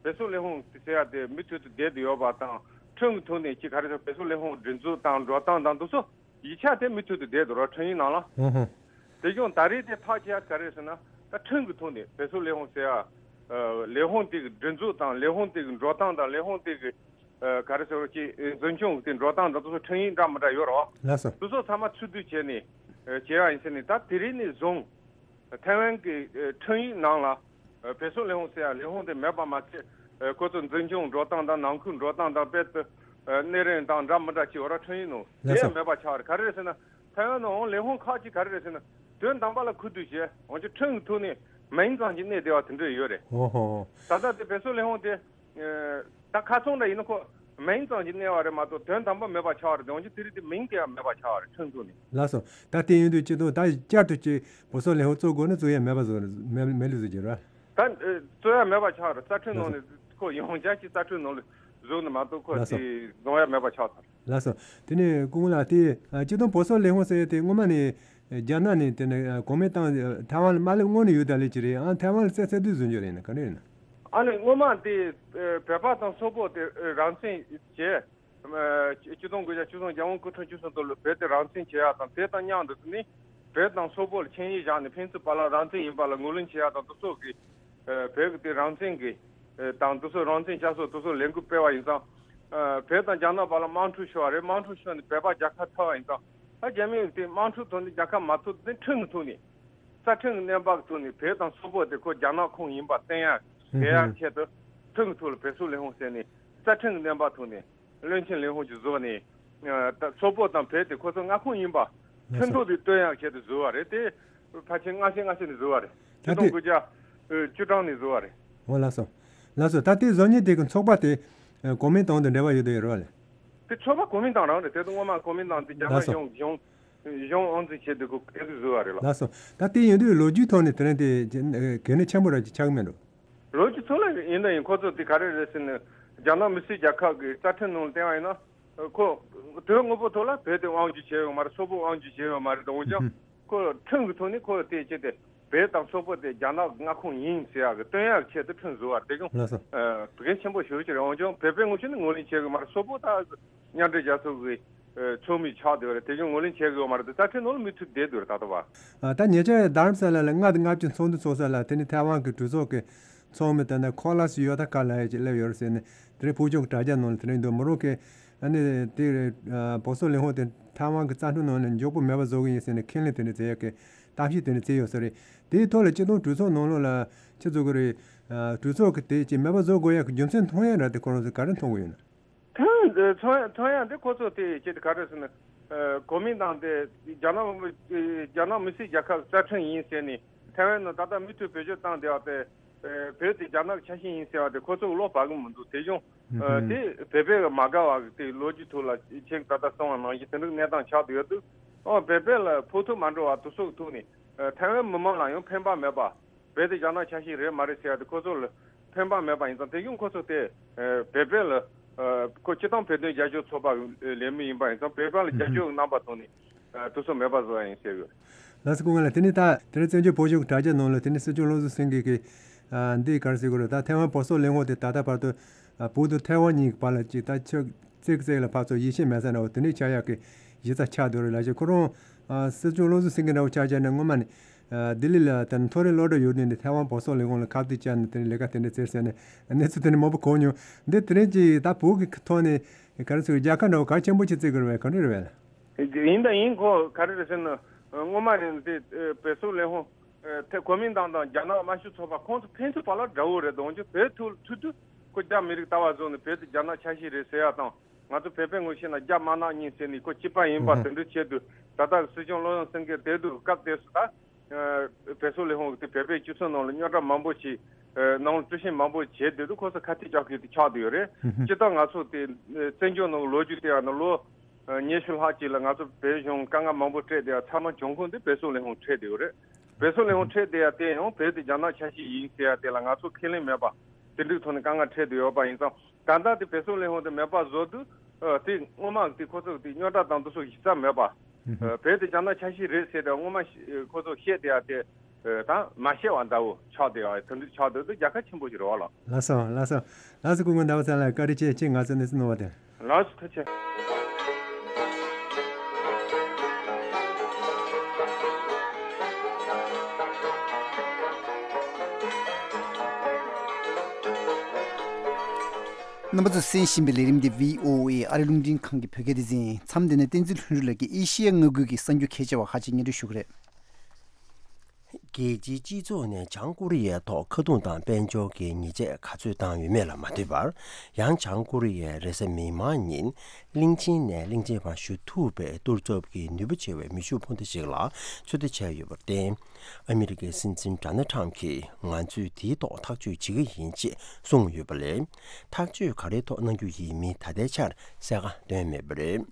བོད་སོག་ལས་ཁུངས་དེ་ཟེར་ཡ་དེ་མུ་མཐུད་དུ་བསྡད་དུ་ཡོད་པ་དང་ཁྲིམས་ཀྱི་ཐོག་ནས་ཅི་ག་རེ་ཟེར་བོད་སོག་ལས་ཁུངས་སྒྲིག་འཛུགས་དང་འགྲོ་སྟངས་དང་དུ་སོ། ཡིག་ཆ་དེ་མུ་མཐུད་དུ་བསྡད་འདུག་རོགས་ཁྲིམས་ཡིག་ནང་ལ། ཧུང་ཧུང་། དེ་ཀྱང་ད་རེས་དེ་ཐག་བཅད་ཡ་ག་རེ་ཟེར་ན་ད་ཁྲིམས་ཀྱི་ཐོག་ནས་བོད་སོག་ལས་ཁུངས་ཟེར་ཡ། ལས་ཁུངས་དེ་གི་སྒྲིག་འཛུགས་དང་ལས་ཁུངས་དེ་གི་འགྲོ་སྟངས་དང་ལས་ཁུངས་དེ་གི་ག་རེ་ཟེར་བ་ཅིག་འཛིན་སྐྱོང་གི་དེ་འགྲོ་སྟངས་དང་དེ་ཚོ་ཁྲིམས་ཡིག་འདྲ་མི་འདྲ་ཡོད་རོགས། ལགས་སོ། དེ་ཚོ་ཚང་མ་ཚུར་བསྡུ་བྱས་ནས་བྱས་ཡ་ཡིན་ཟེར་ནས་ད་དེ་རིང་ནས་བཟུང་། ཐའེ་ཝན་གྱི་ཨ་ཁྲིམས་ཡིག་ནང་ལ་ཨ་བོད་སོག་ལས་ཁུངས་ཟེར་ཡ་ལས་ཁུངས་དེ་མེད་པ་མ་ཚད་ཨ་ཁོ་ཚོ་འཛིན་སྐྱོང་འགྲོ་སྟངས་དང་ནང་ཁུལ་འགྲོ་སྟངས་དང་དཔལ་དུ་ཨ་གནས་རིམ་དང་འདྲ་མི་འདྲ་ཅིག་ཡོད་ར་ཁྲིམས་ཡིག་ནང་ལགས་དེ་སོ། ཡང་མེད་པ་ཆགས་རེད། ག་རེ་རེད་ཟེར་ན་ཐའེ་ཝན་ནང་ལས་ཁུངས་ཁག་ཅིག་ག་རེ་རེད་ཟེར་ན་དོན་དམ་པ་ལ་ཁུ་བསྡུ་བྱས་འོན་ཀྱང་ཁྲིམས་ཀྱི་ཐོག་ནས་མིང་ཙམ་ཅིག་གནས་བསྡད་པ་དེ་འདྲ་ཡོད་རེད། ཨོ་ཧོ་ཧོ། ད་ལྟ་དེ་བོད་སོག་ལས་ཁུངས་དེ། ད་ཁ་ཚོན་འདྲ་ཡིན་ན་ཁོ་མིང་ཙམ་གྱིས་གནས་པ་རེད་མ་གཏོགས་དོན་དམ་པ་མེད་པ་ཆགས་པ་རེད། འོན་ཀྱང་དེ་རིང་དེ་མིང་དེ་ཡང་མེད་པ་ཆགས་པ་རེད་ཁྲིམས་ཐོག་ནས། ལགས་སོ། ད་དེ་ཡིན་དུས་སྤྱི་དོན་ད་བསྐྱར་དུ་ཅིག་བོད་སོག་ལས་ཁུངས་བཙུགས་དགོས་ན་བཙུགས་ཡ་མེད་པ་བཟོ་མེད་མེད་ལུགས་བཟོ་གྱི་རེད། ད་བཙུགས་ཡ་མེད་པ་ཆགས་རེད། རྩ་ཁྲིམས་ནང་ནས་ཁོ་ཡང་བསྐྱར་ཅིག་རྩ་ཁྲིམས་ནང་ལ་བཟོས་ནས་མ་གཏོགས་ཁོ་ལགས་སོ། དེ་བཟོ་ཡ་མེད་པ་ཆགས་ཚར། ལགས་སོ། དེ་ནས་སྐུ་ངོ་ལགས་དེ་སྤྱི་དོན་བོད་སོག་ལས་ཁུངས་ཟེར་ཡ་དེ་སྔོན་མ་ནས་རྒྱ་ནག་ནས་དེ་ནས་གོང་མའི་ཏང་ཐའེ་ཝན་ལ་མ་སླེབས་སྔོན་ནས་ཡོད་ད་ལས་ཀྱི་རེད། ཨང་ཐའེ་ཝན་ལ་བཙལ་བཙལ་དུས་བཟོ་རྒྱུ་རེད་ན་ག་རེ་ཡིན་ན། ཨ་ནི་སྔོན་མ་དེ་བོད་པ་དང་སོག་པོ་དེ་རང་བཙན་བྱས། སྤྱི་སྤྱི་སྟོང་དགུ་བརྒྱ་བཅུ་གསུམ་རྒྱལ་དབང་སྐུ་ཕྲེང་བཅུ་གསུམ་པ་ལ་བོད་དེ་རང་བཙན་བྱེད་ཡག་དང་དེ་དང་མཉམ་དུ་ནི་བོད་དང་སོག་པོ་ལ་ཆིངས་ཡིག་བཞག་ནས་ཕན་ཚུན་བར་ལ་རང་བཙན་ཡིན་པ་ལ་ངོས་ལེན་བྱེད་ཡག་དང་དེ་སོགས་ཀྱི་བོད་ཀྱི་དེ་རང་བཙན་གྱི་དང་དེ་སོགས་རང་བཙན་བསྐྱར་གསོ་དེ་སོགས་ལས་འགུལ་སྤེལ་བ་ཡིན་ཙང་། བོད་དང་རྒྱ་ནག་བར་ལ་དམག་འཁྲུག་ཤོར་བ་རེད། དམག་འཁྲུག་ཤོར་ནས་བོད་པ་རྒྱལ་ཁ་ཐོབ་པ་ཡིན་ཙང་། ད་རྒྱ་མིས་དེ་དམག་འཁྲུག་ཐོག་ནས་རྒྱལ་ཁ་མ་ཐོབ་དེ་ཁྲིམས་ཀྱི་ཐོག་ནས་རྩ་ཁྲིམས་ཀྱི་གནས་བབ་ཀྱི་ཐོག་ནས་བོད་དང་སོག་པོ་དེ་ཁོ་རྒྱ་ནག་ཁོངས་ཡིན་པ་བསྟན་ཡག་ཧུམ་བྱེད་ཡག་ཧུམ་ཆེད་དུ་ཁྲིམས་ཀྱི་ཐོག་ལ་བོད་སོག་ལས་ཁུངས་ཟེར་ནས་རྩ་ཁྲིམས་ཀྱི་གནས་བབ་ཐོག་ནས། བློན་ཆེན་ལས་ཁུངས་ཀྱིས་བཟོས་ནས། ད་སོག་པོ་དང་བོད་དེ་ཁོ་ཚོ་མངའ་ཁོངས་ཡིན་པ། ལགས་སོ། མཐུན་གྲོགས་དེ་སྟོན་ཡག་ཆེད་དུ་བཟོས་པ་རེད་དེ། ཕལ་ཆེར་སྔ་ཕྱི་སྔ་ཕྱི་ནས་བཟོས་པ་རེད། ད་ཆིག་སྟོང་དགུ་བརྒྱ་བཅུ་གྲངས་ནས་བཟོས་པ་རེད། འོ་ལགས་སོ། ལགས་སོ། ད་ལྟའི་བཟོ་མཁན་དེ་གི་ཚོགས་པ་དེ་ཨ་གོ་མིན་ཏང་དང་འབྲེལ་བ་ཡོད་དོ་ཡོད་རེད་བ་ལེ། དེ་ཚོགས་པ་གོ་མིན་ཏང་རང་རེད། དེ་དུས་སྔོན་མ་གོ་མིན་ཏང་དེ་རྒྱ་ནག་ལགས་སོ། གཞུང་གཞུང་གཞུང་དབང་འཛིན་བྱས་དུས་ཁོ་སྐད་ཟིག་བཟོས་པ་རེད་ལ། ལགས་སོ། ད་དེ་ཡིན་དུས་ལོ་རྒྱུས་ཐོག་ནས་དེ་རིང་དེ་གལ་གནད་ཆེན་པོ་ར་ཅིག་ཆགས་ཀྱི་མེད་འགྲོ། ལོ་རྒྱུས་ཐོག་ལ་ཡིན་ད་ཡིན། ཁོ་ཚོ་དེ་ག་རེ་རེད་ཟེར་ན། རྒྱ་ནག་མི་སེར་རྒྱལ་ཁབ་ཀྱི་རྩ་ཁྲིམས་ནང་ལ་བལྟས་པ་ཡིན་ན། ཁོ་དོན་དངོས་པོ་ཐོག་ལ་བོད་དེ་དབང་སྒྱུར་བྱས་ཡོད་མ་རེད། སོག་པོ་དབང་སྒྱུར་བྱས་ཡོད་མ་རེད། འོན་ཀྱང་ཁོ་ཁྲིམས་ཀྱི་ཐོག་ནས་ཁོ་དེ་བྱས་ཏེ་བོད་དང་སོག་པོ་དེ་རྒྱ་ནག་མངའ་ཁོངས་ཡིན་ཟེར་ཡག་གི་སྟོན་ཡག་ཆེད་དུ་ཁྲིམས་བཟོ་བ་དེ་ཀྱང་ལགས་སོ། ཨ་གལ་ཆེན་པོ་ཞེ་པོ་ཅིག་རེད། འོན་ཀྱང་བོད་པའི་ངོས་ནས་ངོས་ལེན་བྱེད་དགོས་མ་རེད། སོག་པོ་ད་མཉམ་འབྲེལ་རྒྱལ་ཚོགས་ཀྱི་ཨ་ཚོགས་མི་ཆགས་བསྡད་པ་རེད། དེ་ཀྱང་ངོས་ལེན་བྱེད་དགོས་མ་རེད། དེ་རྩ་ཁྲིམས་ནང་ལ་མུ་མཐུད་བསྡད་དགོས་རེད། ད་ལྟ་བ། ཨ་ད་ཉེ་ཆར་རྡ་རམ་ས་ལ་ལ་ལྔ་དང་ལྔ་བཅུ་ཚོགས་འདུ་ཚོགས་ས་ལ་དེ་ནི་ཐའེ་ཝན་གྱི་གྲོས་ཚོགས་ཀྱི་ཚོགས་མི་དེ་ནི་ཁོ་ལ་སི་ཡོ་ཐ་ཀ་ལགས་ཡ་ཅིག་སླེབས་ཡོད་རེད་ཟེར་ནས་དེ་རིང་ཕུགས་ཆུང་དྲ་རྒྱ་ནང་ལ་དེ་རིང་འདུག་མོ་རོ་ཁའི་ཨ་ནི་དེ་རེད། ཨ་བོད་སོག་ལས་ཁུངས་དེ་ཐའེ་ཝན་གྱི་རྩ་ཁྲིམས་ནང་ནས་མགྱོགས་པོ་མེད་པ་བཟོ་གི་ཡིན་ཟེར་ནས་ཁས་ལེན་དེ་འདྲ་བྱེད་ཡག་གི་གཏམ་བཤད་དེ་འདྲ་བྱས་ཡོད་ས་རེད། དེའི་ཐོག་ལ་སྤྱི་བཏང་གྲོས་ཚོགས་ནང་ལོགས་ལ་ཆི་བཟོ་གི་རེད། ཨ་གྲོས་ཚོགས་ཀྱི་དེ་ཅིག་མེད་པ་བཟོ་དགོས་ཡག་གི་རྒྱུ་མཚན་མཐོང་ཡག་འདྲ་དེ་ཁོ་རང་ཚོས་ག་རེ་མཐོང་གི་ཡོད་ན། ཐོན་ཐོན་ཐོན་ཡག་དེ་ཁོ་ཚོ་དེ་ཅི་ག་རེ་ཟེར་ན། ཨ་གོ་མིན་ཏང་དེ་རྒྱ་ནག་རྒྱ་ནག་མི་སེར་རྒྱལ་ཁབ་རྩ་ཁྲིམས་ཡིན་ཟེར་ནས་ཐའེ་ཝན་ནང་ད་ལྟ་མུ་མཐུད་བེད་སྤྱོད་བཏང་བསྡད་པ་དེ། ཨ་བོད་དེ་རྒྱ་ནག་གི་ཆ་ཤས་ཡིན་ཟེར་བ་དེ་ཁོ་ཚོ་བློ་བབ་གི་མི་འདུག་དེ་བྱུང་། ཨ་དེ་བོད་པའི་མ་དགའ་བ་གི་དེ་ལོ་རྒྱུས་ཐོག་ལ་ཁྱེད་ད་ལྟ་གསུངས་པ་ནང་བཞིན་དེ་འདྲའི་གནས་སྟངས་ཆགས་བསྡད་ཡོད་དུས། ཨོ་བོད་པ་ལ་ཕོག་ཐུག་མ་འགྲོ་བ་དེ་ཚོ་གི་ཐོག་ནས་ཨ་ཐའེ་ཝན་མི་མང་ལ་ཡང་ཕན་པ་མེད་པ། བོད་དེ་རྒྱ་ནག་ཆ་ཤས་རེད་མ་རེད་ཟེར་ཡ་དེ་ཁོ་ཚོ་ལ་ཕན་པ་མེད་པ་ཡིན་ཙང་དེ་བཞིན་ཁོ་ཚོ་དེ་ཨ་བོད་པ་ལ་ཨ་ཁོ་སྤྱི་བཏང་བོད་དོན་རྒྱབ་སྐྱོར་ཚོགས་པ་ལས་མི་ཡིན་པ་ཡིན་ཙང་བོད་པ་ལ་རྒྱབ་སྐྱོར་གྱི་རྣམ་པ་ཐོག་ནས་ཨ་དེ་ཚོ་མེད་པ་བཟོ་ཡ་ཡིན་ཟེར་ཡོད། ལགས་སོ་སྐུ་ངོ་ལགས། དེ་ནས་ད་དེ་རིང་བཙན་བྱོལ་བོད་གཞུང་གི་དྲ་རྒྱ་ནང་ལ་དེ་ནས་སྲིད་སྐྱོང་བློ་བཟང་སེང་གེ་གིས་ཨ་འདི་ག་རེ་ཟེར་དགོས་རེད། ད་ཐའེ་ཝན་བོད་སོག་ལས་ཁུངས་དེ་ད་ལྟ་བར་དུ་ཨ་བོད་དང་ཐའེ་ཝན་གཉིས་ཀྱི་བར་ལ་ཅིག་ད་ཆུ་བརྩེགས་བརྩེགས་ལ་ཕར་ཚུར་ཡིད་ཆེས་མེད་ས་འདྲ་བོ་དེ་འདྲའི་ཆགས་ཡག་གི་གཞི་རྩ་ཆགས་བསྡད་རེད་ལབ་བྱས། ཁོ་རང་ཨ་སྲིད་སྐྱོང་བློ་བཟང་སེང་གེ་འདྲ་བོ་ཆགས་བྱས་ནས་སྔོན་མ་ནས་ཨ་ལྡི་ལི་ལ་དེ་ནས་མཐོ་རིམ་སློབ་གྲྭ་ཡོད་དུས་ནས་ཐའེ་ཝན་བོད་སོག་ལས་ཁུངས་ལ་ཁ་གཏད་བཅག་ནས་དེ་ནས་ལས་ཀ་དེ་འདྲ་བྱས་ཟེར་ནས་གནས་ཚུལ་དེ་འདྲ་མང་པོ་གོ་མྱོང་། འདི་དེ་རིང་གི་ད་བོད་ཀྱི་ཐོག་ནས་ག་རེ་ཟེར་རྒྱལ་ཁ་འདྲ་བོ་གལ་ཆེན་པོ་ཅིག་བརྩི་གི་རེད་པས། ག་འདྲ་རེད་པས། ཡིན་ད་ཡིན། ཁོ་ག་རེ་རེད་ཟེར་ན། སྔོན་མ་ནས་དེ་བོད་སོག་ལས་ཁུངས་ཐེ་གོ་མིན་ཏང་དང་རྒྱ་ནག་དམར་ཤོག་ཚོགས་པ་ཁོང་ཚོ་ཕན་ཚུན་བར་ལ་དགྲ་བོ་རེད་འོང་ཅི། བོད་ཐུག་ཐུག་དུས་ཁོ་རྒྱ་མི་རིགས་ལྟ་བ་བཟུང་ནས་བོད་དེ་རྒྱ་ནག་ཆ་ཤས་རེད་ཟེར་ཡ་དང་། ང་ཚོ་བོད་པའི་ངོས་ཤེས་ན་རྒྱ་དམར་ནག་གཉིས་ཟེར་ནས་ཁོ་གཅིག་པ་ཡིན་པ་དེ་འདྲ་བྱས་དུས། ད་ལྟ་སྲིད་སྐྱོང་བློ་བཟང་སེང་གེ་དེ་དུས་སྐབས་དེ་སུ་ད་བོད་སོག་ལས་ཁུངས་དེ་བོད་པའི་སྤྱི་ཚོགས་ནང་ལ་རྙོག་དྲ་མང་པོ་ཞིག་ནང་ལ་དཀྲུག་ཤིང་མང་པོ་བྱས་དེ་དུས་ཁོ་ཚོ་ཁ་གཏད་གཅོག་མཁན་དེ་ཆགས་བསྡད་ཡོད་རེད། སྤྱིར་བཏང་ང་ཚོ་དེ་བཙན་བྱོལ་ནང་ལོ་རྒྱུས་དེ་ཡང་ན་ལོ། ཉི་ཤུ་ལྷག་ཅིག་ལ་ང་ཚོ་བོད་གཞུང་དཀའ་ངལ་མང་པོ་འཕྲད་བསྡད་ཡ་ཚང་མ་འབྱུང་ཁུངས་དེ་བོད་སོག་ལས་ཁུངས་འཕྲད་བསྡད་ཡོད་རེད། བོད་སོག་ལས་ཁུངས་འཕྲད་བསྡད་ཡ་དེ་ཡང་བོད་དེ་རྒྱ་ནག་ཆ་ཤས་ཡིན་ཟེར་ཡ་དེ་ལ་ང་ཚོ་ཁས་ལེན་མེད་པ། དེ་འདྲའི་ཐོག་ནས་དཀའ་ངལ་འཕྲད་བསྡད་ཡོད་པ་ཡིན་ཙང་། ད་ལྟ་དེ་བོད་སོག་ལས་ཁུངས་དེ་མེད་པ་བཟོ་དུས་ཨ་དེ་སྔོན་མ་དེ་ཁོ་ཚོ་དེ་རྙོག་དྲ་དང་དེ་ཚོ་གཞི་རྩ་མེད་པ། ཨ་བོད་དེ་རྒྱ་ནག་ཆ་ཤས་རེད་ཟེར་ཏེ་སྔོན་མ་ཤ་ཁོ་ཚོ་བཤད་བསྡད་ཡ་དེ། ཨ་ད་མ་བཤད་པ་འདྲ་བོ་ཆགས་བསྡད་ཡ་དེ་འདྲ་ཆགས་བསྡད་དུས་རྒྱལ་ཁ་ཆེན་པོ་ཞིག་རེད་བ་ལགས། ལགས་སོ། ལགས་སོ། ལགས་སོ། སྐུ་ངོ་ཟླ་བ་ཚེ་ལགས་བཀའ་དྲིན་ཆེ། ཁྱེད་ང་ཚོ་གནས་ཚུལ་གནང་བ་དེ། ལགས་སོ། ཐུགས་རྗེ་ཆེ། རྣམ་པ་ཚོས་གསན་བཞིན་པའི་ལས་རིམ་འདི་བྷི་ཨོ་ཨེ་ཨ་རི་རླུང་འཕྲིན་ཁང་གི་བོད་སྐད་སྡེ་ཚན་ཡིན། མཚམས་འདི་ནས་བསྟན་འཛིན་ལྷུན་གྲུབ་ལགས་ཀྱིས་ཨེ་ཤི་ཡ་མངའ་ཁུལ་གྱི་གསར་འགྱུར་ཁྱད་ཆེ་བ་ཁག་ཅིག་སྙན་སྒྲོན་ཞུ་གི་རེད། རྒྱལ་སྤྱིའི་སྤྱི་ཚོགས་ནས་བྱང་ཀོ་རི་ཡའི་ཐོག་ཁ་རྡུང་དང་དཔལ་འབྱོར་གྱི་ཉེས་ཆད་ག་ཚོད་བཏང་ཡོད་མེད་ལ་མ་ལྟོས་པར། ཡང་བྱང་ཀོ་རི་ཡས་རེས་གཟའ་མིག་དམར་ཉིན་གླིང་ཆེན་ནས་གླིང་ཆེན་བར་བཞུད་ཐུབ་པའི་གཏོར་ཚབ་ཀྱི་ནུས་པ་ཆེ་བའི་མེ་ཤུགས་འཕུར་མདའ་ཞིག་ལ་ཚོད་ལྟ་བྱས་ཡོད་པར་བརྟེན། ཨ་མི་རི་ཀའི་སྲིད་འཛིན་ཌོ་ནལ་ཊམ་གྱིས་ང་ཚོས་དེའི་ཐོག་ཐག་གཅོད་བྱེད་ཀྱི་ཡིན་ཅེས་གསུངས་ཡོད་པ་ལས། ཐག་གཅོད་ག་རེའི་ཐོག་གནང་རྒྱུ་ཡིན་མིན་ད་ལྟའི་ཆར་གསལ་ཁ་བཏོན་མེད་པ་རེད།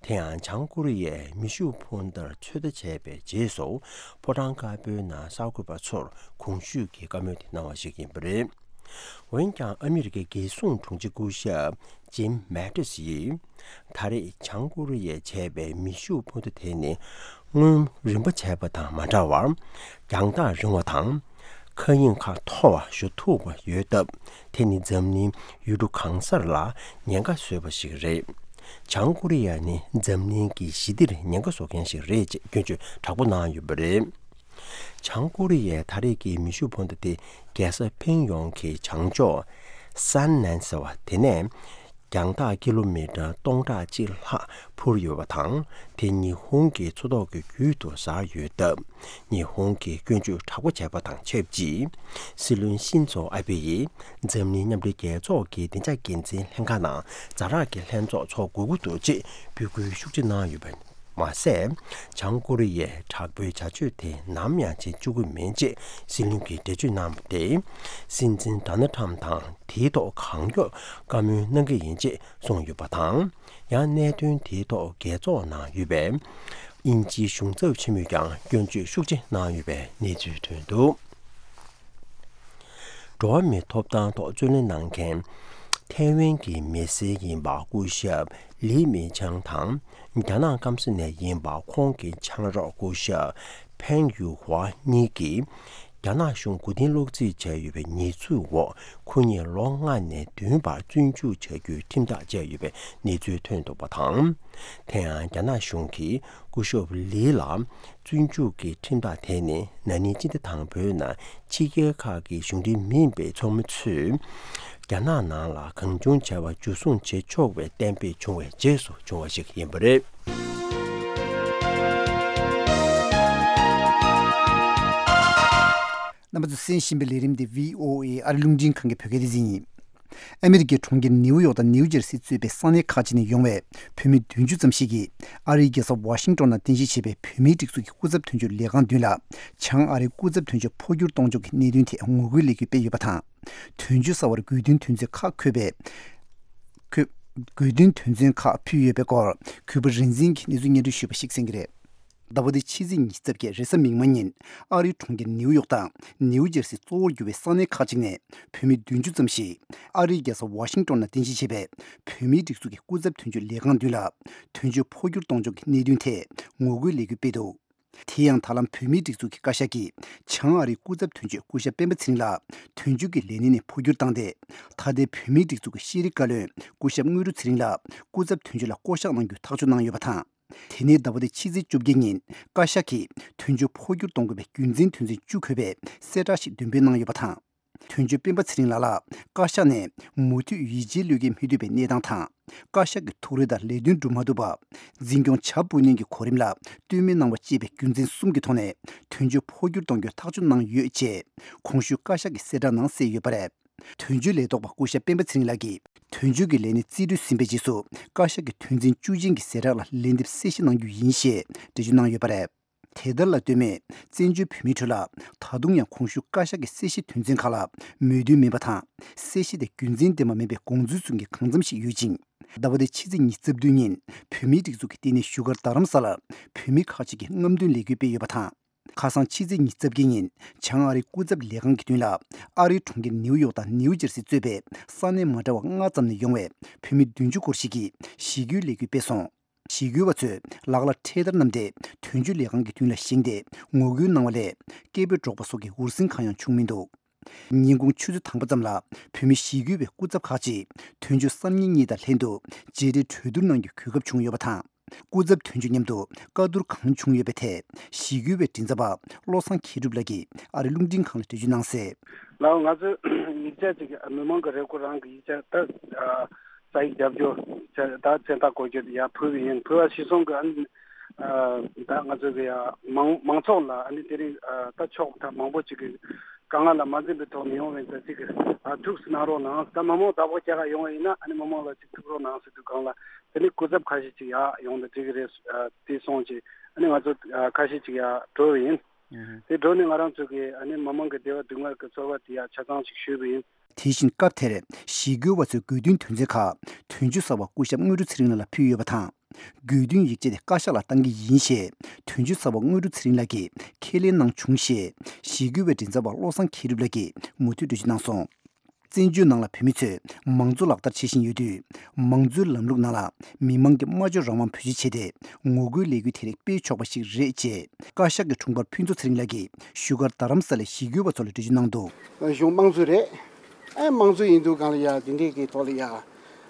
དེ་ཡང་བྱང་ཀོ་རི་ཡས་མེ་ཤུགས་འཕུར་མདའ་ཚོད་ལྟ་བྱས་པའི་རྗེས་སུ་ཕོ་བྲང་དཀར་པོའི་ནང་གསར་འགོད་པ་ཚོར་གོང་ཞུས་ཀྱི་བཀའ་མོལ་དེ་གནང་བ་ཞིག་ཡིན་པ་རེད། འོན་ཀྱང་ཨ་མི་རི་ཀའི་རྒྱལ་སྲུང་དྲུང་ཆེ་སྐུ་ཞབས་ཇིམ་མེ་ཏིས་ཡིས། ད་རེས་བྱང་ཀོ་རི་ཡས་བྱས་པའི་མེ་ཤུགས་འཕུར་མདའ་དེ་ནི་སྔོན་རིམ་པ་བྱས་པ་དང་མ་འདྲ་བར་རྒྱང་ཐག་རིང་བ་དང་། མཁའ་དབྱིངས་ཁག་མཐོ་བ་ཞུ་ཐུབ་པ་ཡོད་སྟབས། དེ་ནི་འཛམ་གླིང་ཡུལ་གྲུ་གང་སར་ལ་ཉེན་ཁ་བཟོས་པ་ཞིག་རེད། བྱང་ཀོ་རི་ཡ་ནི་འཛམ་གླིང་གི་ཞི་བདེར་ཉེན་ཁ་བཟོ་མཁན་ཞིག་རེད་ཅེས་སྐྱོན་བརྗོད་དྲག་པོ་གནང་ཡོད་པ་རེད། བྱང་ཀོ་རི་ཡའི་ད་རེས་ཀྱི་མེ་ཤུགས་འཕུར་མདའ་དེ་རྒྱལ་ས་ཕིང་ཡོང་གི་བྱང་ཕྱོགས་སན་ནན་ཟེར་བ་དེ་ནས། རྒྱང་ཐག་ཀི་ལོ་མི་ཊར་སྟོང་ཕྲག་གཅིག་ལྷག་འཕུར་ཡོད་པ་དང་། དེ་ཉི་ཧོང་གི་མཚོ་ཐོག་གི་རྒྱུད་དུ་གཟར་ཡོད་སྟབས། ཉི་ཧོང་གིས་སྐྱོན་བརྗོད་དྲག་པོ་བྱས་པ་དང་ཆབས་ཅིག་སྲིད་བློན་ཤིན་ཛོ་ཨ་བྷེ་ཡིས་འཛམ་གླིང་མཉམ་འབྲེལ་རྒྱལ་ཚོགས་ཀྱི་བདེ་འཇགས་འགན་འཛིན་ལྷན་ཁང་ནང་ཛ་དྲག་གི་ལྷན་ཚོགས་འཚོགས་དགོས་ཀྱི་འདུག་ཅེས་འབོད་སྐུལ་ཤུགས་ཆེ་གནང་ཡོད་པ། མ་ཟད། བྱང་ཀོ་རི་ཡས་དྲག་པོའི་བྱ་སྤྱོད་དེ་ནམ་ཡང་བྱེད་བཅུག་གི་མིན་ཅེས་སྲིད་བློན་གྱིས་འགྲེལ་བརྗོད་གནང་བ་སྟེ། སྲིད་འཛིན་ཌོ་ནལ་ཊམ་དང་དེའི་ཐོག་གང་མགྱོགས་བཀའ་མོལ་གནང་གི་ཡིན་ཅེས་གསུངས་ཡོད་པ་དང་། ཡང་གནད་དོན་དེའི་ཐོག་རྒྱལ་ཚོགས་ནང་ཡོད་པའི་དབྱིན་ཇིའི་གཞུང་ཚབ་ཆེན་མོས་ཀྱང་སྐྱོན་བརྗོད་ཤུགས་ཆེ་གནང་ཡོད་པའི་གནས་ཚུལ་ཐོན་འདུག། འགྲོ་བ་མིའི་ཐོབ་ཐང་ཐོག་རྩོད་ལེན་གནང་མཁན་ཐའེ་ཝན་གྱི་མི་སེར་ཡིན་པ་སྐུ་ཞབས་ལི་མི་ཆང་དང་། རྒྱ་ནག་སྐམ་ས་ནས་ཡིན་པ་ཁོང་གི་ཆང་རོགས་སྐུ་ཞབས་ཕེང་ཡུ་ཧྭ་གཉིས་ཀྱིས། རྒྱ་ནག་གཞུང་མགོ་རྟིང་སློག་རྩིས་བྱས་ཡོད་པའི་ཉེས་འཛུགས་འོག་ཁོ་གཉིས་ལོ་ལྔ་ནས་བདུན་བར་བཙོན་འཇུག་བྱ་རྒྱུའི་ཁྲིམས་ཐག་བཅད་ཡོད་པའི་གནས་ཚུལ་ཐོན་འདུག་པ་དང་། དེ་ཡང་རྒྱ་ནག་གཞུང་གིས་སྐུ་ཞབས་ལི་ལ་བཙོན་འཇུག་གི་ཁྲིམས་ཐག་དེ་ནི་ན་ནིང་སྤྱི་ཟླ་དང་པོའི་ནང་ཕྱི་རྒྱལ་ཁག་གི་གཞུང་འབྲེལ་མིན་པའི་ཚོགས་མི་ཚོས་རྒྱ་ནག་ནང་ལ་གང་བྱུང་བྱ་བ་འཇུ་བཟུང་བྱེད་ཆོག་པའི་གཏན་འབེབས་བྱུང་བའི་རྗེས་སུ་བྱུང་བ་ཞིག་ཡིན་པ་རེད། རྣམ་པ་ཚོས་གསན་བཞིན་པའི་ལས་རིམ་འདི་བྷི་ཨོ་ཨེ་ཨ་རི་རླུང་འཕྲིན་ཁང་གི་བོད་སྐད་སྡེ་ཚན་ཡིན། ཨ་མི་རི་ཀའི་གྲོང་ཁྱེར་ནེའུ་ཡོག་དང་ནེའུ་ཇར་སི་གཙོས་པའི་ས་གནས་ཁག་ཅིག་ནས་ཡོང་བའི་བོད་མི་བདུན་ཅུ་ཙམ་ཞིག་གིས་ཨ་རིའི་རྒྱལ་ས་ཝ་ཤིང་ཏོན་ནང་རྟེན་གཞི་བྱས་པའི་བོད་མིའི་སྒྲིག་འཛུགས་ཀྱི་སྐུ་ཚབ་དོན་གཅོད་ལས་ཁང་མདུན་ལ་བྱང་ཨ་རིའི་སྐུ་ཚབ་དོན་གཅོད་འཕོ་འགྱུར་གཏོང་ཕྱོགས་ཀྱི་གནད་དོན་ཐད་ངོ་རྒོལ་ལས་འགུལ་སྤེལ་ཡོད་པ་དང་། དོན་གཅོད་གསར་བར་དགོས་འདུན་དོན་ཚན་ཁག་འཁོད་པའི་འཁོད་དགོས་འདུན་དོན་ཚན་ཁག་ཕུལ་ཡོད་པའི་སྐོར་གུས་པ་རིག་འཛིན་གྱིས་གནས་ཚུལ་སྙན་སྒྲོན་ཞུས་པ་ཞིག་གསན་གྱི་རེད། ཟླ་བ་འདིའི་ཕྱི་ཚེས་ཉི་ཤུ་རྩ་བརྒྱད་རེས་གཟའ་མིག་དམར་ཉིན་ཨ་རིའི་གྲོང་ཁྱེར་ནེའུ་ཡོག་དང་ནེའུ་ཇར་སི་གཙོ་བོར་གྱུར་བའི་ས་གནས་ཁག་ཅིག་ནས་བོད་མི་བདུན་ཅུ་ཙམ་ཞིག་ཨ་རིའི་རྒྱལ་ས་ཝ་ཤིང་ཏོན་ནང་རྟེན་གཞི་བྱས་པའི་བོད་མིའི་སྒྲིག་འཛུགས་ཀྱི་སྐུ་ཚབ་དོན་གཅོད་ལས་ཁང་མདུན་ལ་དོན་གཅོད་འཕོ་འགྱུར་གཏོང་ཕྱོགས་ཀྱི་གནད་དོན་ཐད་ངོ་རྒོལ་ལས་འགུལ་སྤེལ་འདུག། དེ་ཡང་ད་ལམ་བོད་མིའི་སྒྲིག་འཛུགས་ཀྱི་བཀའ་ཤག་གིས་བྱང་ཨ་རིའི་སྐུ་ཚབ་དོན་གཅོད་སྐུ་ཞབས་སྤེན་པ་ཚེ་རིང་ལགས་དོན་གཅོད་ཀྱི་ལས་གནས་ནས་འཕོ་འགྱུར་བཏང་སྟེ། ད་ལྟའི་བོད་མིའི་སྒྲིག་འཛུགས་ཀྱི་ཤེས་རིག་བཀའ་བློན་སྐུ་ཞབས་དངོས་གྲུབ་ཚེ་རིང་ལགས་སྐུ་ཚབ་དོན་གཅོད་ལ་བསྐོ་གཞག་གནང་རྒྱུའི་ཐག་གཅོད་གནང་ཡོད་པ་དང་། དེ་ནས་ཟླ་བ་འདིའི་ཕྱི་ཚེས་བཅོ་བརྒྱད་ཉིན་བཀའ་ཤག་གིས་དོན་གཅོད་འཕོ་འགྱུར་གཏོང་དགོས་པའི་རྒྱུ་མཚན་དོན་ཚན་བཅུ་འཁོད་པའི་གསལ་བསྒྲགས་ཤིག་འདོན་སྤེལ་གནང་ཡོད་པ་དང་། དོན་གཅོད་སྤེན་པ་ཚེ་རིང་ལགས་ལ་བཀའ་ཤག་ནས་མུ་མཐུད་ཡིད་ཆེས་བློས་འགེལ་མི་ཐུབ་པའི་གནས་སྟངས་དང་། བཀའ་ཤག་གི་ཐུགས་རེ་དང་ལས་དོན་སྒྲུབ་མ་ཐུབ་པ། འཛིན་སྐྱོང་བྱ་སྤུ་ནན་གྱི་གོ་རིམ་ལ་ལྟོས་མེད་གནང་བ་བཅས་པའི་རྒྱུ་མཚན་གསུམ་གྱི་ཐོག་ནས་དོན་གཅོད་འཕོ་འགྱུར་གཏོང་རྒྱུའི་ཐག་གཅོད་གནང་ཡོད་ཅེས་གོང་ཞུས་བཀའ་ཤག་གི་གསལ་བསྒྲགས་ནང་གསལ་ཡོད་པ་རེད། དོན་གཅོད་ལས་ཐོག་པ་སྐུ་ཞབས་སྤེན་པ་ཚེ་རིང་ལགས་ཀྱིས་དོན་གཅོད་ཀྱི་ལས་གནས་རྩིས་སྤྲོད་ཟིན་པའི་རྗེས་སུ་བཀའ་ཤག་གི་དོན་ཚན་བཅུ་ཅན་གྱི་གསལ་བསྒྲགས་ལ་ལན་འདེབས་གསལ་བཤད་གནང་རྒྱུ་ཡིན་ཞེས་འགྲེལ་བརྗོད་གནང་ཡོད་པ་རེད། དེ་ལྟར་ལ་ལྟོས་མེད་བཙན་བྱོལ་བོད་མིའི་ཁྲོད་ལ་ད་དུང་ཡང་གོང་ཞུས་བཀའ་ཤག་གི་གསལ་བཤད་དོན་ཚན་ཁག་ལ་མོས་མཐུན་མིན་པ་དང་། གསལ་བཤད་དེ་རྒྱུ་མཚན་ལྡན་པ་མིན་པའི་དགོངས་ཚུལ་གསུང་མཁན་གང་འཚམ་ཞིག་ཡོད་ཅིང་། ཟླ་བ་འདིའི་ཕྱི་ཚེས་ཉི་ཤུ་རྩ་བདུན་ཉིན་བོད་མིའི་སྒྲིག་འཛུགས་ཀྱི་ལྟེ་གནས་བཞུགས་སྒར་རྡ་རམ་ས་ལར་བོད་མི་ཁག་ཅིག་གིས་རྔམ་སྟོན་ལས་འགུལ་སྤེལ་ཡོད་པ་དང་། ཁ་སང་ཕྱི་ཚེས་ཉི་ཤུ་རྩ་བརྒྱད་ཉིན་བྱང་ཨ་རིའི་སྐུ་ཚབ་ལས་ཁང་གི་མདུན་ལ་ཨ་རིའི་གྲོང་ཁྱེར་ནེའུ་ཡོག་དང་ནེའུ་ཇར་སི་གཙོས་པའི་ས་གནས་མ་འདྲ་བ་ལྔ་ཙམ་ནས་ཡོང་བའི་བོད་མི་བདུན་ཅུ་སྐོར་ཞིག་གིས་ཞི་རྒོལ་ལས་འགུལ་སྤེལ་སོང་། ཞི་རྒོལ་བ་ཚོས་ལག་ལ་འཕྲེད་དར་བསྣམས་ཏེ་དོན་གཅོད་ལས་ཁང་གི་མདུན་ལ་བཞེངས་ཏེ་ངོ་རྒོལ་གནང་བ་ལས་སྐད་འབོད་སྒྲོག་པ་སོགས་ཀྱི་འུར་ཟིང་གང་ཡང་བྱུང་མི་འདུག། ཉིན་གུང་ཆུ་ཚོད་དང་པོ་ཙམ་ལ་བོད་མི་ཞི་རྒོལ་བའི་སྐུ་ཚབ་ཁག་ཅིག་དོན་གཅོད་གསར་རྙིང་གཉིས་དང་ལྷན་དུ་མཇལ་འཕྲད་གྲོས་བསྡུར་གནང་རྒྱུའི་གོ་སྐབས་བྱུང་ཡོད་པ་དང་། སྐུ་ཚབ་དོན་གཅོད་མཉམ་དུ་བཀའ་བསྡུར་གང་བྱུང་ཡོད་པའི་ཐད་ཞི་རྒོལ་བའི་མགྲིན་ཚབ་པ་བློ་བཟང་མཁས་གྲུབ་ལགས་ཀྱིས་ཨ་རི་རླུང་འཕྲིན་ཁང་ལ་འགྲེལ་བརྗོད་གནང་གསལ། ལགས། ང་ཚོས་ཡིག་ཆ་ཅིག་མི་མང་གི་རེ་སྐུལ་རང་གི་ཡིག་ཆ་ད་ཨ་ས་ཡིག་རྒྱབ་སྐྱོར་ད་མཚན་རྟགས་འགོད་རྒྱུ་ཡར་ཕུལ་བ་ཡིན། ཕུལ་བ་གཞིར་བཟུང་གི་ཨ་ནི་ཨ་ད་ང་ཚོ་གི་ཡ་མང་མང་ཚོགས་ལ་ཨ་ནི་དེ་རིང་ཨ་ད་ཕྱོགས་མཐའ་མང་པོ་ཅིག་གི་དཀའ་ངལ་ལ་མ་འཛེམས་པའི་ཐོག་ནས་ཡོང་བའི་ད་ཅིག་ཨ་ཐུགས་སུ་གནང་རོགས་གནང་། ད་མི་མང་བདག་པོ་རྒྱག་ག་ཡོང་བ་ཡིན་ན་ཨ་ནི་མི་མང་ལ་ཅིག་ཐུག་རོགས་གནང་ཟེར་དུས་སྒང་ལ་དེ་ནི་སྐུ་ཚབ་ཁ་ཤས་ཅིག་ཡར་ཡོང་དང་འགྲིག་གི་རེད་ཨ་དེ་སོང་ཅིག་ཨ་ནི་ང་ཚོ་ཨ་ཁ་ཤས་ཅིག་ཡར་འགྲོ་བ་ཡིན། དེ་འགྲོ་ནས་ང་རང་ཚོ་གི་ཨ་ནི་མི་མང་གི་བདེ་བ་སྡུག་བསྔལ་གྱི་ཚོར་བ་དེ་ཡང་ཆ་ཚང་ཞིག་ཞུས་པ་ཡིན། དེ་བཞིན་སྐབས་དེར་ཞི་རྒོལ་བ་ཚོའི་དགོས་འདུན་དོན་ཚན་ཁག་དོན་གཅོད་གསར་པ་སྐུ་ཞབས་དངོས་གྲུབ་ཚེ་རིང་ལགས་ལ་ཕུལ་ཡོད་པ་དང་། དགོས་འདུན་ཡིག་ཆ་དེ་བཀའ་ཤག་ལ་བཏང་གི་ཡིན་ཞེས་དོན་གཅོད་གསར་པ་དངོས་གྲུབ་ཚེ་རིང་ལགས་ཀྱིས་ཁས་ལེན་གནང་བྱུང་ཞེས་ཞི་རྒོལ་བའི་མགྲིན་ཚབ་པ་བློ་བཟང་མཁས་གྲུབ་ལགས་ཀྱིས་མུ་མཐུད་འགྲེལ་བརྗོད་གནང་སོང་། བཙན་བྱོལ་ནང་ལ་བོད་མི་ཚོས་མང་གཙོ་ལག་བསྟར་བྱེད་བཞིན་ཡོད་དུས། མང་གཙོའི་ལམ་ལུགས་ནང་ལ་མི་མང་གི་སྨྲ་བརྗོད་རང་དབང་བེད་སྤྱོད་བྱས་ཏེ། ངོ་རྒོལ་ལས་འགུལ་དེ་རིགས་སྤེལ་ཆོག་པ་ཞིག་རེད་ཅེས། བཀའ་ཤག་གི་དྲུང་འཕར་ཕུན་ཚོགས་ཚེ་རིང་ལགས་ཀྱིས་བཞུགས་སྒར་རྡ་རམ་ས་ལའི་ཞི་རྒོལ་བ་ཚོ་ལ་འགྲེལ་བརྗོད་གནང་འདུག། གཞུང་དམངས་གཙོ་རེད། ཨ་དམངས་གཙོ་ཡིན་དུས་སྒང་ལ་ཡ་དེ་འདྲས་ཀྱི་ཐོག་ལ་ཡ།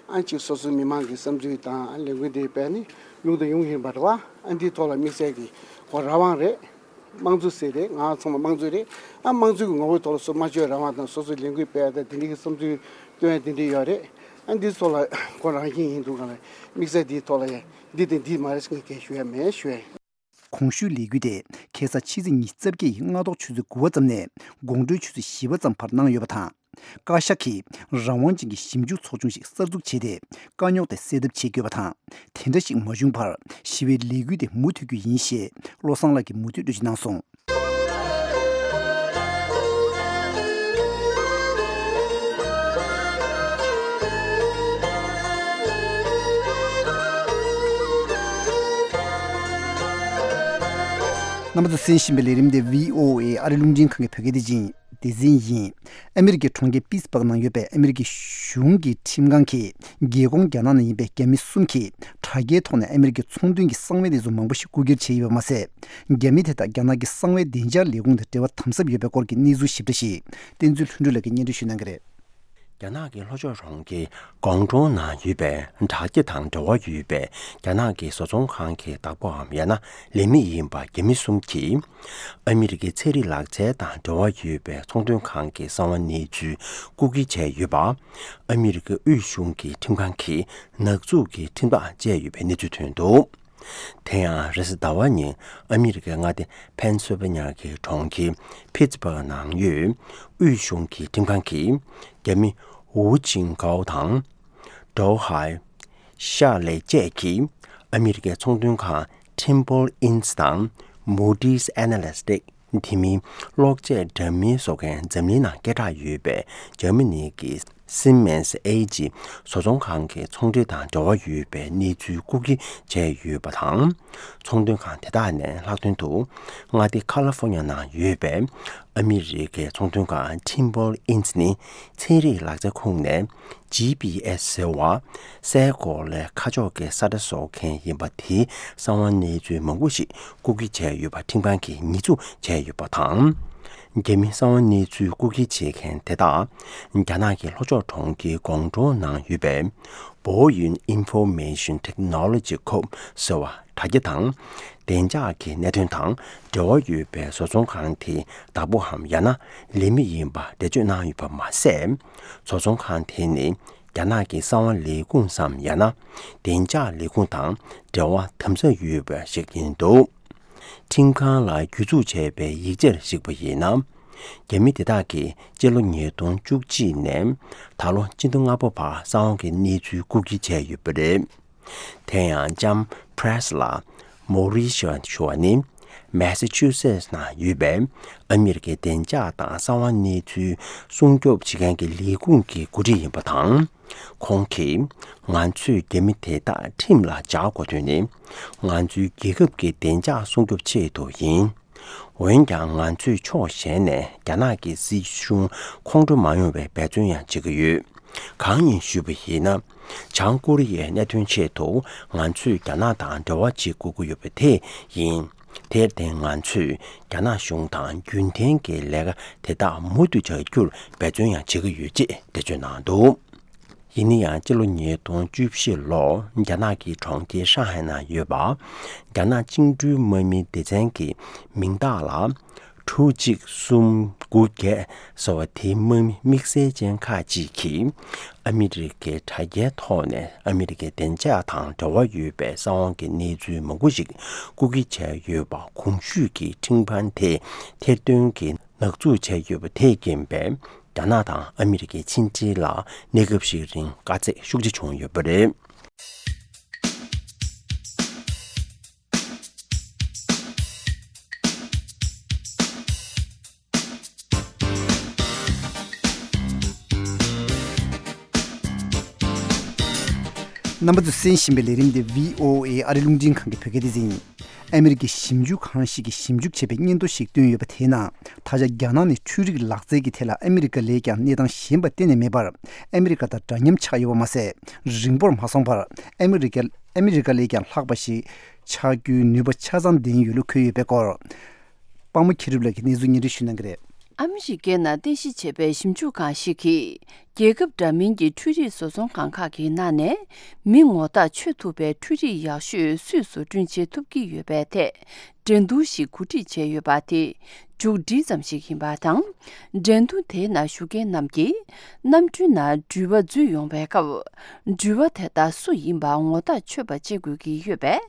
ཨ་ཅིག་སོ་སོའི་མི་མང་གི་བསམ་ཚུལ་དང་ལས་འགུལ་འདི་སྤེལ་ནས་ལུགས་དང་ཡོང་གི་ཡིན་པ་རེད་བ། ཨ་འདིའི་ཐོག་ལ་དམིགས་བསལ་གྱི་ཁོ་རང་དབང་རེད། དམངས་གཙོ་ཟེར་རེད། ང་ཚང་མ་དམངས་གཙོ་རེད། ཨ་དམངས་གཙོ་གི་ངོ་བོའི་ཐོག་ལ་སོ་སྨྲ་བརྗོད་རང་དབང་དང་སོ་སོའི་ལས་འགུལ་སྤེལ་ཡ་དང་དེ་འདྲ་གི་བསམ་ཚུལ་སྟོན་ཡ་དེ་འདྲ་ཡོད་རེད། ཨ་འདི་ཚོ་ལ་ཁོ་རང་བཞིན་ཡིན་འདུག་ག་ལ་དམིགས་བསལ་འདིའི་ཐོག་ལ་ཡ་འདི་དང་འདི་མ་རེད་ཟེར་མཁན་གང་ཞུ་ཡ་མེད་ཞུ་ཡ། གོང་ཞུས་ལས་འགུལ་དེ་ཁ་སང་ཕྱི་ཚེས་ཉི་ཤུ་རྩ་བརྒྱད་ཡི་སྔ་ཐོག་ཆུ་ཚོད་དགུ་པ་ཙམ་ནས་དགོང་དྲོའི་ཆུ་ཚོད་བཞི་པ་ཙམ་བར་གནང་ཡོད་པ་དང་། བཀའ་ཤག་གིས་རང་དབང་ཅན་གྱི་ཞིབ་འཇུག་ཚོགས་ཆུང་ཞིག་གསར་འཛུགས་བྱས་ཏེ། དཀའ་རྙོག་དེ་སེལ་ཐབས་བྱེད་དགོས་པ་དང་། དེ་འདྲ་ཞིག་མ་བྱུང་བར་ཞི་བའི་ལས་འགུལ་དེ་མུ་མཐུད་རྒྱུ་ཡིན་ཞེས་བློ་བཟང་ལགས་ཀྱིས་མུ་མཐུད་འགྲེལ་བརྗོད་གནང་སོང་། རྣམ་པ་ཚོས་གསན་བཞིན་པའི་ལས་རིམ་དེ་བྷི་ཨོ་ཨེ་ཨ་རི་རླུང་འཕྲིན་ཁང་གི་བོད་སྐད་སྡེ་ཚན་ཡིན། སྡེ་ཚན་ཡིན། ཨ་མི་རི་ཀའི་གྲོང་ཁྱེར་པིས་བྷག་ནང་ཡོད་པའི་ཨ་མི་རི་ཀའི་གཞུང་གི་ཁྲིམས་ཁང་གིས་རྒྱལ་ཁོངས་རྒྱ་ནག་ནང་ཡིན་པའི་རྒྱ་མི་གསུམ་གྱིས་དྲ་རྒྱའི་ཐོག་ནས་ཨ་མི་རི་ཀའི་ཚོང་དོན་གྱི་གསང་བའི་གནས་ཚུལ་མང་པོ་ཞིག་རྐུ་འཁྱེར་བྱས་ཡོད་པ་མ་ཟད། རྒྱ་མི་དེ་དག་རྒྱ་ནག་གི་གསང་བའི་བདེ་འཇགས་ལས་ཁུངས་དང་འབྲེལ་བ་དམ་ཟབ་ཡོད་པའི་སྐོར་གྱི་གནས་ཚུལ་ཞིབ་ཕྲ་ཞིག་བསྟན་འཛིན་ལྷུན་གྲུབ་ལགས་ཀྱིས་སྙན་སྒྲོན་ཞུ་གནང་གི་རེད། རྒྱ་ནག་གི་ལྷོ་ཕྱོགས་གྲོང་ཁྱེར་ཀོང་ཀྲོའུ་ནང་ཡོད་པའི་དྲ་རྒྱ་དང་འབྲེལ་བ་ཡོད་པའི་རྒྱ་ནག་གི་བཟོ་ཚོང་ཁང་གི་བདག་པོའམ་ཡང་ན་ལས་མི་ཡིན་པ་རྒྱ་མི་གསུམ་གྱིས། ཨ་མི་རི་ཀའི་ཚན་རིག་ལག་རྩལ་དང་འབྲེལ་བ་ཡོད་པའི་ཚོང་དོན་ཁང་གི་གསང་བ་གནས་ཚུལ་རྐུ་འཁྱེར་བྱས་ཡོད་པ། ཨ་མི་རི་ཀའི་དབུས་གཞུང་གི་ཁྲིམས་ཁང་གིས་ནག་འཛུགས་ཀྱི་ཁྲིམས་ཐག་བཅད་ཡོད་པའི་གནས་ཚུལ་ཐོན་འདུག་དེ་ཡང་རེས་གཟའ་ཟླ་བ་ཉིན་ཨ་མི་རི་ཀའི་མངའ་སྡེ་ཕེན་སིལ་ཝེ་ནི་ཡ་གི་གྲོང་ཁྱེར་ཕིཊ་སྦར་ག་ནང་ཡོད་དབུས་གཞུང་གི་ཁྲིམས་ཁང་གིས་རྒྱ་མི་ཝུ་ཅིང་གའོ་དང་། ཀྲོའུ་ཧའེ། ཤར་ལེ་བཅས་ཀྱིས་ཨ་མི་རི་ཀའི་ཚོང་དོན་ཁང་Trimble Inc དང་Moody's Analytics དེ་མིན་གློག་ཆས་འདྲ་མིན་བཟོ་མཁན་འཛམ་གླིང་ནང་སྐད་གྲགས་ཡོད་པའི་འཇར་མ་ནི་གི་Siemens A G བཟོ་ཚོང་ཁང་གི་ཚོང་འབྲེལ་དང་འབྲེལ་བ་ཡོད་པའི་གནས་ཚུལ་རྐུ་འཁྱེར་བྱས་ཡོད་པ་དང་། ཚོང་དོན་ཁང་དེ་དག་ནས་ལྷག་དོན་དུ་མངའ་སྡེ་ཁ་ལ་ཧྥོ་ཉ་ནང་ཡོད་པའི་ཨ་མི་རི་ཀའི་ཚོང་དོན་ཁང་Trimble Inc ནི་ཚན་རིག་ལག་རྩལ་ཁུངས་ནས་G P S ཟེར་བ། སའི་གོ་ལའི་ཁ་ཕྱོགས་ཀྱི་ས་ཁྲ་བཟོ་མཁན་ཡིན་པ་དེའི་གསང་བ་གནས་ཚུལ་མང་པོ་ཞིག་རྐུ་འཁྱེར་བྱས་ཡོད་པ་ཁྲིམས་ཁང་གིས་ཉེས་འཛུགས་བྱས་ཡོད་པ་དང་། རྒྱ་མིའི་གསང་བ་གནས་ཚུལ་རྐུ་འཁྱེར་བྱེད་མཁན་དེ་དག་རྒྱ་ནག་གི་ལྷོ་ཕྱོགས་གྲོང་ཁྱེར་ཀོང་ཀྲོའུ་ནང་ཡོད་པའི་Boyuan Information Technology Corp ཟེར་བ་དྲ་རྒྱ་དང་བདེ་འཇགས་ཀྱི་གནད་དོན་དང་འབྲེལ་བ་ཡོད་པའི་བཟོ་ཚོང་ཁང་དེའི་བདག་པོའམ་ཡང་ན་ལས་མི་ཡིན་པ་འགྲེལ་བརྗོད་གནང་ཡོད་པ་མ་ཟད། བཟོ་ཚོང་ཁང་དེ་ནི་རྒྱ་ནག་གི་གསང་བ་ལས་ཁུངས་སམ་ཡང་ན་བདེ་འཇགས་ལས་ཁུངས་དང་འབྲེལ་བ་དམ་ཟབ་ཡོད་པ་ཞིག་ཡིན་འདུག་ཁྲིམས་ཁང་ལ་གྱོད་འཛུགས་བྱས་པའི་ཡིག་ཆར་གཞིགས་པ་ཡིན་ན། རྒྱ་མི་དེ་དག་གིས་སྤྱི་ལོ་ཉིས་སྟོང་བཅུ་གཅིག་ནས་ད་ལོ་སྤྱི་ཟླ་ལྔ་པ་བར་གསང་བ་གི་གནས་ཚུལ་རྐུ་འཁྱེར་བྱས་ཡོད་པ་རེད། དེ་ཡང་ལྕམ་Presley Morrison ཞུ་བ་ནི་Massachusetts ནང་ཡོད་པའི་ཨ་མི་རི་ཀའི་བདེ་འཇགས་དང་གསང་བ་གནས་ཚུལ་སྲུང་སྐྱོབ་བྱེད་མཁན་གྱི་ལས་ཁུངས་ཀྱི་འགོ་ཁྲིད་ཡིན་པ་དང་། ཁོང་གིས་ང་ཚོས་རྒྱ་མི་དེ་དག་ཁྲིམས་ལ་སྦྱར་དགོས་དོན་ནི་ང་ཚོའི་རྒྱལ་ཁབ་ཀྱི་བདེ་འཇགས་སྲུང་སྐྱོབ་ཆེད་དུ་ཡིན། འོན་ཀྱང་ང་ཚོས་ཕྱོགས་གཞན་ནས་རྒྱ་ནག་གི་སྲིད་གཞུང་ཁོང་ཁྲོ་མ་ཡོང་བའི་འབད་བརྩོན་ཡང་བྱེད་ཀྱི་ཡོད། གང་ཡིན་ཞུས་པ་ཡིན་ན། བྱང་ཀོ་རི་ཡའི་གནད་དོན་ཆེད་དུ་ང་ཚོས་རྒྱ་ནག་དང་འབྲེལ་བ་བྱེད་དགོས་ཀྱི་ཡོད་པ་དེ་ཡིན། དེར་བརྟེན་ང་ཚོས་རྒྱ་ནག་གཞུང་དང་རྒྱུན་ལྡན་གྱི་ལས་ཀ་དེ་དག་མུ་མཐུད་བྱ་རྒྱུར་འབད་བརྩོན་ཡང་བྱེད་ཀྱི་ཡོད་ཅེས་འགྲེལ་བརྗོད་གནང་འདུག་ཡིན་ན་ཡང་སྤྱི་ལོ་ཉིས་སྟོང་བཅུ་བཞི་ལོར་རྒྱ་ནག་གི་གྲོང་ཁྱེར་ཧྲང་ཧའེ་ནང་ཡོད་པ། རྒྱ་ནག་བཅིངས་འགྲོལ་དམག་མིའི་སྡེ་ཚན་གྱི་མིང་རྟགས་ལ་དྲུག་གཅིག་གསུམ་དགུ་བརྒྱད་ཟེར་བ་དེའི་དམག་མི་དམིགས་བསལ་ཅན་ཁག་ཅིག་གིས་ཨ་མི་རི་ཀའི་དྲ་རྒྱའི་ཐོག་ནས་ཨ་མི་རི་ཀའི་བདེ་འཇགས་དང་འབྲེལ་བ་ཡོད་པའི་གསང་བ་གི་གནས་ཚུལ་མང་པོ་ཞིག་རྐུ་འཁྱེར་བྱས་ཡོད་པ་གོང་ཞུས་ཀྱི་ཁྲིམས་ཁང་དེས་ཐེར་འདོན་གྱི་ནག་འཛུགས་བྱས་ཡོད་པ་དེས་རྐྱེན་པས། རྒྱ་ནག་དང་ཨ་མི་རི་ཀའི་ཕྱི་འབྲེལ་ལ་གནས་སྐབས་ཤིག་རིང་དཀའ་ཚེགས་ཤུགས་ཆེ་བྱུང་ཡོད་པ་རེད། རྣམ་པ་ཚོས་གསན་བཞིན་པའི་ལས་རིམ་འདི་བྷི་ཨོ་ཨེ་ཨ་རི་རླུང་འཕྲིན་ཁང་གི་བོད་སྐད་སྡེ་ཚན་ཡིན། ཨ་མི་རི་ཀའི་ཞིབ་འཇུག་ཁང་ཞིག་གིས་ཞིབ་འཇུག་བྱས་པའི་སྙན་ཐོ་ཞིག་བཏོན་ཡོད་པ་དེའི་ནང་། ད་ཆ་རྒྱ་ནག་ནི་འཕྲུལ་རིག་ལག་རྩལ་གྱི་ཐད་ལ་ཨ་མི་རི་ཀ་ལས་ཀྱང་གནས་སྟངས་ཞན་པ་གཏན་ནས་མེད་པར། ཨ་མི་རི་ཀ་དང་འདྲ་མཉམ་ཆགས་ཡོད་པ་མ་ཟད། རིང་པོར་མ་སོང་བར། ཨ་མི་རི་ཀ་ཨ་མི་རི་ཀ་ལས་ཀྱང་ལྷག་པ་ཞིག་ཆགས་རྒྱུའི་ནུས་པ་ཆ་ཚང་ལྡན་ཡོད་ལུགས་འཁོད་ཡོད་པའི་སྐོར། དཔང་མོ་མཁྱེན་གྲུབ་ལགས་ཀྱིས་གནས་ཚུལ་སྙན་སྒྲོན་ཞུ་གནང་གི་རེད། ཨ་མི་རི་ཀའི་ནང་རྟེན་གཞི་བྱས་པའི་ཞིབ་འཇུག་ཁང་ཞིག་གིས། རྒྱལ་ཁབ་འདྲ་མིན་གྱི་འཕྲུལ་རིག་བཟོ་ཚོང་ཁང་ཁག་གི་ནང་ནས་མི་ངོ་རྟགས་ཆོད་ཐུབ་པའི་འཕྲུལ་རིག་ཡག་ཤོས་སུས་བཟོ་སྐྲུན་བྱེད་ཐུབ་ཀྱི་ཡོད་པའི་ཐད། འགྲན་བསྡུར་ཞིག་གོ་སྒྲིག་བྱས་ཡོད་པ་དེ་མཇུག་སྒྲིལ་ཙམ་ཞིག་ཡིན་པ་དང་། འགྲན་བསྡུར་དེའི་ནང་ཞུགས་མཁན་རྣམས་ཀྱིས་གནམ་གྲུའི་ནང་འགྲུལ་པ་འཛུལ་ཡོང་བའི་སྐབས། འགྲུལ་པ་དེ་དག་སུ་ཡིན་པ་ངོ་ཐག་ཆོད་པ་བྱེད་དགོས་ཀྱི་ཡོད་པས།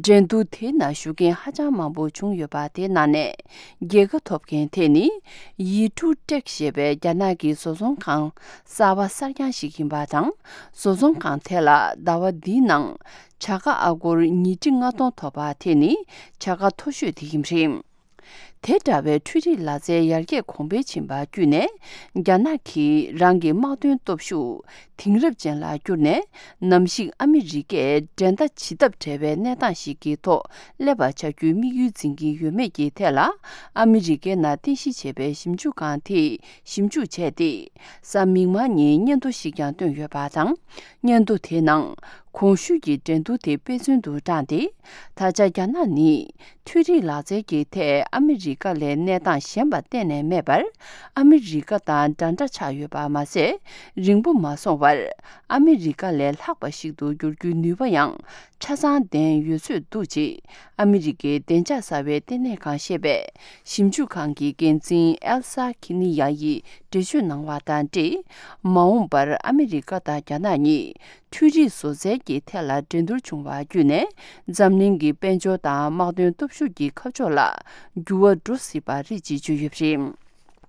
འགྲན་བསྡུར་དེའི་ནང་ཞུགས་མཁན་ཧ་ཅང་མང་པོ་བྱུང་ཡོད་པ་དེའི་ནང་ནས་རྒྱལ་ཁ་ཐོབ་མཁན་དེ་ནི། ཡི་ཀྲུ་ཀྲེག་ཞེས་པའི་རྒྱ་ནག་གི་བཟོ་ཚོང་ཁང་གསར་པ་གསར་རྐྱང་ཞིག་ཡིན་པ་དང་། བཟོ་ཚོང་ཁང་དེ་ལ་ཟླ་བ་འདིའི་ནང་བྱ་དགའ་ཨ་སྒོར་ཉིས་ཁྲི་ལྔ་སྟོང་ཐོབ་པ་དེ་ནི་བྱ་དགའ་མཐོ་ཤོས་དེ་ཡིན་པ་རེད། དེ་འདྲ་བའི་འཕྲུལ་རིག་ལག་རྩལ་ཡར་རྒྱས་གོང་འཕེལ་ཕྱིན་པ་བརྒྱུད་ནས། རྒྱ་ནག་གིས་རང་གི་དམག་དོན་སྟོབས་ཤུགས་དེང་རབས་ཅན་ལ་བསྒྱུར་ནས། ནམ་ཞིག་ཨ་མི་རི་ཀས་འགྲན་ཟླ་ཇི་ལྟར་བྲལ་བའི་གནས་སྟངས་ཤིག་གི་ཐོག་སླེབས་པ་བྱ་རྒྱུའི་དམིགས་ཡུལ་འཛིན་གྱི་ཡོད་མེད་ཀྱི་ཐད་ལ། ཨ་མི་རི་ཀའི་ནང་རྟེན་གཞི་བྱས་པའི་ཞིབ་འཇུག་ཁང་དེས་ཞིབ་འཇུག་བྱས་ཏེ། གཟའ་མིག་དམར་ཉིན་སྙན་ཐོ་ཞིག་ཀྱང་བཏོན་ཡོད་པ་དང་། སྙན་ཐོ་དེའི་ནང་གོང་ཞུས་ཀྱི་འགྲན་བསྡུར་དེ་དཔེ་མཚོན་དུ་བགྲངས་ཏེ། ད་ཆ་རྒྱ་ནག་ནི་འཕྲུལ་རིག་ལག་རྩལ་གྱི་ཐད་ཨ་མི་རི་ཀ་ལས་གནས་སྟངས་ཞན་པ་གཏན་ནས་མེད་པར། ཨ་མི་རི་ཀ་དང་འདྲ་འདྲ་ཆགས་ཡོད་པ་མ་ཟད། རིང་པོ་མ་སོང་བར་ཨ་མི་རི་ཀ་ལས་ལྷག་པ་ཞིག་ཏུ་འགྱུར་རྒྱུའི་ནུས་པ་ཡང་ཆ་ཚང་ལྡན་ཡོད་ཚོད་འདུག་ཅེས། ཨ་མི་རི་ཀའི་བདེ་འཇགས་གསར་བའི་ལྟེ་གནས་ཁང་ཞེས་པའི་ཞིབ་འཇུག་ཁང་གི་འགན་འཛིན་ཨེལ་ས་ཁི་ནི་ཡ་ཡིས་འགྲེལ་བརྗོད་གནང་བ་དང་འབྲེལ། མ་འོངས་པར་ཨ་མི་རི་ཀ་དང་རྒྱ་ནག་གཉིས་འཕྲུལ་རིག་བཟོ་རྩལ་གྱི་ཐད་ལ་འགྲན་བསྡུར་བྱུང་བ་བརྒྱུད་ནས། འཛམ་གླིང་གི་དཔལ་འབྱོར་དང་དམག་དོན་སྟོབས་ཤུགས་ཀྱི་ཁ་ཕྱོགས་ལ་འགྱུར་བ་འགྲོ་སྲིད་པ་རེད་ཅེས་བརྗོད་ཡོད་པ་རེད།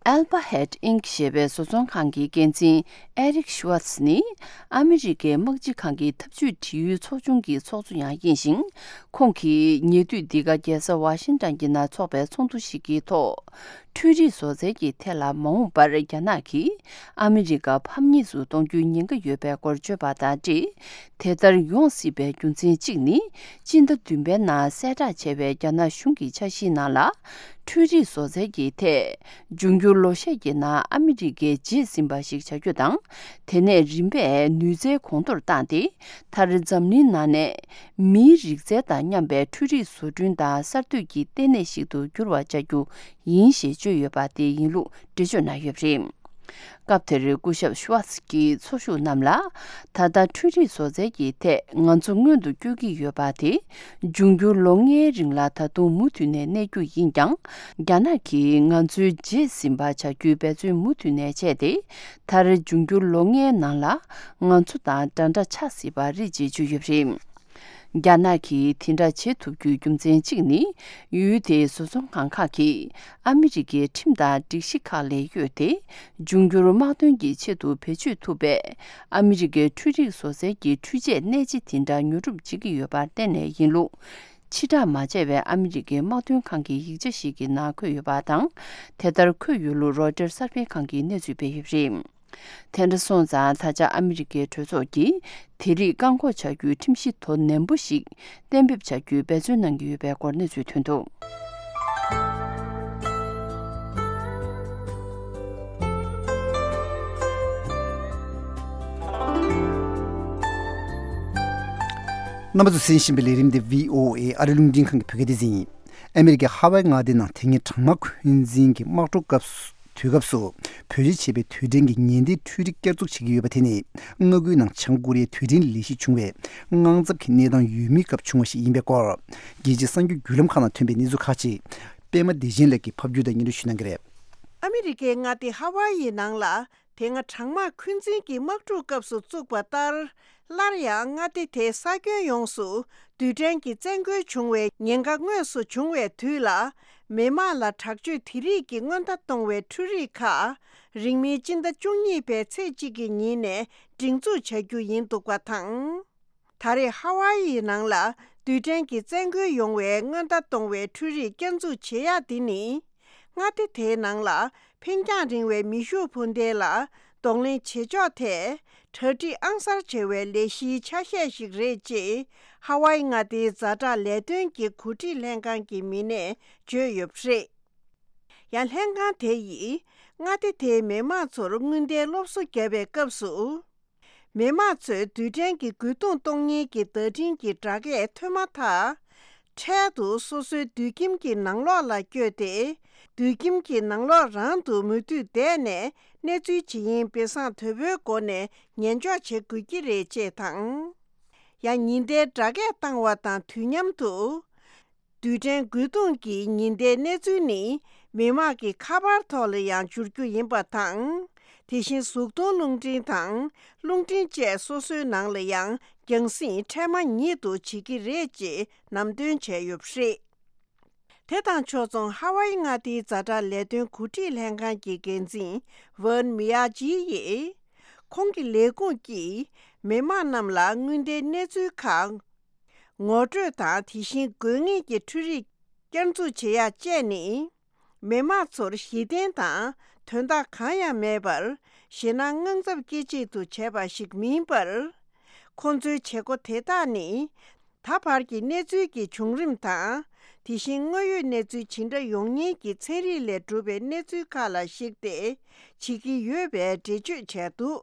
Alphabet Inc ཞེས་པའི་བཟོ་ཚོང་ཁང་གི་འགན་འཛིན་Eric Schwartz ནི། ཨ་མི་རི་ཀའི་དམག་སྤྱི་ཁང་གི་འཐབ་ཇུས་འབྲེལ་ཡོད་ཚོགས་ཆུང་གི་ཚོགས་གཙོ་ཡང་ཡིན་ཞིང་། ཁོང་གིས་ཉེ་དུས་འདི་ག་རྒྱལ་ས་ཝ་ཤིང་ཏོན་གྱི་ནང་འཚོགས་པའི་ཚོགས་འདུ་ཞིག་གི་ཐོག་འཕྲུལ་རིག་བཟོ་རྩལ་གྱི་ཐད་ལ་མ་འོངས་པར་རྒྱ་ནག་གིས་ཨ་མི་རི་ཀ་ཕམ་ཉེས་སུ་གཏོང་རྒྱུའི་ཉེན་ཁ་ཡོད་པའི་སྐོར་བརྗོད་པ་དང་འབྲེལ། དེ་ལྟར་ཡོང་སྲིད་པའི་རྒྱུ་མཚན་གཅིག་ནི། སྤྱི་ཟླ་བདུན་པའི་ནང་གསལ་བསྒྲགས་བྱས་པའི་རྒྱ་ནག་གཞུང་གི་འཆར་གཞིའི་ནང་ལ། འཕྲུལ་རིག་བཟོ་རྩལ་གྱི་ཐད། འབྱུང་འགྱུར་ལོ་ཤས་ཀྱི་ནང་ཨ་མི་རི་ཀས་རྗེས་ཟིན་པ་ཞིག་བྱ་རྒྱུ་དང་། དེ་ནས་རིམ་པས་ནུས་རྩལ་གོང་མཐོར་བཏང་སྟེ། མཐར་འཛམ་གླིང་ནང་ནས་མིའི་རིག་རྩལ་དང་མཉམ་པའི་འཕྲུལ་རིག་བཟོ་སྐྲུན་དང་གསར་གཏོད་ཀྱི་ལྟེ་གནས་ཤིག་ཏུ་འགྱུར་བ་བྱ་རྒྱུ་ཡིན་ཞེས་བརྗོད་ཡོད་པ་དེ་ཡིན་ལུགས་འགྲེལ་བརྗོད་གནང་ཡོད་པ་རེད། སྐབས་དེར་སྐུ་ཞབས་ཤུ་ཝཱ་ཙི་གིས་ཚོགས་ཞུགས་རྣམས་ལ། ད་ལྟ་འཕྲུལ་རིག་བཟོ་རྩལ་གྱི་ཐད་ང་ཚོ་སྔོན་དུ་སྐྱོད་ཀྱི་ཡོད་པ་དེ། འབྱུང་འགྱུར་ལོ་ལྔའི་རིང་ལ་ད་དུང་མུ་མཐུད་ནས་གནས་རྒྱུ་ཡིན་ཀྱང་། རྒྱ་ནག་གིས་ང་ཚོའི་རྗེས་ཟིན་པ་བྱ་རྒྱུའི་འབད་བརྩོན་མུ་མཐུད་ནས་བྱས་ཏེ། མཐར་འབྱུང་འགྱུར་ལོ་ལྔའི་ནང་ལ་ང་ཚོ་དང་འདྲ་འདྲ་ཆགས་སྲིད་པ་རེད་ཅེས་བརྗོད་ཡོད་པ་རེད། རྒྱ་ནག་གིས་དེ་འདྲ་བྱེད་ཐུབ་རྒྱུའི་རྒྱུ་མཚན་གཅིག་ནི། ཡུལ་དེའི་བཟོ་ཚོང་ཁང་ཁག་གིས་ཨ་མི་རི་ཀའི་ཁྲིམས་དང་སྒྲིག་གཞི་ཁག་ལས་གཡོལ་ཏེ། འབྱུང་འགྱུར་དམག་དོན་གྱི་ཆེད་དུ་བེད་སྤྱོད་ཐུབ་པའི་ཨ་མི་རི་ཀའི་འཕྲུལ་རིག་བཟོ་རྩལ་གྱི་འཕྲུལ་ཆས་གནད་ཆེ་དེ་འདྲ་ཉོ་སྒྲུབ་བྱེད་ཀྱི་ཡོད་པར་བརྟེན་ནས་ཡིན་ལུགས། ཕྱིར་བསྒྲགས་མ་བྱས་པའི་ཨ་མི་རི་ཀའི་དམག་དོན་ཁང་གི་ཡིག་ཆ་ཞིག་གི་ནང་འཁོད་ཡོད་པ་དང་། དེ་ལྟར་འཁོད་ཡོད་ལུགས་རོའི་ཊར་གསར་སྤེལ་ཁང་གིས་གནས་ཚུལ་སྤེལ་ཡོད་པ་རེད། དེ་འདྲ་སོང་ཙང་། ད་ཆ་ཨ་མི་རི་ཀའི་གྲོས་ཚོགས་ཀྱིས་དེ་རིགས་བཀག་འགོག་བྱ་རྒྱུའི་ཁྲིམས་གཞི་དོ་ནན་པོ་ཞིག་གཏན་འབེབས་བྱ་རྒྱུའི་འབད་བརྩོན་གནང་གི་ཡོད་པའི་སྐོར་གནས་ཚུལ་ཐོན་འདུག། རྣམ་པ་ཚོས་གསན་བཞིན་པའི་ལས་རིམ་འདི་བྷི་ཨོ་ཨེ་ཨ་རི་རླུང་འཕྲིན་ཁང་གི་བོད་སྐད་སྡེ་ཚན་ཡིན། ཨ་མི་རི་ཀའི་ཧ་ཝའི་མངའ་སྡེའི་ནང་དེ་སྔའི་གྲང་དམག་འཁོན་འཛིན་གྱི་དམག་འཁྲུག་སྐབས་སུ། དུས་སྐབས་སུ་བེད་སྤྱོད་བྱས་པའི་དུས་དྲན་གྱི་ངན་ལྡན་འཕྲུལ་རིག་བསྐྱར་འཛུགས་བྱེད་ཀྱི་ཡོད་པ་དེ་ནི། མངའ་ཁུལ་ནང་བྱང་ཀོ་རི་ཡའི་དུས་དྲན་ལས་གཞི་བྱུང་བའི་དངངས་འཚབ་ཀྱི་གནས་སྟངས་ཡོད་མུས་སྐབས་བྱུང་བ་ཞིག་ཡིན་པའི་སྐོར། རྒྱལ་སྤྱིའི་གསར་འགྱུར་བརྒྱུད་ལམ་ཁག་ནང་ཐོན་པའི་གནས་ཚུལ་ཁག་ཅིག་པད་མ་བདེ་ཆེན་ལགས་ཀྱིས་ཕབ་སྒྱུར་དང་སྙན་སྒྲོན་ཞུ་གནང་གི་རེད། ཨ་མི་རི་ཀའི་མངའ་སྡེ་ཧ་ཝཱ་ཡི་ནང་ལ། དེ་སྔ་གྲང་དམག་འཁོན་འཛིན་གྱི་དམག་འཁྲུག་སྐབས་སུ་བཙུགས་པ་ལྟར། སླར་ཡང་མངའ་སྡེ་དེའི་ས་ཁྱོན་ཡོངས་སུ་རྡུལ་ཕྲན་གྱི་བཙན་རྒོལ་བྱུང་བའི་ཉེན་ཁ་དངོས་སུ་བྱུང་བའི་དུས་ལ། མི་དམངས་ལ་དྲག་སྤྱོད་དེ་རིགས་ཀྱི་སྔོན་བརྡ་གཏོང་བའི་འཕྲུལ་རིག་ཁག་རིང་མིན་སྤྱི་ཟླ་བཅུ་གཉིས་པའི་ཚེས་གཅིག་གི་ཉིན་ནས་སྒྲིག་འཛུགས་བྱ་རྒྱུ་ཡིན་འདུག་པ་དང་། ད་རེས་ཧ་ཝཱ་ཡི་ནང་ལ་རྡུལ་ཕྲན་གྱི་བཙན་རྒོལ་ཡོང་བའི་སྔོན་བརྡ་གཏོང་བའི་འཕྲུལ་རིག་བསྐྱར་འཛུགས་བྱེད་ཡག་འདི་ནི། མངའ་སྡེ་དེའི་ནང་ལ་འཕེན་རྒྱང་རིང་བའི་མེ་ཤུགས་འཕུར་མདེལ་ལ་གདོང་ལེན་བྱེད་ཕྱོགས་ཐད་གྲ་སྒྲིག་ཨང་གསར་བྱེད་པའི་ལས་གཞིའི་ཆ་ཤས་ཤིག་རེད་ཅེས་ཧ་ཝཱ་ཡི་མངའ་སྡེའི་ཛ་དྲག་ལས་དོན་གྱི་འགོ་ཁྲིད་ལྷན་ཁང་གི་མི་སྣས་བརྗོད་ཡོད་པ་རེད། ཡང་ལྷན་ཁང་དེ་ཡིས་མངའ་སྡེ་དེའི་མི་དམངས་ཚོར་དངོས་བརྡའི་སློབ་གསོ་བརྒྱབ་པའི་སྐབས་སུ། མི་དམངས་ཚོས་རྡུལ་ཕྲན་གྱི་རྒོལ་རྡུང་གཏོང་ཉེན་གྱི་བརྡ་འཕྲིན་གྱི་སྒྲ་སྐད་ཐོས་མ་ཐག་འཕྲལ་དུ་སོ་སོའི་དུད་ཁྱིམ་གྱི་ནང་ལོགས་ལ་བསྐྱོད་དེ། དུད་ཁྱིམ་གྱི་ནང་ལོགས་རང་དུ་མུ་མཐུད་བསྡད་ནས་གནས་ཚུལ་ཇི་ཡིན་སྦས་གསང་དོད་པོའི་སྒོ་ནས་ཉན་འཇོག་བྱེད་དགོས་ཀྱི་རེད་ཅེས་དང་། ཡང་ཉི་ཟླའི་སྒྲ་སྐད་བཏང་བ་དང་དུས་མཉམ་དུ། རྡུལ་ཕྲན་རྒོལ་རྡུང་གི་ཉེན་བརྡའི་གནས་ཚུལ་ནི་མི་དམངས་ཀྱི་ཁ་པར་ཐོག་ལ་ཡང་འབྱོར་རྒྱུ་ཡིན་པ་དང་། དེ་བཞིན་གཟུགས་མཐོང་རླུང་འཕྲིན་དང་རླུང་འཕྲིན་བཅས་སོ་སོའི་ནང་ལ་ཡང་རྒྱང་སྲིང་འཕྲལ་མ་ཉིད་དུ་བྱེད་ཀྱི་རེད་ཅེས་ནམ་སྟོན་བྱས་ཡོད་པ་རེད། དེ་དང་ཕྱོགས་མཚུངས་ཧ་ཝཱ་ཡི་མངའ་སྡེའི་ཛ་དྲག་ལས་དོན་འགོ་ཁྲིད་ལྷན་ཁང་གི་འགན་འཛིན་ཝན་མི་ཡ་ཇི་ཡིས། ཁོང་གི་ལས་ཁུངས་ཀྱིས་མི་དམངས་རྣམས་ལ་སྔོན་བརྡའི་གནས་ཚུལ་ཁག་ངོ་སྤྲོད་དང་། དེ་བཞིན་དགོས་ངེས་ཀྱི་འཕྲུལ་རིག་བསྐྱར་འཛུགས་བྱེད་ཡག་བཅས་ནི། མི་དམངས་ཚོར་གཞི་རྟེན་དང་དོན་དག་གང་ཡང་མེད་པར། ཞེད་སྣང་དངངས་འཚབ་སྐྱེད་ཆེད་དུ་བྱས་པ་ཞིག་མིན་པར། ཁོང་ཚོའི་བྱེད་སྒོ་དེ་དག་ནི། ད་བར་གྱི་གནས་ཚུལ་གྱི་བྱུང་རིམ་དང་། དེ་བཞིན་དངོས་ཡོད་གནས་ཚུལ་ཇི་འདྲ་ཡོང་ཉེན་གྱི་ཚན་རིག་ལས་གྲུབ་པའི་གནས་ཚུལ་ཁག་ལ་གཞིགས་ཏེ་བྱེད་ཀྱི་ཡོད་པའི་འགྲེལ་བརྗོད་བྱས་འདུག་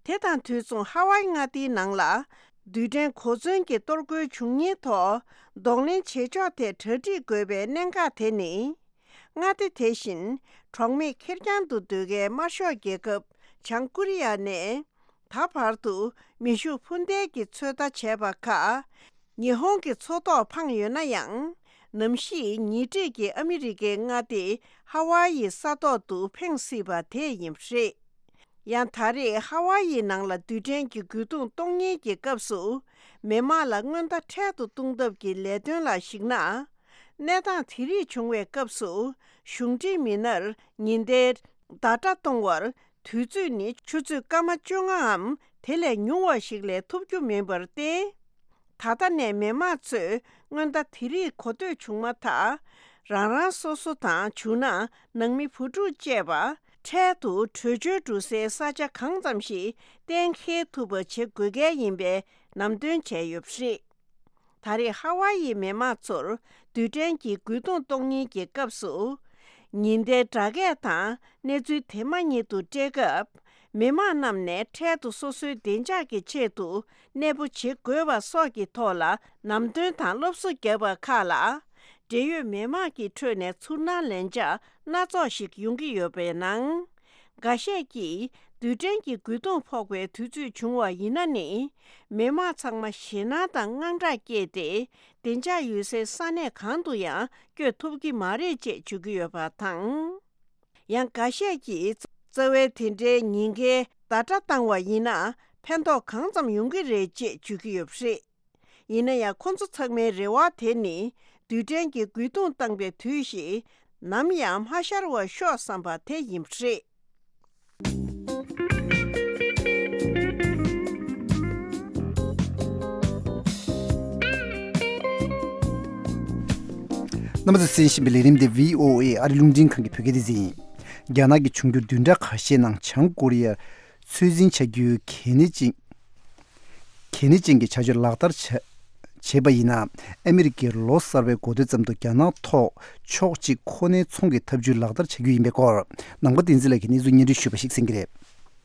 དེ་དང་དུས་མཚུངས་ཧ་ཝཱ་ཡི་མངའ་སྡེའི་ནང་ལ་རྡུལ་ཕྲན་གོ་མཚོན་གྱི་གཏོར་རྒོལ་བྱུང་ཉེན་ཐོག་གདོང་ལེན་བྱེད་ཕྱོགས་ཐད་གྲ་སྒྲིག་དགོས་པའི་གནད་འགག་དེ་ནི། མངའ་སྡེ་དེ་བཞིན་གྲོགས་མེད་ཁེར་རྐྱང་དུ་སྡོད་མཁན་དམར་ཤོག་རྒྱལ་ཁབ་བྱང་ཀོ་རི་ཡ་ནས་ད་བར་དུ་མེ་ཤུགས་འཕུར་མདེལ་གྱི་ཚོད་ལྟ་བྱས་པ་ཁག་ཉི་ཧོང་གི་མཚོ་ཐོག་འཕངས་ཡོད་ན་ཡང་། ནམ་ཞིག་ཉེ་འཁྲིས་ཀྱི་ཨ་མི་རི་ཀའི་མངའ་སྡེ་ཧ་ཝཱ་ཡི་ས་ཐོག་ཏུ་འཕེན་སྲིད་པ་དེ་ཡིན་པ་རེད། ཡང་ད་རེས་ཧ་ཝཱ་ཡི་ནང་ལ་རྡུལ་ཕྲན་གྱི་རྒོལ་རྡུང་གཏོང་ཉེན་གྱི་སྐབས་སུ་མི་དམངས་ལ་སྔོན་བརྡ་འཕྲལ་དུ་གཏོང་ཐབས་ཀྱི་ལས་དོན་ལ་གཞིགས་ན། གནས་སྟངས་དེ་རིགས་བྱུང་བའི་སྐབས་སུ་གཞུང་འབྲེལ་མི་སྣར་ཉེན་བརྡའི་བརྡ་སྒྲ་གཏོང་བར་དུས་ཚོད་ནི་ཆུ་ཚོད་སྐར་མ་བཅོ་ལྔའམ་དེ་ལས་ཉུང་བ་ཞིག་ལས་ཐོབ་རྒྱུ་མིན་པར་བརྟེན། ད་ལྟ་ནས་མི་དམངས་ཚོས་སྔོན་བརྡ་དེ་རིགས་གོ་ཐོས་བྱུང་མ་ཐག་རང་རང་སོ་སོ་དང་། བྱུང་ན་ནང་མི་བུ་ཕྲུག་བཅས་པ་འཕྲལ་དུ་བྲོས་བྱོལ་འགྲོ་སའི་ས་ཆ་གང་ཙམ་ཞིག་གཏན་འཁེལ་ཐུབ་པ་བྱེད་དགོས་གལ་ཡིན་པའི་ནམ་སྟོན་བྱས་ཡོད་པ་རེད། ད་རེས་ཧ་ཝཱ་ཡི་མི་དམངས་ཚོར་རྡུལ་ཕྲན་གྱི་རྒོལ་རྡུང་གཏོང་ཉེན་གྱི་སྐབས་སུ། ཉེན་བརྡའི་སྒྲ་སྐད་དང་གནས་ཚུལ་དེ་མ་ཉིད་དུ་སྤྲད་སྐབས། མི་དམངས་རྣམས་ནས་འཕྲལ་དུ་སོ་སོའི་བདེ་འཇགས་ཀྱི་ཆེད་དུ་གནས་སྤོ་བྱེད་དགོས་པ་སོགས་ཀྱི་ཐོག་ལ་ལམ་སྟོན་དང་སློབ་གསོ་བརྒྱབ་པ་ཁག་ལ། འབྲེལ་ཡོད་མི་དམངས་ཀྱི་ཁྲོད་ནས་ཚུར་སྣང་ལན་ཆགས་སྣ་ཚོགས་ཤིག་ཡོང་གི་ཡོད་པའི་ནང་། འགའ་ཤས་ཀྱིས་རྡུལ་ཕྲན་གྱི་རྒོལ་རྡུང་ཕོག་པའི་དུས་ཚོད་བྱུང་བ་ཡིན་ན་ནི། མི་དམངས་ཚང་མ་ཞེད་སྣང་དང་དངངས་སྐྲག་སྐྱེས་ཏེ། བདེ་འཇགས་ཡོད་སའི་ས་གནས་གང་དུ་ཡང་བསྐྱོད་ཐུབ་ཀྱི་མ་རེད་ཅེས་བརྗོད་ཀྱི་ཡོད་པ་དང་། ཡང་འགའ་ཤས་ཀྱིས་རྩ་བའི་དེ་འདྲའི་ཉེན་ཁའི་བརྡ་སྒྲ་བཏང་བ་ཡིན་ན་ཕན་ཐོགས་གང་ཙམ་ཡོང་གི་རེད་ཅེས་བརྗོད་ཀྱི་ཡོད་པ་རེད། ཡིན་ན་ཡང་ཁོ་ཚོ་ཚང་མའི་རེ་བ་དེ་ནི་རྡུལ་ཕྲན་གྱི་རྒོལ་རྡུང་བཏང་པའི་དུས་ཤིག་ནམ་ཡང་མ་ཤར་བར་ཤོག་བསམ་པ་དེ་ཡིན་པ་རེད། རྣམ་པ་ཚོས་གསན་བཞིན་པའི་ལས་རིམ་འདི་བྷི་ཨོ་ཨེ་ཨ་རི་རླུང་འཕྲིན་ཁང་གི་བོད་སྐད་སྡེ་ཚན་ཡིན། རྒྱ་ནག་གི་འབྱུང་འགྱུར་བདུན་ཕྲག་ཁ་ཤས་ནང་བྱང་ཀོ་རི་ཡ་ཚོད་འཛིན་བྱ་རྒྱུའི་གལ་གནད་ཅན། གལ་གནད་ཅན་གྱི་བྱ་སྤྱོད་ལག་བསྟར་བྱ་བྱས་པ་ཡིན་ན། ཨ་མི་རི་ཀས་ལོ་གསར་པའི་འགོ་སྟོད་ཙམ་དུ་རྒྱ་ནག་ཐོག་ཕྱོགས་གཅིག་ཁོ་ནའི་ཚོང་གི་ཐབས་ཇུས་ལག་བསྟར་བྱ་རྒྱུ་ཡིན་པའི་སྐོར། ནང་པ་བསྟན་འཛིན་ལགས་ཀྱིས་གནས་ཚུལ་སྙན་སྒྲོན་ཞུས་པ་ཞིག་གསན་གྱི་རེད།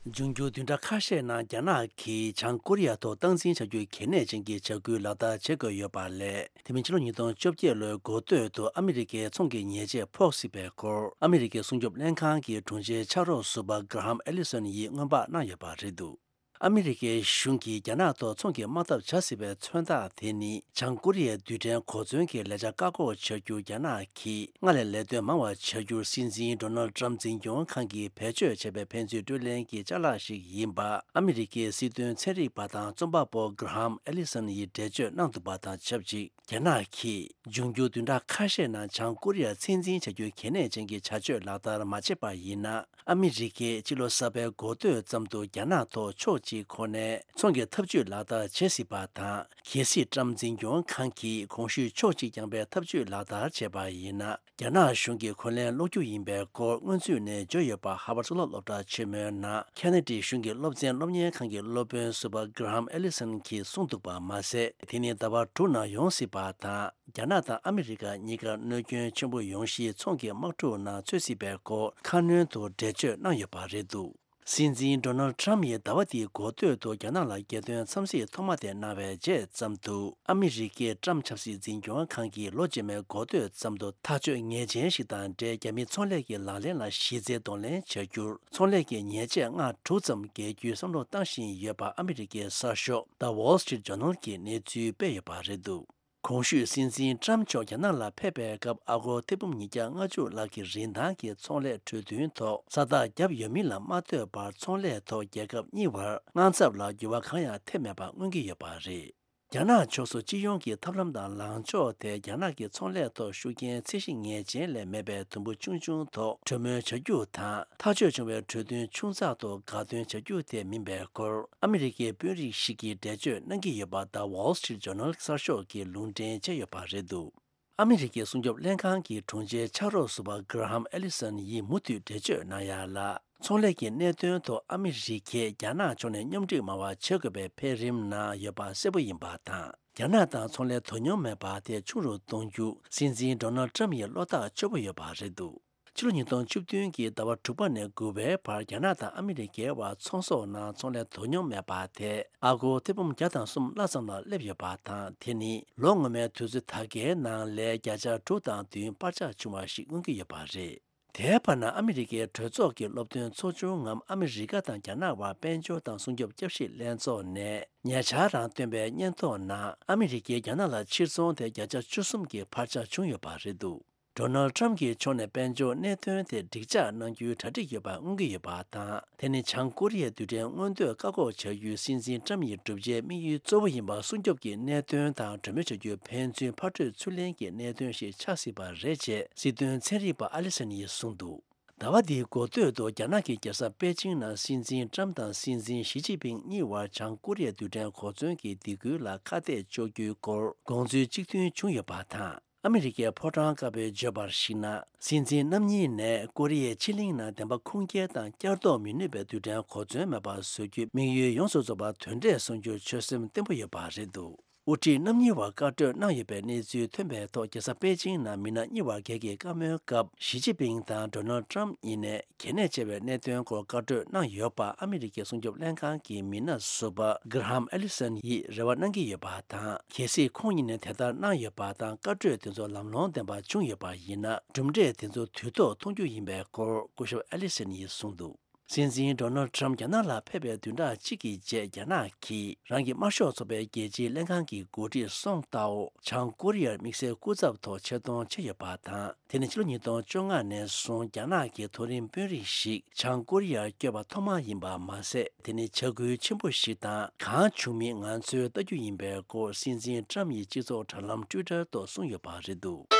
འབྱུང་འགྱུར་བདུན་ཕྲག་ཁ་ཤས་ནང་རྒྱ་ནག་གིས་བྱང་ཀོ་རི་ཡ་ཐོག་སྟངས་འཛིན་བྱ་རྒྱུའི་གལ་གནད་ཅན་གྱི་བྱ་འགུལ་ལག་བསྟར་བྱེད་དགོས་ཡོད་པ་ལས། དེ་མིན་ཕྱི་ལོ་ཉིས་སྟོང་བཅོ་བརྒྱད་ལོའི་འགོ་སྟོད་དུ་ཨ་མི་རི་ཀའི་ཚོང་གི་ཉེས་ཆད་ཕོག་སྲིད་པའི་སྐོར། ཨ་མི་རི་ཀའི་སྲུང་སྐྱོབ་ལྷན་ཁང་གི་དྲུང་ཆེའི་ཕྱག་རོགས་ཟུར་པ་གྷ་ར་ཧམ་ཨེ་ལི་སོན་ཡིས་སྔོན་དཔག་གནང་ཡོད་པ་རེད་འདུག་ཨ་མི་རི་ཀའི་གཞུང་གིས་རྒྱ་ནག་ཐོག་ཚོང་གི་དམག་འཐབ་བྱ་སྲིད་པའི་མཚོན་རྟགས་དེ་ནི། བྱང་ཀོ་རི་ཡའི་རྡུལ་ཕྲན་གོ་མཚོན་གྱི་ལས་འཆར་བཀག་འགོག་བྱ་རྒྱུར་རྒྱ་ནག་གིས་སྔར་ལས་ལས་དོན་མང་བ་བྱ་རྒྱུར་སྲིད་འཛིན་ཌོ་ནལ་ཏྲམ་འཛིན་སྐྱོང་ཁང་གིས་བེད་སྤྱོད་བྱས་པའི་ཕན་ཚུན་སྤྲོད་ལེན་གྱི་ཅ་ལག་ཞིག་ཡིན་པ། ཨ་མི་རི་ཀའི་སྲིད་དོན་ཚན་རིག་པ་དང་རྩོམ་པ་པོ་གྷ་ར་ཧམ་ཨེ་ལི་སོན་ཡིས་འགྲེལ་བརྗོད་གནང་འདུག་པ་དང་ཆབས་ཅིག་རྒྱ་ནག་གིས་འབྱུང་འགྱུར་བདུན་ཕྲག་ཁ་ཤས་ནང་བྱང་ཀོ་རི་ཡར་ཚད་འཛིན་བྱ་རྒྱུའི་གལ་གནད་ཅན་གྱི་བྱ་སྤྱོད་ལག་བསྟར་མ་བྱས་པ་ཡིན་ན། ཨ་མི་རི་ཀས་ཕྱི་ལོ་གསར་པའི་འགོ་སྟོད་ཙམ་དུ་རྒྱ་ནག་ཐོག་ཕྱོགས་གཅིག་ཁོ་ནའི་ཚོང་གི་ཐབས་ཇུས་ལག་བསྟར་བྱེད་སྲིད་པ་དང་། གལ་སྲིད་ཀྲམ་འཛིན་སྐྱོང་ཁང་གིས་གོང་ཞུས་ཕྱོགས་གཅིག་རྐྱང་པའི་ཐབས་ཇུས་ལག་བསྟར་བྱས་པ་ཡིན་ན། རྒྱ་ནག་གཞུང་གིས་གོ་ལན་སློག་རྒྱུ་ཡིན་པའི་སྐོར་སྔོན་ཚུད་ནས་བརྗོད་ཡོད་པ། ཧར་ཝར་གཙུག་ལག་སློབ་གྲྭ་ཆེན་མོའི་ནང་ཁེ་ན་ཌའི་གཞུང་གི་སློབ་ཚན་སློབ་གཉེར་ཁང་གི་སློབ་དཔོན་ཟུར་པ་གྷ་ར་ཧམ་ཨེ་ལི་སོན་གྱིས་གསུངས་འདུག་པ་མ་ཟད། དེ་ནི་ཟླ་བ་དྲུག་ནང་ཡོང་སྲིད་པ་དང་། རྒྱ་ནག་དང་ཨ་མི་རི་ཀ་གཉིས་ཀར་གནོད་སྐྱོན་ཆེན་པོ་ཡོང་གཞིའི་ཚོང་གི་དམག་འཁྲུག་ནང་ཚུད་སྲིད་པའི་སྐོར་ཁ་སྣོན་དུ་འགྲེལ་བརྗོད་གནང་ཡོད་པ་རེད་འདུག་སྲིད་འཛིན་ཌོ་ནལ་ཊམ་ཡིས་ཟླ་བ་འདིའི་འགོ་སྟོད་དུ་རྒྱ་ནག་ལ་རྒྱལ་དོན་འཚམས་གཟིགས་ཐོག་མ་དེ་གནང་བའི་རྗེས་ཙམ་དུ། ཨ་མི་རི་ཀའི་ཊམ་ཆབ་སྲིད་འཛིན་སྐྱོང་ཁང་གིས་ལོ་རྗེས་མའི་འགོ་སྟོད་ཙམ་དུ་ཐག་གཅོད་ངེས་ཅན་ཞིག་དང་འབྲེལ། རྒྱ་མིའི་ཚོང་ལས་ཀྱི་ལག་ལེན་ལ་གཞི་རྩའི་གདོང་ལེན་བྱ་རྒྱུར། ཚོང་ལས་ཀྱི་ཉེས་ཆད་ལྔ་དྲུག་ཙམ་འགེལ་རྒྱུའི་བསམ་བློ་བཏང་བཞིན་ཡོད་པ། ཨ་མི་རི་ཀའི་གསར་ཤོག་The Wall Street Journal གྱིས་གནས་ཚུལ་སྤེལ་ཡོད་པ་རེད་འདུག། གོང་ཞུས་སྲིད་འཛིན་ཊམ་མཆོག་རྒྱ་ནག་ལ་ཕེབས་པའི་སྐབས། ཨ་སྒོར་ཐེར་འབུམ་ཉིས་བརྒྱ་ལྔ་བཅུ་ལྷག་གི་རིན་ཐང་གི་ཚོང་ལས་གྲོས་མཐུན་ཐོག་ས་རྟགས་བརྒྱབ་ཡོད་མིན་ལ་མ་ལྟོས་པར། ཚོང་ལས་ཐོག་རྒྱལ་ཁབ་གཉིས་བར་དངངས་འཚབ་ལ་འགྱུར་བ་གང་ཡང་ཐེབས་མེད་པ་མངོན་གྱི་ཡོད་པ་རེད། རྒྱ་ནག་ཕྱོགས་སུ་སྤྱི་ཡོངས་ཀྱི་ཐབས་ལམ་དང་ལངས་ཕྱོགས་དེ། རྒྱ་ནག་གི་ཚོང་ལས་ཐོག་ཤུགས་རྐྱེན་ཚད་གཞི་ངེས་ཅན་ལས་མེད་པའི་དུམ་བུ་ཆུང་ཆུང་ཐོག་གྲོས་མོལ་བྱ་རྒྱུ་དང་། ཐག་གཅོད་བྱུང་བའི་གྲོས་མཐུན་ཆུང་ཙག་ཐོག་དགའ་སྟོན་བྱ་རྒྱུ་དེ་མིན་པའི་སྐོར། ཨ་མི་རི་ཀའི་དཔོན་རིགས་ཤིག་གིས་འགྲེལ་བརྗོད་གནང་གི་ཡོད་པ། The Wall Street Journal གསར་ཤོག་གིས་ལུང་འདྲེན་བྱས་ཡོད་པ་རེད་འདུག། ཨ་མི་རི་ཀའི་སྲུང་སྐྱོབ་ལྷན་ཁང་གི་དྲུང་ཆེའི་ཕྱག་རོགས་ཟུར་པ་Graham Allison ཡིས་མུ་མཐུད་འགྲེལ་བརྗོད་གནང་ཡ་ལ། ཚོང་ལས་ཀྱི་གནད་དོན་ཐོག་ཨ་མི་རི་ཀས་རྒྱ་ནག་ཕྱོགས་ནས་སྙོམས་སྒྲིག་མང་བ་བྱེད་དགོས་པའི་འཕེལ་རིམ་ནང་ཡོད་པ་གསལ་པོ་ཡིན་པ་དང་། རྒྱ་ནག་དང་ཚོང་ལས་དོ་སྙོམས་མེད་པ་དེ་ཆུང་རུ་གཏོང་རྒྱུ། སྲིད་འཛིན་ཌོ་ནལ་ཊམ་ཡིས་བློ་ཐག་ཆོད་པོ་ཡོད་པ་རེད་འདུག། ཕྱི་ལོ་ཉིས་སྟོང་བཅུ་བདུན་གྱི་ཟླ་བ་དྲུག་པ་ནས་དགུ་པའི་བར། རྒྱ་ནག་དང་ཨ་མི་རི་ཀའི་བར་ཚོང་ཟོག་ནང་ཚོང་ལས་དོ་སྙོམས་མེད་པ་དེ། ཨ་སྒོར་ཐེར་འབུམ་བརྒྱ་དང་གསུམ་ལྷག་ཙམ་ལ་སླེབས་ཡོད་པ་དང་། དེ་ནི་ལོ་སྔོན་མའི་དུས་ཚོད་ད་གའི་ནང་ལས་བརྒྱ་ཆ་དྲུག་དང་བདུན་བར་ཆད་བྱུང་བ་ཞིག་མངོན་གྱི་ཡོད་པ་རེད། དེའི་བར་ན། ཨ་མི་རི་ཀའི་གྲོས་ཚོགས་ཀྱི་སློབ་སྟོན་ཚོགས་ཆུང་ངམ། ཨ་མི་རི་ཀ་དང་རྒྱ་ནག་བར་དཔལ་འབྱོར་དང་སྲུང་སྐྱོབ་བསྐྱར་ཞིབ་ལྷན་ཚོགས་ནས་ཉེ་ཆར་རང་བཏོན་པའི་སྙན་ཐོ་ནང་། ཨ་མི་རི་ཀས་རྒྱ་ནག་ལ་ཕྱིར་ཚོང་དེ་བརྒྱ་ཆ་བཅུ་གསུམ་གྱི་འཕར་ཆག་བྱུང་ཡོད་པ་རེད་འདུག། ཌོ་ནལ་ཊམ་གྱི་ཕྱོགས་ནས་དཔལ་འབྱོར་གནད་དོན་དེ་འགྲིག་འཇགས་གནང་རྒྱུའི་གྲ་སྒྲིག་ཡོད་པ་མངོན་གྱི་ཡོད་པ་དང་། དེ་ནི་བྱང་ཀོ་རི་ཡའི་རྡུལ་ཕྲན་མངོན་འདོད་བཀག་འགོག་བྱ་རྒྱུའི་སྲིད་འཛིན་ཊམ་ཡི་བསྒྲུབ་བྱའི་དམིགས་ཡུལ་གཙོ་བོ་ཡིན་པ། སྲུང་སྐྱོབ་ཀྱི་གནད་དོན་དང་གྲོས་མོལ་བྱ་རྒྱུའི་ཕན་ཚུན་ཕར་འཕྲོད་ཚུར་ལེན་གྱི་གནད་དོན་ཞིག་ཆགས་སྲིད་པ་རེད་ཅེས་སྲིད་དོན་ཚན་རིག་པ་ཨ་ལི་སན་ཡིས་གསུངས་འདུག། ཟླ་བ་འདིའི་འགོ་སྟོད་དུ་རྒྱ་ནག་གི་རྒྱལ་ས་པེ་ཅིང་ནང་སྲིད་འཛིན་ཊམ་དང་སྲིད་འཛིན་ཞི་ཅིན་ཕིང་གཉིས་བར་བྱང་ཀོ་རི་ཡའི་རྡུལ་ཕྲན་གོ་མཚོན་གྱི་སྡིགས་སྐུལ་ལ་ཁ་གཏད་གཅོག་རྒྱུའི་སྐོར་དགོངས་ཚུལ་གཅིག་མཐུན་བྱུང་ཡོད་པ་དང་། ཨ་མི་རི་ཀའི་ཕོ་བྲང་དཀར་པོའི་བརྗོད་པར་གཞིགས་ན། སྲིད་འཛིན་རྣམ་གཉིས་ནས་ཀོ་རི་ཡའི་ཕྱེད་གླིང་ནང་བདེན་པ་ཁུངས་སྐྱེལ་དང་བསྐྱར་ལྡོག་མི་ནུས་པའི་རྡུལ་ཕྲན་གོ་མཚོན་མེད་པར་བཟོ་རྒྱུའི་དམིགས་ཡུལ་ཡོངས་སུ་རྫོགས་པ་དོན་འབྲས་སོན་རྒྱུར་ཆོད་སེམས་བརྟན་པོ་ཡོད་པ་རེད་འདུག། དབུ་ཁྲིད་རྣམ་གཉིས་བར་བཀའ་གྲོས་གནང་ཡོད་པའི་གནས་ཚུལ་ཐོན་པའི་ཐོག་རྒྱལ་ས་པེ་ཅིང་ནང་མི་སྣ་གཉིས་བར་སྒེར་གྱི་བཀའ་མོལ་སྐབས། ཞི་ཅིན་ཕིང་དང་ཌོ་ནལ་ཊམ་གཉིས་ནས་གལ་གནད་ཆེ་བའི་གནད་དོན་སྐོར་བཀའ་གྲོས་གནང་ཡོད་པ། ཨ་མི་རི་ཀའི་སྲུང་སྐྱོབ་ལྷན་ཁང་གི་མི་སྣ་ཟུར་པ་Graham Allison ཡིས་རེ་བ་གནང་གི་ཡོད་པ་དང་། གལ་སྲིད་ཁོང་གཉིས་ནས་དེ་ལྟར་གནང་ཡོད་པ་དང་། བཀའ་གྲོས་དེ་ཚོ་ལམ་ལྷོང་ལྡན་པ་བྱུང་ཡོད་པ་ཡིན་ན། གྲུབ་འབྲས་དེ་ཚོ་དུས་ཐོག་མཐོང་རྒྱུ་ཡིན་པའི་སྐོར་སྐུ་ཞབས་ཨ་ལི་སན་ཡིས་གསུངས་འདུག། སྲིད་འཛིན་ཌོ་ནལ་ཊམ་རྒྱ་ནག་ལ་ཕེབས་པའི་བདུན་ཕྲག་གཅིག་གི་རྗེས། རྒྱ་ནག་གིས་རང་གི་དམར་ཤོག་ཚོགས་པའི་རྒྱལ་སྤྱིའི་ལྷན་ཁང་གི་འགོ་ཁྲིད་སོང་ཏའོ་བྱང་ཀོ་རི་ཡར་དམིགས་བསལ་སྐུ་ཚབ་ཐོག་ཆེད་གཏོང་བྱས་ཡོད་པ་དང་། དེ་ནི་ཕྱི་ལོ་ཉིས་སྟོང་བཅོ་ལྔ་ནས་བཟུང་རྒྱ་ནག་གི་མཐོ་རིམ་དཔོན་རིགས་ཤིག་བྱང་ཀོ་རི་ཡར་བསྐྱོད་པ་ཐོག་མ་ཡིན་པ་མ་ཟད། དེ་ནི་བྱ་འགུལ་ཆེན་པོ་ཞིག་དང་གང་བྱུང་མིན་ང་ཚོས་ལྟ་རྒྱུ་ཡིན་པའི་སྐོར་སྲིད་འཛིན་ཊམ་ཡིས་སྤྱི་ཚོགས་དྲ་ལམ་ཊུའི་ཊར་ཐོག་གསུངས་ཡོད་པ་རེད་འདུག།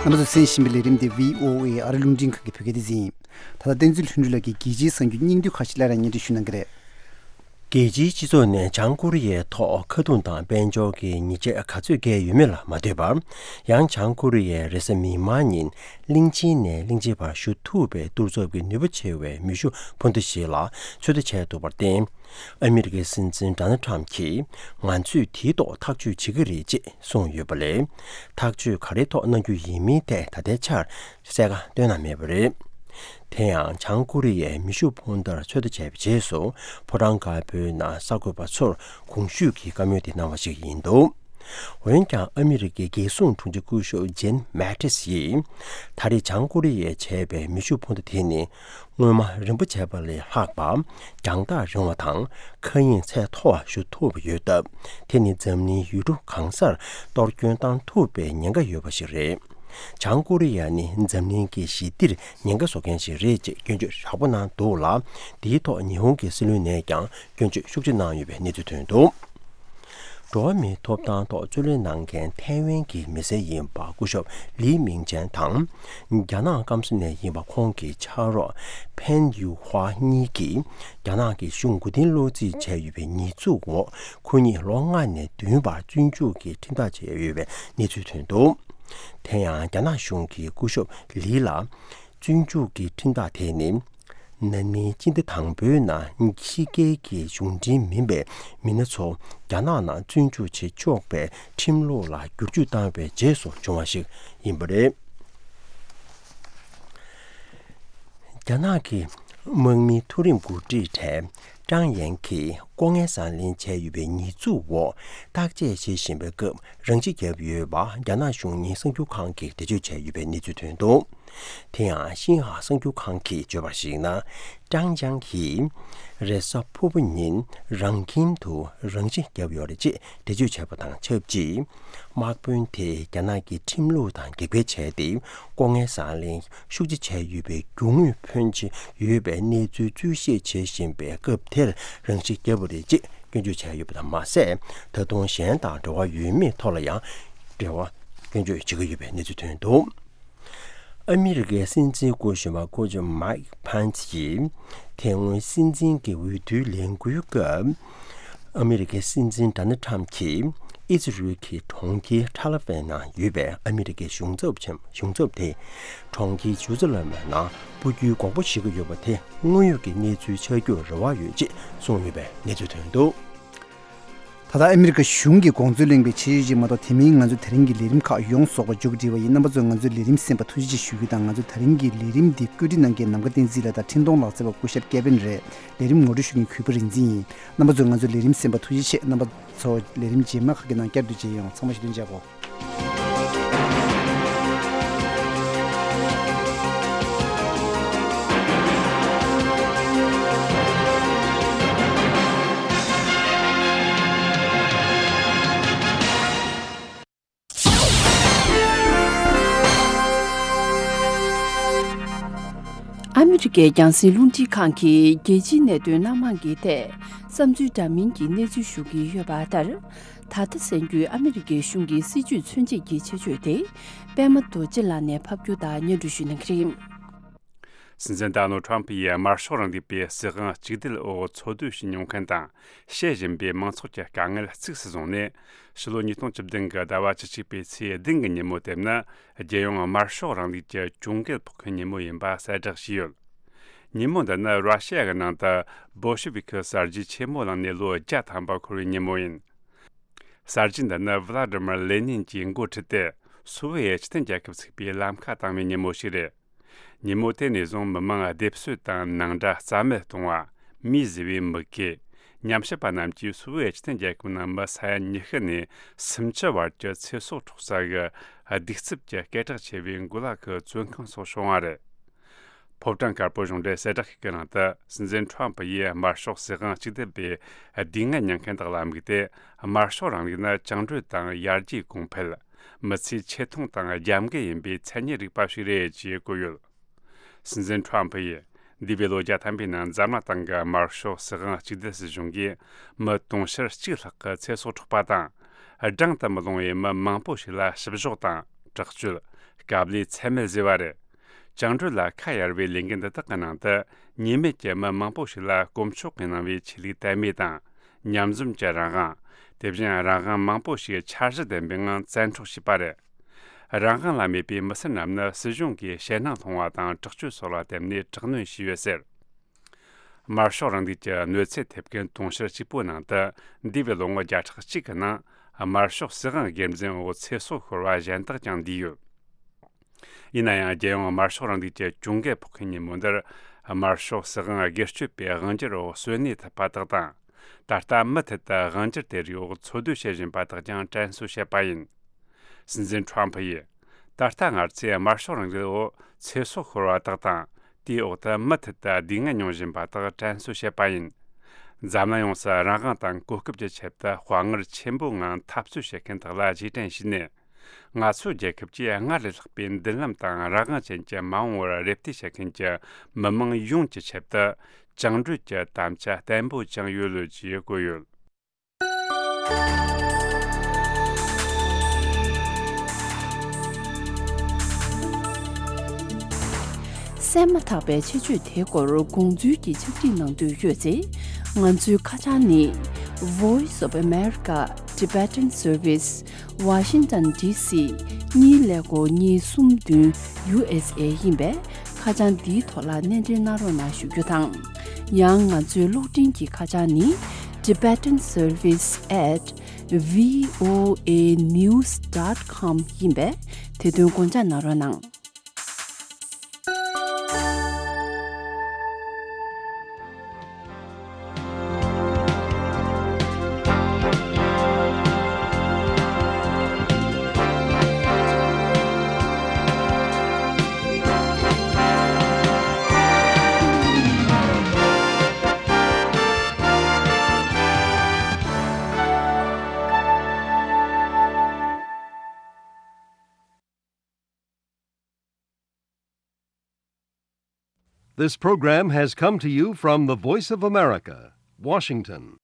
རྣམ་པ་ཚོས་གསན་བཞིན་པའི་ལས་རིམ་དེ་བྷི་ཨོ་ཨེ་ཨ་རི་རླུང་འཕྲིན་ཁང་གི་བོད་སྐད་སྡེ་ཚན་ཡིན། ད་ལྟ་བསྟན་འཛིན་ལྷུན་གྲུབ་ལགས་ཀྱིས་རྒྱལ་སྤྱིའི་གསར་འགྱུར་སྙིང་བསྡུས་ཁག་ཅིག་སླར་ཡང་སྙན་སྒྲོན་ཞུ་གནང་གི་རེད། རྒྱལ་སྤྱིའི་སྤྱི་ཚོགས་ནས་བྱང་ཀོ་རི་ཡའི་ཐོག་ཁ་རྡུང་དང་དཔལ་འབྱོར་གྱི་ཉེས་ཆད་ག་ཚོད་བཀལ་ཡོད་མེད་ལ་མ་ལྟོས་པར། ཡང་བྱང་ཀོ་རི་ཡས་རེས་གཟའ་མིག་དམར་ཉིན་གླིང་ཆེན་ནས་གླིང་ཆེན་བར་ཞུ་ཐུབ་པའི་གཏོར་ཚོགས་ཀྱི་ནུས་པ་ཆེ་བའི་མེ་ཤུགས་འཕུར་མདའ་ཞིག་ལ་ཚོད་ལྟ་བྱས་འདུག་པར་བརྟེན། ཨ་མི་རི་ཀའི་སྲིད་འཛིན་ཌོ་ནལ་ཊམ་གྱིས། ང་ཚོས་དེའི་ཐོག་ཐག་གཅོད་བྱེད་ཀྱི་རེད་ཅེས་གསུངས་ཡོད་པ་ལས། ཐག་གཅོད་ག་རེའི་ཐོག་གནང་རྒྱུ་ཡིན་མིན་ཐད་ད་ལྟའི་ཆར་གསལ་ཁ་བཏོན་གནང་མེད་པ་རེད། དེ་ཡང་བྱང་ཀོ་རི་ཡས་མེ་ཤུགས་འཕུར་མདའ་ཚོད་ལྟ་བྱས་པའི་རྗེས་སུ། ཕོ་བྲང་དཀར་པོའི་ནང་གསར་འགོད་པ་ཚོར་གོང་ཞུས་ཀྱི་བཀའ་མོལ་དེ་གནང་བ་ཞིག་ཡིན་འདུག། འོན་ཀྱང་ཨ་མི་རི་ཀའི་རྒྱལ་སྲུང་དྲུང་ཆེ་སྐུ་ཞབས་ཇེན་མེ་ཏིས་ཡིས། ད་རེས་བྱང་ཀོ་རི་ཡས་བྱས་པའི་མེ་ཤུགས་འཕུར་མདའ་དེ་ནི། སྔོན་མ་རིམ་པ་བྱས་པ་ལས་ལྷག་པ། རྒྱང་ཐག་རིང་བ་དང་། མཁའ་དབྱིངས་ཚད་མཐོ་བ་ཞུ་ཐུབ་པ་ཡོད་སྟབས། དེ་ནི་འཛམ་གླིང་ཡུལ་གྲུ་གང་སར་གཏོར་སྐྱོན་བཏང་ཐུབ་པའི་ཉེན་ཁ་ཡོད་པ་ཞིག་རེད། བྱང་ཀོ་རི་ཡ་ནི་འཛམ་གླིང་གི་ཞི་བདེར་ཉེན་ཁ་བཟོ་མཁན་ཞིག་རེད་ཅེས་སྐྱོན་བརྗོད་ཡག་པོ་གནང་འདུག་ལ། འདིའི་ཐོག་ཉི་ཧོང་གི་སྲིད་བློན་ནས་ཀྱང་སྐྱོན་བརྗོད་ཤུགས་ཆེ་གནང་ཡོད་པའི་གནས་ཚུལ་ཐོན་འདུག། འགྲོ་བ་མིའི་ཐོབ་ཐང་ཐོག་རྩོད་ལེན་གནང་མཁན་ཐའེ་ཝན་གྱི་མི་སེར་ཡིན་པ་སྐུ་ཞབས་ལི་མིང་ཅན་དང་། རྒྱ་ནག་སྐམ་ས་ནས་ཡིན་པ་ཁོང་གི་ཕྱག་རོགས་ཕན་ཡུ་ཧྭ་གཉིས་ཀྱིས་རྒྱ་ནག་གི་གཞུང་མགོ་རྟིང་སློག་རྩིས་བྱས་ཡོད་པའི་ཉེས་འཛུགས་འོག་ཁོ་གཉིས་ལོ་ལྔ་ནས་བདུན་བར་བཙོན་འཇུག་གི་ཁྲིམས་ཐག་བཅད་ཡོད་པའི་གནས་ཚུལ་ཐོན་འདུག། དེ་ཡང་རྒྱ་ནག་གཞུང་གིས་སྐུ་ཞབས་ལི་ལ་བཙོན་འཇུག་གི་ཁྲིམས་ཐག་དེ་ནི། ན་ནིང་སྤྱི་ཟླ་དང་པོའི་ནང་ཕྱི་རྒྱལ་གྱི་གཞུང་འབྲེལ་མིན་པའི་མི་སྣ་ཚོ་རྒྱ་ནག་ནང་བཙོན་འཇུག་བྱེད་ཆོག་པའི་ཁྲིམས་ལུགས་ལ་བསྒྱུར་བཅོས་བཏང་བའི་རྗེས་སུ་བྱུང་བ་ཞིག་ཡིན་པ་རེད། རྒྱ་ནག་གི་དམག་མི་མཐོ་རིམ་འགོ་ཁྲིད་གྲས་ཀྲང་ཡན་གྱིས་ལྐོག་རྔན་བཟང་ལེན་བྱས་ཡོད་པའི་ཉེས་འཛུགས་འོག་བརྟག་དཔྱད་བྱེད་བཞིན་པའི་སྐབས་རང་ཤི་བརྒྱབ་ཡོད་པ་རྒྱ་ནག་གཞུང་གཉེར་གསར་འགྱུར་ཁང་གིས་འགྲེལ་བརྗོད་བྱས་ཡོད་པའི་གནས་ཚུལ་ཐོན་འདུག་དེ་ཡང་ཤིན་ཧྭ་གསར་འགྱུར་ཁང་གིས་བརྗོད་པར་གཞིགས་ན། ཀྲང་ཅང་གིས་རེས་གཟའ་ཕུར་བུ་ཉིན་རང་ཁྱིམ་དུ་རང་ཤི་བརྒྱབ་ཡོད་རེད་ཅེས་འགྲེལ་བརྗོད་བྱས་པ་དང་ཆབས་ཅིག་དམག་དཔོན་དེས་རྒྱ་ནག་གི་ཁྲིམས་ལུགས་དང་འགལ་འཁེལ་བྱས་ཏེ། ལྐོག་རྔན་བཟང་ལེན་ཤུགས་ཆེ་བྱས་ཡོད་པའི་རྒྱུ་དངོས་ཕོན་ཆེ་ཡོད་པའི་གནས་ཚུལ་འཚོལ་ཞིབ་བྱེད་བཞིན་པའི་སྐབས་དེར་རང་ཤི་བརྒྱབ་པ་རེད་ཅེས་སྐྱོན་བརྗོད་བྱས་ཡོད་པ་དང་མ་ཟད། ད་དུང་གཞན་དང་འབྲེལ་བ་ཡོད་མེད་ཐོག་ལ་ཡང་འབྲེལ་བ་སྐྱོན་བརྗོད་བྱེད་ཀྱི་ཡོད་པའི་གནས་ཚུལ་ཐོན་འདུག་ཨ་མི་རི་ཀའི་སྲིད་འཛིན་སྐུ་གཞོན་པ་སྐུ་ཞབས་མའིག་ཕན་ཚི་ཡིས་དེ་སྔོན་སྲིད་འཛིན་གྱི་འོས་བསྡུའི་ལས་འགུལ་སྐབས། ཨ་མི་རི་ཀའི་སྲིད་འཛིན་ཌོ་ནལ་ཊམ་གྱིས་ཨི་ཛི་རུལ་གྱི་གྲོང་ཁྱེར་ཐ་ལ་ཝན་ནང་ཡོད་པའི་ཨ་མི་རི་ཀའི་གཞུང་ཚབ་ཆེན་གཞུང་ཚབ་དེ་གྲོང་ཁྱེར་ཇེ་རུ་ཛ་ལེམ་ནང་སྤོ་རྒྱུའི་དགོངས་པ་བཞེས་ཀྱི་ཡོད་པ་དེ་དངོས་ཡོད་ཀྱི་གནས་ཚུལ་ཆགས་རྒྱུར་རེ་བ་ཡོད་ཅེས་གསུངས་ཡོད་པའི་གནས་ཚུལ་ཐོན་འདུག་ད་ལྟ་ཨ་མི་རི་ཀ་གཞུང་གིས་དགོངས་ཚུལ་གླེང་བའི་ཆེད་ཡོད་ཅིག་མ་གཏོགས། དེ་མིན་ང་ཚོའི་ད་རིང་གི་ལས་རིམ་ཁག་ཡོངས་རྫོགས་པ་མཇུག་སྒྲིལ་བ་ཡིན། རྣམ་པ་ཚོས་ང་ཚོའི་ལས་རིམ་གསན་པར་ཐུགས་རྗེ་ཆེ་ཞུ་རྒྱུ་དང་། ང་ཚོའི་ད་རིང་གི་ལས་རིམ་འདི་བཀོད་སྒྲིག་གནང་མཁན་ནམ་མཁའ་བསྟན་འཛིན་ལགས་དང་འཕྲིན་གཏོང་ལག་རྩལ་བ་སྐུ་ཞབས་ཀེ་བིན་རེད། ལས་རིམ་ངོ་སྤྲོད་ཞུ་མཁན་གུས་པ་རིག་འཛིན་ཡིན། རྣམ་པ་ཚོས་ང་ཚོའི་ལས་རིམ་གསན་པར་ཐུགས་རྗེ་ཆེ། རྣམ་པ་ཚོ་ལས་རིམ་རྗེས་མ་ཁག་གི་ནང་བསྐྱར་དུ་མཇལ་ཡོང་། ཚང་མ་ཞུ་དོན་བྱ་གོ། ཨ་མི་རི་ཀའི་རྒྱང་སྲིང་རླུང་འཕྲིན་ཁང་གིས་རྒྱལ་སྤྱིའི་གནད་དོན་སྣ་མང་གི་ཐད་བསམ་ཚུལ་འདྲ་མིན་གྱི་གནས་ཚུལ་ཞུ་གི་ཡོད་པ་ལྟར། ད་ལྟ་གསན་རྒྱུའི་ཨ་མི་རི་ཀའི་གཞུང་གི་སྲིད་ཇུས་མཚོན་བྱེད་ཀྱི་ཆེད་བརྗོད་དེ། པད་མ་རྡོ་རྗེ་ལགས་ནས་ཕབ་སྒྱུར་དང་སྙན་སྒྲོན་ཞུ་གནང་གི་རེད། སྲིད་འཛིན་ཌོ་ནལ་ཊམ་ཕི་ཡིས་དམར་ཤོག་རིང་ལུགས་པའི་སྲིད་དབང་གཅིག་སྡུད་འོག་འཚོ་སྡོད་བྱེད་མྱོང་མཁན་དང་། བཤད་བཞིན་པའི་མང་ཚོགས་ཀྱི་དཀའ་ངལ་གཙིགས་སུ་བཟུང་ནས། ཕྱི་ལོ་ཉིས་སྟོང་བཅུ་བདུན་གྱི་ཟླ་བ་བཅུ་གཅིག་པའི་ཚེས་བདུན་གྱི་ཉིན་མོ་དེ་ནི། རྒྱལ་ཡོངས་དམར་ཤོག་རིང་ལུགས་ཀྱི་གྱོང་གུན་ཕོག་མཁན་ཉིན་མོ་ཡིན་པ་གསལ་བསྒྲགས་བྱས་ཡོད། ཉིན་མོ་འདི་ནི་ར་ཤི་ཡ་གི་ནང་དུ་བོལ་ཤི་ཝི་ཁི་གསར་བརྗེ་ཆེན་མོ་ལངས་ནས་ལོ་བརྒྱ་ཐམ་པ་འཁོར་བའི་ཉིན་མོ་ཡིན། གསར་བརྗེ་འདི་ནི་ཝི་ལ་ཏི་མིར་ལེ་ནིན་གྱིས་འགོ་ཁྲིད་དེ། སོ་ཝི་ཡེ་སྤྱི་མཐུན་རྒྱལ་ཁབ་ཚུགས་པའི་ལམ་ཁ་དྭངས་བའི་ཉིན་མོ་ཞིག་རེད། ཉིན་མོ་དེ་ནས་བཟུང་མི་མང་སྡེབ་གསོད་དང་ནང་དགྲ་རྩ་མེད་གཏོང་བ། མིས་བཟོས་པའི་མུ་གེ། ཉམས་ཞིབ་པ་རྣམས་ཀྱིས་སོ་ཝི་ཡེ་སྤྱི་མཐུན་རྒྱལ་ཁབ་ནང་མི་ས་ཡ་ཉི་ཤུ་ནས་སུམ་ཅུ་བར་གྱི་ཚེ་སྲོག་འཕྲོག་ས་གི་གདུག་རྩུབ་ཀྱི་སྐད་གྲགས་ཆེ་བའི་གུ་ལག་གི་བཙོན་ཁང་སོགས་བྱུང་བ་རེད། ཕོ་བྲང་དཀར་པོ་གཞུང་འབྲེལ་གསལ་བསྒྲགས་ཤིག་གི་ནང་དུ། སྲིད་འཛིན་ཁྲོམ་ཕུ་ཡིས་དམར་ཤོག་སྲིད་དབང་གཅིག་སྡུད་པའི་སྡུག་བསྔལ་མྱོང་མཁན་དག་ལ་དམིགས་ཏེ། དམར་ཤོག་རིང་ལུགས་ནི་བཅིངས་འགྲོལ་དང་ཡར་རྒྱས་གོང་འཕེལ། མི་ཚེའི་ཆེ་མཐོང་དང་རྒྱབ་འགལ་ཡིན་པའི་མཚན་ཉིད་རིག་པ་ཞིག་རེད་ཅེས་བཀོད་ཡོད། སྲིད་འཛིན་ཁྲོམ་ཕུ་ཡིས་འདས་པའི་ལོ་བརྒྱ་ཐམ་པའི་ནང་འཛམ་གླིང་སྟེང་གི་དམར་ཤོག་སྲིད་དབང་གཅིག་སྡུད་སྲིད་གཞུང་གིས་མི་དུང་ཕྱུར་གཅིག་ལྷག་གི་ཚེ་སྲོག་འཕྲོག་པ་དང་། བགྲང་དུ་མི་ལོང་བའི་མི་མང་པོ་ཞིག་ལ་བཤུ་གཞོག་དང་དྲག་སྤྱོད། དཀའ་ལས་ཚད་མེད་བཟོས་པ་རེད། བཅིངས་འགྲོལ་ལ་ཁ་གཡར་བའི་ལས་འགུལ་འདི་དག་གི་ནང་དུ། ཉེས་མེད་ཀྱི་མི་མང་པོ་ཞིག་ལ་དཀོན་མཆོག་གིས་གནང་བའི་ཆོས་ལུགས་དད་མོས་དང་། ཉམས་ཟོན་གྱི་རང་དབང་། དེ་བཞིན་རང་དབང་མང་པོ་ཞིག་འཆར་གཞི་ལྡན་པའི་ངང་བཙན་འཕྲོག་བྱས་པ་རེད། རང་དབང་ལ་མོས་པའི་མི་སེར་རྣམས་ནི་སྲིད་གཞུང་གིས་ཞེད་སྣང་སློང་བ་དང་དྲག་སྤྱོད་སོགས་ལ་བརྟེན་ནས་དྲག་གནོན་བྱས་ཡོད་ཟེར། དམར་ཤོག་རིང་ལུགས་ཀྱི་གནོད་འཚེ་ཐེབས་མཁན་དུང་ཕྱུར་གཅིག་པོའི་ནང་དུ། འདས་པའི་ལོ་ངོ་བརྒྱ་ཕྲག་གཅིག་གི་ནང་། དམར་ཤོག་སྲིད་དབང་སྒེར་འཛིན་འོག་ཚེ་སྲོག་ཤོར་བ་གཞན་དག་ཀྱང་འདུས་ཡོད། ཡིན་ན་ཡང་། རྒྱལ་ཡོངས་དམར་ཤོག་རིང་ལུགས་ཀྱི་གྱོང་གུན་ཕོག་མཁན་ཉིན་མོ་འདིར། དམར་ཤོག་སྲིད་དབང་སྒེར་གཅོད་པའི་དབང་སྒྱུར་འོག་གསོན་གནས་ཐུབ་པ་དག་དང་། ད་ལྟ་མུ་མཐུད་དུ་དབང་སྒྱུར་དེ་རིགས་འོག་འཚོ་སྡོད་བྱེད་བཞིན་པ་དག་ཀྱང་དྲན་གསོ་བྱས་པ་ཡིན། སྲིད་འཛིན་ཁྲོམ་ཕུ་ཡིས། ད་ལྟ་ང་ཚོས་དམར་ཤོག་རིང་ལུགས་འོག་ཚེ་སྲོག་ཤོར་བ་དག་དང་། དེའི་འོག་ཏུ་མུ་མཐུད་དུ་སྡུག་བསྔལ་མྱོང་བཞིན་པ་དག་དྲན་གསོ་བྱས་པ་ཡིན། འཛམ་གླིང་ཡོངས་སུ་རང་དབང་དང་གོ་སྐབས་ཀྱི་ཆེད་དུ་དཔའ་ངར་ཆེན་པོའི་ངང་འཐབ་རྩོད་བྱེད་མཁན་དག་ལ་རྗེས་དྲན་ཞུས་ནས། ང་ཚོའི་རྒྱལ་ཁབ་ཀྱིས་སྔར་ལས་ལྷག་པའི་མདུན་ལམ་དང་རང་དབང་ཅན་གྱི་མ་འོངས་པར་རེ་ལྟོས་བྱེད་མཁན་གྱི་མི་མང་ཡོངས་ཀྱི་ཆེད་དུ་བཅིངས་འགྲོལ་གྱི་དམ་བཅའ་བརྟན་པོ་བཅངས་ཡོད་ལོས་ཀྱིས་བཀོད་ཡོད། གསན་མ་ཐག་པའི་ཆེད་བརྗོད་དེའི་སྐོར་དགོངས་ཚུལ་གྱི་ཕྱག་བྲིས་གནང་འདོད་ཡོད་ཚེ། ང་ཚོའི་ཁ་བྱང་ནི། Voice of America Tibetan Service, Washington D C གཉིས་ཀླད་ཀོར་གཉིས་གསུམ་བདུན། U S A ཡིན་པས། ཁ་བྱང་འདིའི་ཐོག་ལ་གནས་འབྲེལ་གནང་རོགས་གནང་ཞུ་རྒྱུ་དང་། ཡང་ང་ཚོའི་གློག་འཕྲིན་གྱི་ཁ་བྱང་ནི། Tibetan Service at V O A news dot com ཡིན་པས། དེ་དོན་དགོངས་འཇགས་གནང་རོགས་གནང་། This program has come to you from the Voice of America, Washington.